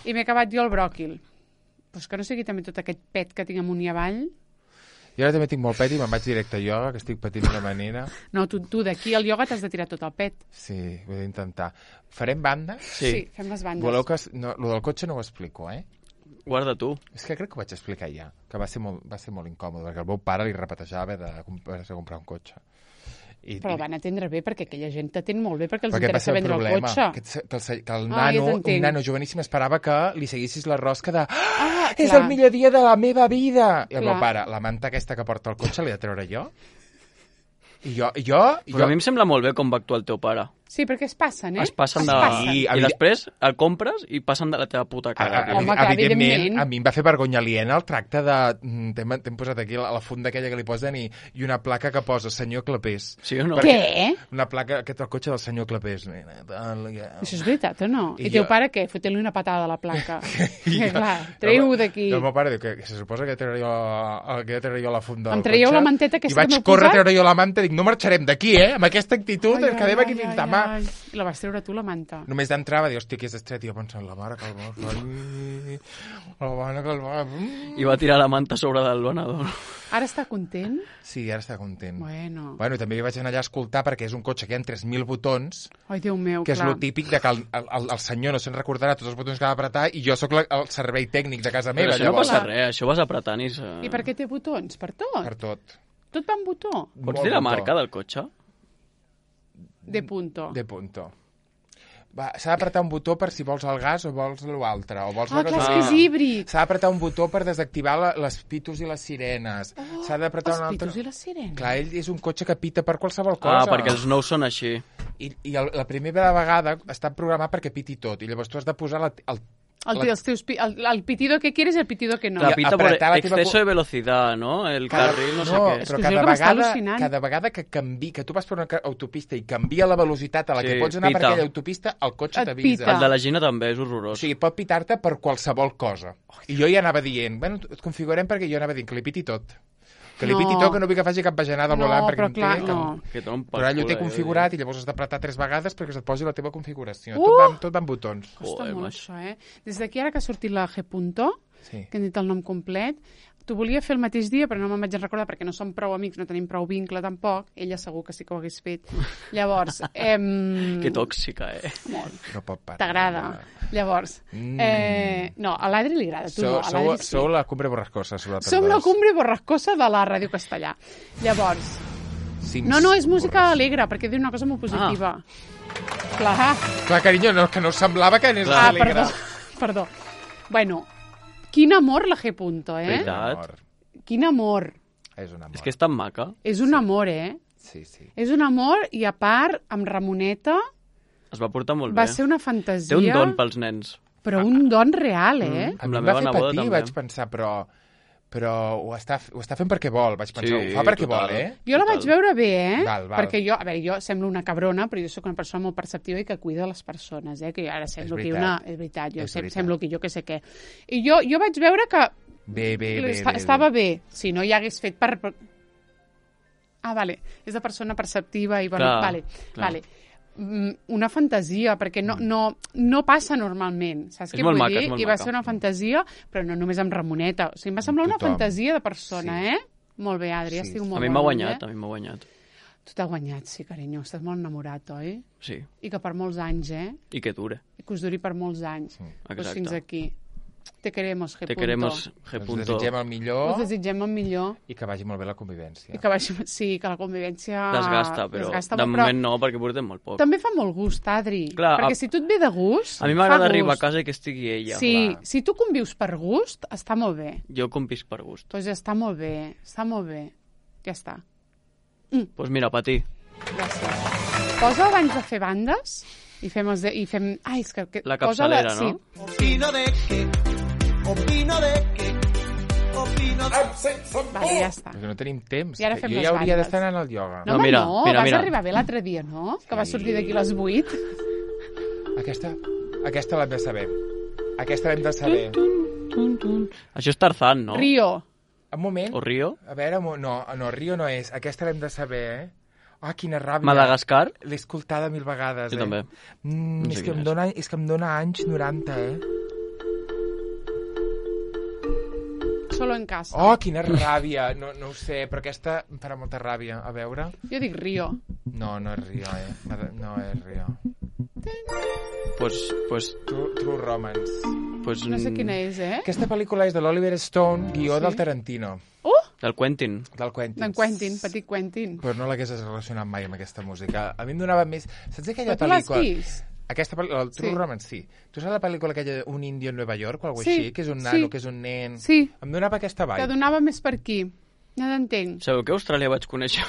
i m'he acabat jo el bròquil. Pues que no sigui també tot aquest pet que tinc amunt i avall. Jo ara també tinc molt pet i me'n vaig directe a ioga, que estic patint d'una manera. No, tu, tu d'aquí al ioga t'has de tirar tot el pet. Sí, vull intentar. Farem bandes? Sí. sí fem les bandes. Voleu que... es- No, lo del cotxe no ho explico, eh? Guarda tu. És que crec que ho vaig explicar ja, que va ser molt, va ser molt incòmode, perquè el meu pare li repetejava de, de, comp- de comprar un cotxe. I, Però el van atendre bé, perquè aquella gent t'atén molt bé, perquè els perquè va interessa ser el vendre el problema, cotxe. que, et- que el, se- que el Ah, ja nano, un t'entenc. nano joveníssim esperava que li seguissis la rosca de Ah, és clar. el millor dia de la meva vida! I el Clar. meu pare, la manta aquesta que porta el cotxe l'he de treure jo? I jo, i jo, i Però jo a mi em sembla molt bé com va actuar el teu pare. Sí, perquè es passen, eh? Es passen es de... passen. Sí, I després el compres i passen de la teva puta A, cara. a, a, Home, mi- clar, evidentment, evidentment. a mi em va fer vergonya aliena el tracte de... mm, T'hem t'hem posat aquí la, la funda aquella que li posen i, i una placa que posa senyor Clapés. Sí o no? Què? Una placa, aquest el cotxe del senyor Clapés. Nena, tal, ja. Això és veritat o no? I I, teu jo- pare què? Fotent-li una patada a la placa. I que jo- clar, treu-ho I d'aquí. el meu pare diu que, que se suposa que treuré jo, que treuré jo la funda Em del traieu cotxe. la manteta aquesta I vaig que m'heu córrer a posat? treure jo la manta i dic, no marxarem d'aquí, eh? Amb aquesta actitud ens quedem aquí fins demà. ai. I la vas treure tu, la manta. Només d'entrada, dius, hòstia, que és estret. I jo pensant, la mare que el va fer... La mare que el va... Mm. I va tirar la manta sobre del venedor. Ara està content? Sí, ara està content. Bueno. Bueno, també hi vaig anar allà a escoltar perquè és un cotxe que hi ha tres mil botons, Ai, Déu meu, que és clar. lo típic de que el, el, el senyor no se'n recordarà tots els botons que ha d'apretar i jo sóc la, el servei tècnic de casa Però meva, això no llavors. passa res, això vas apretant i... Se... I per què té botons? Per tot? Per tot. Tot va amb botó? Pots Molt dir la botó. marca del cotxe? De punto. De punto. Va, s'ha d'apretar un botó per si vols el gas o vols l'altre. O vols Ah, la clar, és gasolina. que és híbrid. S'ha d'apretar un botó per desactivar la, les pitos i les sirenes. Oh, S'ha d'apretar els un altre... pitos i les sirenes. Clar, ell és un cotxe que pita per qualsevol cosa. Ah, perquè els nous són així. I, i el, la primera vegada està programat perquè piti tot. I llavors tu has de posar la, el, El, la- els teus, pi- el, el pitido que quieres y el pitido que no. La I pita por apretar la teva exceso cu- de velocidad, ¿no? El carril, no sé no, què. És però que cada jo que m'està vegada, al·lucinant. cada vegada que canvi, que tu vas per una ca- autopista i canvia la velocitat a la que Sí, pots anar per pita. aquella autopista, el cotxe Et t'avisa. pita. El de la Gina també és O horrorós. sigui, pot pitar-te per qualsevol cosa. I jo ja anava dient, bueno, et configurem perquè jo anava dient que li piti tot. Que li No. piti tot, que no vull que faci cap bajanada No, volant, perquè però em clar, té... no. Que ton Però ell ho té eh? configurat i llavors has d'apretar tres vegades perquè se't posi la teva configuració. Uh! Tot, va, amb- tot va amb botons. Costa Joder, molt, macho. això, eh? Des d'aquí, ara que ha sortit la G. Punto, Sí. que hem dit el nom complet, t'ho volia fer el mateix dia, però no me'n vaig recordar perquè no som prou amics, no tenim prou vincle tampoc. Ella segur que sí que ho hagués fet. Llavors, em... Que tòxica, eh? Molt. No pot parar. T'agrada. Llavors, Mm. eh, no, a l'Adri li agrada, tu Sou, no, a sou, l'Adri sí. sou la cumbre borrascosa. Vosaltres Som la dos. cumbre borrascosa de la ràdio castellà. Llavors, Sims no, no, és música borrascosa. alegre, perquè diu una cosa molt positiva. Clar. Clar, carinyo, no, que no us semblava que anés Ah, alegre. perdó, perdó. Bueno, quin amor la G. Punto, eh? Veritat. Amor. Quin amor. És un amor. És que és tan maca. És un amor, eh? Sí, sí. És un amor i, a part, amb Ramoneta, Es va portar molt va bé. ser una fantasia... Té un don pels nens. Però un don real, eh? Mm. A Amb mi la em va meva fer neboda patir, també. vaig pensar, però però ho està, ho està fent perquè vol, vaig pensar, Sí, ho fa perquè total. vol, eh? Jo la Total. vaig veure bé, eh? Val, val. Perquè jo, a veure, jo semblo una cabrona, però jo sóc una persona molt perceptiva i que cuida les persones, eh? Que ara semblo que veritat. una... És veritat, jo És sem veritat. semblo que jo que sé què. I jo, jo vaig veure que Bé, bé, bé, esta- bé, estava bé. bé. Si no, ja hagués fet per... per- Ah, vale. És de persona perceptiva i... Bueno, Clar, vale, clar. vale. Mm, una fantasia, perquè no, no, no passa normalment, saps És què molt vull maca, dir? és molt I va maca. ser una fantasia, però no només amb Ramoneta. O sigui, em va semblar una Tothom. fantasia de persona, Sí. eh? Molt bé, Adri, Sí. estic molt A mi m'ha molt guanyat, bé. a mi m'ha guanyat. Tu t'has guanyat, sí, carinyo. Estàs molt enamorat, oi? Sí, I que per molts anys, eh? i que dure. I que us duri per molts anys. Sí. Doncs Exacte. fins aquí. Te queremos, G. Te queremos, G. Ens desitgem el millor Us desitgem el millor. i que vagi molt bé la convivència. I que vagi... Sí, que la convivència... Desgasta, però desgasta de molt, moment no, perquè portem molt poc. També fa molt gust, Adri. Clar, perquè a... si tu et ve de gust... A mi m'agrada arribar a casa i que estigui ella. Sí, clar. si tu convius per gust, està molt bé. Jo convisc per gust. Doncs ja està molt bé, està molt bé. Ja està. Doncs pues mira, Pati. Gràcies. Posa abans de fer bandes i fem... Els de... I fem... Ai, és que... que... La capçalera, posa la... no? Sí. Opino de que, opino de que, opino de... Vale, ja està. Perquè no tenim temps. I ara fem jo les ja hauria bandes. d'estar anant al ioga. No, No, home, mira, no, mira, vas mira. arribar bé l'altre dia, no? Que vas sortir d'aquí a les vuit. Aquesta, aquesta l'hem de saber. Aquesta l'hem de saber. Tun, tun. Això és Tarzan, no? Rio. Un moment. O Rio? A veure, mo- no, no, Rio no és. Aquesta l'hem de saber, eh? Ah, quina ràbia. Madagascar? L'he escoltada mil vegades, Jo eh? també. Mm, No sé és, que quina em és. dona, és que em dona anys noranta, eh? Solo en casa. Oh, quina ràbia. No, no ho sé, però aquesta em farà molta ràbia. A veure... Jo dic Rio. No, no és Rio, eh? No és Rio. Pues, pues, True, True Romance. pues... No sé mm, quina és, eh? Aquesta pel·lícula és de l'Oliver Stone, guió Sí. del Tarantino, Uh! Del Quentin. del Quentin. D'en Quentin, petit Quentin. Però no l'hagués relacionat mai amb aquesta música. A mi em donava més... Saps aquella Però tu l'has pel·lícula... vist? Aquesta pel·lícula, el True Sí. Romance, sí. Tu saps la pel·lícula aquella Un indio en Nova York o alguna Sí, així? Que és un sí. nano, que és un nen... Sí. Em donava aquesta Que vibe. donava més per aquí. Ja t'entenc. Sabeu que a Austràlia vaig conèixer...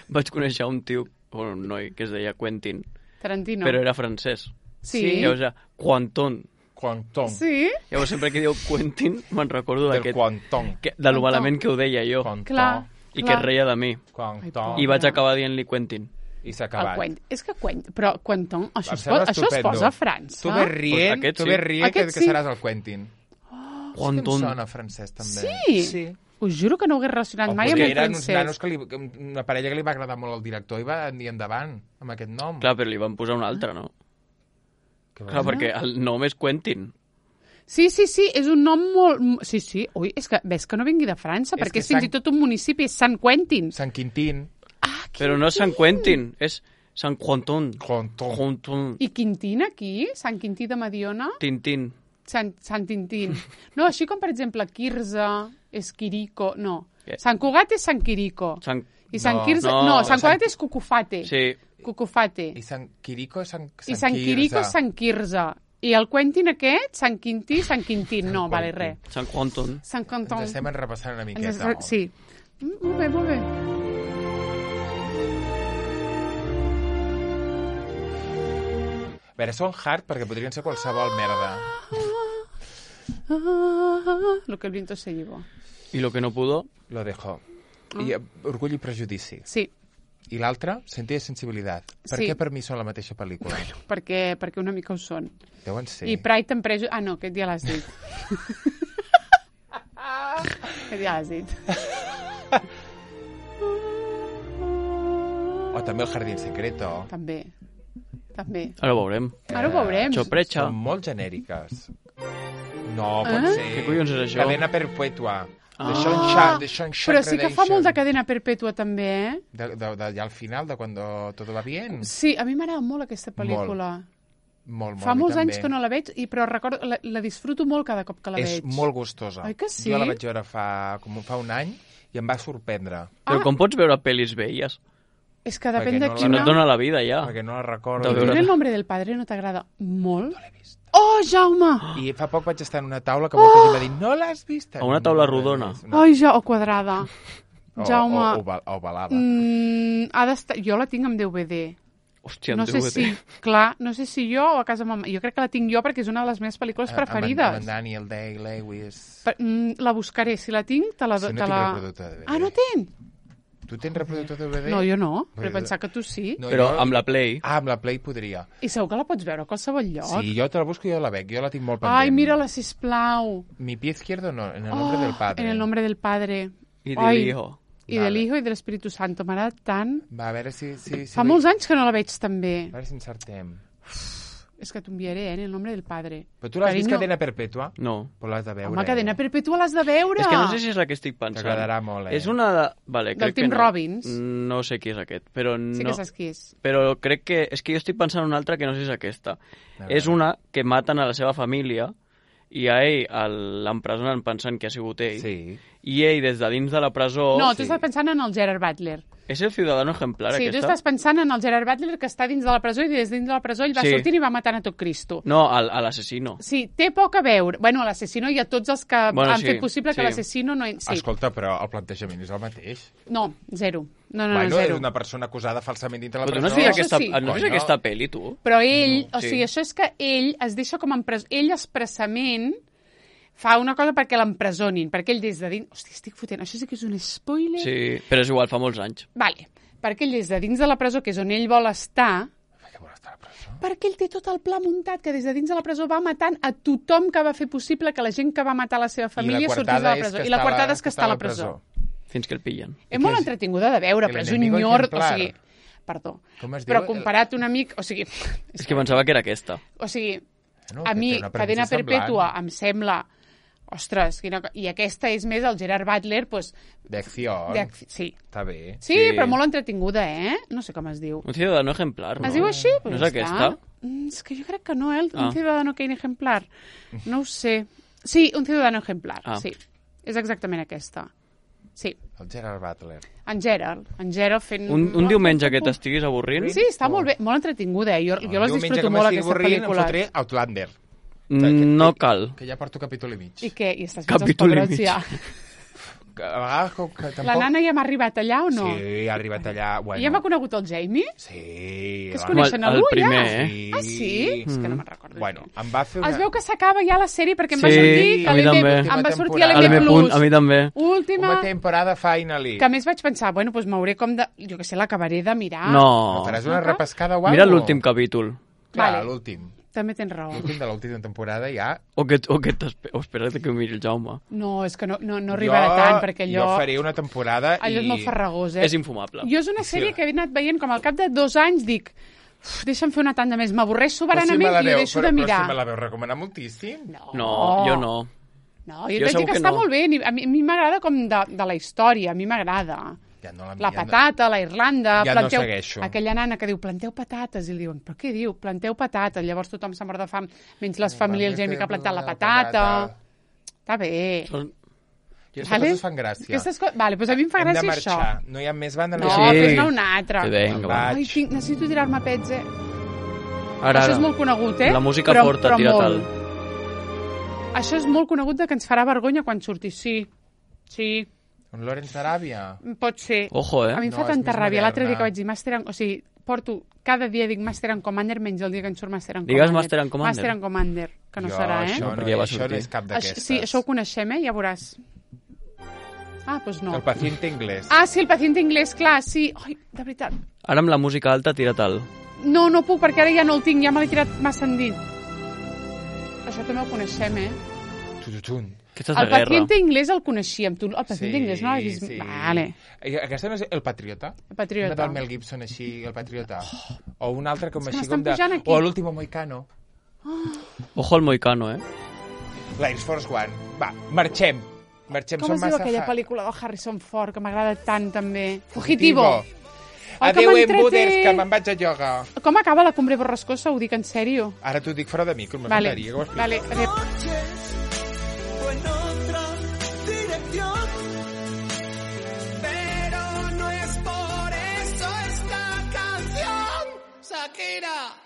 vaig conèixer un tio, o un noi, que es deia Quentin, Tarantino. però era francès. Sí. Llavors era Quanton. Quanton. Sí? Llavors sempre que diu Quentin me'n recordo Del d'aquest... Quanton. que- De lo malament que ho deia jo. Quanton. Clar. I clar. que es reia de mi. Quanton. I vaig acabar dient-li Quentin. I s'ha El acabat. Quentin. És que Quentin... Però Quentin, això, Em es, sembla posa, això es estupendo. posa a França. Tu ves rient, Pues aquest tu sí. ves rient que, Aquest que sí. seràs el Quentin. Oh, que em Quanton. sona francès, també. Sí? Sí. Us juro que no ho hagués relacionat O mai amb potser el eren uns francès. nanos que li, que una parella que li va agradar molt al director i va dir endavant amb aquest nom. Clar, però li van posar un altre, no? Que Clar, va- perquè el nom és Quentin. Sí, sí, sí, és un nom molt... Sí, sí, ui, és que ves que no vingui de França, És perquè que és fins Sant- i tot un municipi, és Sant Quentin. Sant Quintín. Ah, Però no és Sant Quentin, és Sant Quanton. Quanton. Quanton. I Quintín aquí? Sant Quintí de Mediona? Tintín. Sant, Sant Tintín. No, així com, per exemple, Quirze, Esquirico... No. Què? Sant Cugat és Sant Quirico. Sant... I Sant No, Quirze... no, No, Sant Sant- Cugat és Cucufate. Sí. Cucufate. I Sant Quirico és Sant, Sant I Sant Quirico és Sant Quirze. I el Quentin aquest, Sant Quintí, Sant Quintín. No, vale, res. Sant Quanton. Sant Canton. Ens estem repassant una Ens miqueta. es- Sí. Mm, molt bé, molt bé. A veure, són hard perquè podrien ser qualsevol merda. Ah, lo que el viento se llevó. I lo que no pudo... Lo dejo. I eh, Orgull i prejudici. Sí, I l'altre, Sentir i sensibilitat. Per Sí. què per mi són la mateixa pel·lícula? perquè, perquè una mica ho són. Deuen ser. I Pride and Prejudice... Ah, no, aquest ja l'has dit. aquest ja l'has dit. O també El jardín secreto. També. També. Ara ho veurem. Ara ho veurem. Choprecha. Són molt genèriques. No, pot Ah? ser. Què collons és això? Cadena perpetua. De Ah. Shawshank, de Shawshank Però sí que fa Redemption. molt de cadena perpètua, també, eh? De, de, de, ja al final, de quan todo va bien. Sí, a mi m'agrada molt aquesta pel·lícula. Molt, molt. Fa a mi molts també. anys que no la veig, i però recordo, la, la disfruto molt cada cop que la És veig. molt gustosa. Oi que sí? Jo la vaig veure fa, com fa un any i em va sorprendre. Però Ah. com pots veure pel·lis velles? És que depèn Perquè de no la- Si no quina... et dona la vida, ja. Perquè no la De recordo. I veure- tu El nombre del padre no t'agrada molt? No l'he vist. Oh, Jaume! I fa poc vaig estar en una taula que molta gent va dir no l'has vist? A una taula No l'he rodona. vist. No. Ai, ja, o quadrada. O, Jaume... o, o, oval- ovalada. Mm, ha d'estar... Jo la tinc amb D V D. Hòstia, No en sé D V D. si... Clar, no sé si jo o a casa mama. Jo crec que la tinc jo perquè és una de les meves pel·lícules Amb en- preferides. Amb en Daniel Day-Lewis. Per, mm, la buscaré. Si la tinc, te la... Si no te tinc la... reproductor de D V D. Ah, no tens? Tu tens reproductor de D V D? No, jo no. Però Pues- pensar que tu sí. No, Però jo- amb la Play... Ah, amb la Play podria. I segur que la pots veure a qualsevol lloc. Sí, jo te la busco i jo la veig. Jo la tinc molt pendent. Ai, mira-la, sisplau. Mi pie izquierdo no, en el nombre Oh, del padre. En el nombre del padre. I de Ai, l'hijo. I Vale. de l'hijo i de l'Espíritu Santo. M'agrada tant. Va, a veure si... si, si Fa molts anys que no la veig també. A veure si encertem. És que t'enviaré, eh, en el nombre del padre. Però tu l'has vist Carinyo. Cadena Perpètua? No. Però l'has de veure. Home, Cadena eh? Perpètua l'has de veure. És que no sé si és la que estic pensant. T'agradarà molt, eh? És una de... Vale, Del crec Tim que no. Robbins. No sé qui és aquest, però no... Sí que saps qui és. Però crec que... És que jo estic pensant en una altra que no sé si és aquesta. A veure. És una que maten a la seva família i a ell el- l'empresonen pensant que ha sigut ell, Sí. i ell des de dins de la presó... No, tu sí. estàs pensant en el Gerard Butler. És el ciudadano ejemplar, Sí, tu aquesta? estàs pensant en el Gerard Butler que està dins de la presó i des dins de la presó ell va Sí. sortint i va matant a tot Cristo. No, al- a l'assassino. Sí, té poc a veure. Bueno, a l'assassino i a tots els que Bueno, han sí, fet possible que sí. l'assassino no... Sí. Escolta, però el plantejament és el mateix. No, zero. No, no, bueno, no, zero. és una persona acusada falsament dintre la Però tu presó. no has vist Això aquesta, sí. no has vist Coño. aquesta pel·li, tu? Però ell, No, o sí. sigui, això és que ell es deixa com empres... Ell expressament fa una cosa perquè l'empresonin, perquè ell des de dins... Hòstia, estic fotent, això sí que és un spoiler. Sí, però és igual, fa molts anys. Vale, perquè ell des de dins de la presó, que és on ell vol estar, Per què vol estar a la presó? perquè ell té tot el pla muntat, que des de dins de la presó va matant a tothom que va fer possible que la gent que va matar la seva família sortís de la presó. I la quartada és que està a la presó. Fins que el pillen. És molt és? entretinguda de veure, El però és un enemigo nyor... O ejemplar. sigui, perdó. Com es Però diu? comparat un amic... O sigui, És que pensava que era aquesta. o sigui No, a que mi, té una Cadena premissa Perpètua, semblant. em sembla... Ostres, quina... co- i aquesta és més el Gerard Butler, doncs... D'acció. d'acc- Sí. Està bé. sí, Sí. però molt entretinguda, eh? No sé com es diu. Un ciudadano ejemplar, no? Es diu així? Pues No és ja aquesta? està. Mm, és que jo crec que no, eh? El- Ah. Un ciudadano que ejemplar. No ho sé. Sí, un ciudadano ejemplar, Ah. sí. És exactament aquesta. Sí. El Gerard Butler. En Gerald. En Gerald fent... Un, un diumenge que t'estiguis avorrint? Sí, està molt bé, molt entretinguda, eh? Jo, jo les Diumenge disfruto que molt, m'estigui aquesta avorrint, pel·lícula. Em fotré Outlander. No cal. Que ja porto capítol i mig. I què? I estàs fins als Capítol i pebrots mig. ja. Que a vegades com que tampoc... La nana ja m'ha arribat allà o no? Sí, ha arribat allà. Bueno. I ja m'ha conegut el Jamie? Sí. Que es la- coneixen el algú, primer, ja? eh? Ah, sí? És que no me'n recordo. Bueno, em va fer una... Es veu que s'acaba ja la sèrie perquè em va Sí, sortir a mi que l'M- també. em va sortir a Última A l'M l'M+. punt, a mi també. Última, Una temporada finally. que a més vaig pensar, bueno, doncs m'hauré com de... Jo que sé, l'acabaré de mirar. No. Faràs una No? repescada o alguna Mira l'últim capítol. Clar, Vale. l'últim. També tens raó. L'últim de l'última temporada ja... O que, o que t'espe- o espera't que ho miri el Jaume. No, és que no, no, no arribarà tant, perquè allò... Jo faré una temporada Allò i... és molt farragós, eh? És infumable. Jo és una sèrie que he anat veient com al cap de dos anys dic, uf, deixa'm fer una tanda més, m'avorreix soberanament la i ho veu, deixo però, de mirar. Però si me la veu recomanar moltíssim. No, No, jo no. No, jo, Jo jo t'he segur dit que que està no. molt bé, ni- a mi a mi m'agrada com de, de la història, a mi m'agrada. Ja no la, La ja no- patata, la Irlanda... Ja no planteu, segueixo. Aquella nana que diu, planteu patates, i li diuen, però què diu? Planteu patates. Llavors tothom s'ha mort de fam, menys les famílies, el Jamie que ha plantat la patata. Està bé. Són... I aquestes Vale? coses fan gràcia. Aquestes co... Vale, doncs a mi em fa Hem de gràcia això. marxar. No hi ha més banda. No, Sí. fes-ne una altra. Que vinga, va. Ai, tinc, necessito tirar-me pets, eh? Ara, Això ara. és molt conegut, eh? La música però, forta, però tira molt. tal. Això és molt conegut de que ens farà vergonya quan surti. Sí, sí, Un Lawrence d'Aràbia. pot ser. Ojo, eh? A mi em No, fa és tanta més ràbia. L'altre dia moderna. que vaig dir Master en... O sigui, porto... Cada dia dic Master en Commander menys el dia que en surt Master en Digues Commander. Master and Commander. Master en Commander, que no jo, serà, eh? Això No, no, perquè ja va això sortir. no és cap Això, d'aquestes. sí, això ho coneixem, eh? Ja veuràs. Ah, doncs no. El paciente inglès. Ah, sí, el paciente inglès, clar, sí. Ai, de veritat. Ara amb la música alta, tira tal. No, no puc, perquè ara ja no el tinc, ja me l'he tirat massa endins. Això també ho coneixem, eh? Tututun. Aquesta és de El guerra. paciente inglès el coneixíem. Tu, el paciente Sí, inglès no l'has vist? sí. Vale. I aquesta no és El Patriota? El Patriota. Una del Mel Gibson així, El Patriota. O un altre com És que així m'estan com de... pujant aquí. O L'último Moicano. Ojo al moicano, eh? L'Air Force One. Va, marxem. Marxem, Com som es diu massa... aquella fa- pel·lícula del Harrison Ford que m'agrada tant també? Fugitivo. Ai, que Adéu, m'entrete. embuders, que me'n vaig a ioga. Com acaba la cumbre borrascosa? Ho dic en sèrio. Ara t'ho dic fora de micro, me Vale, faltaria que ho expliquis. vale. Adéu. o en otra dirección. Pero no es por eso esta canción, Shakira.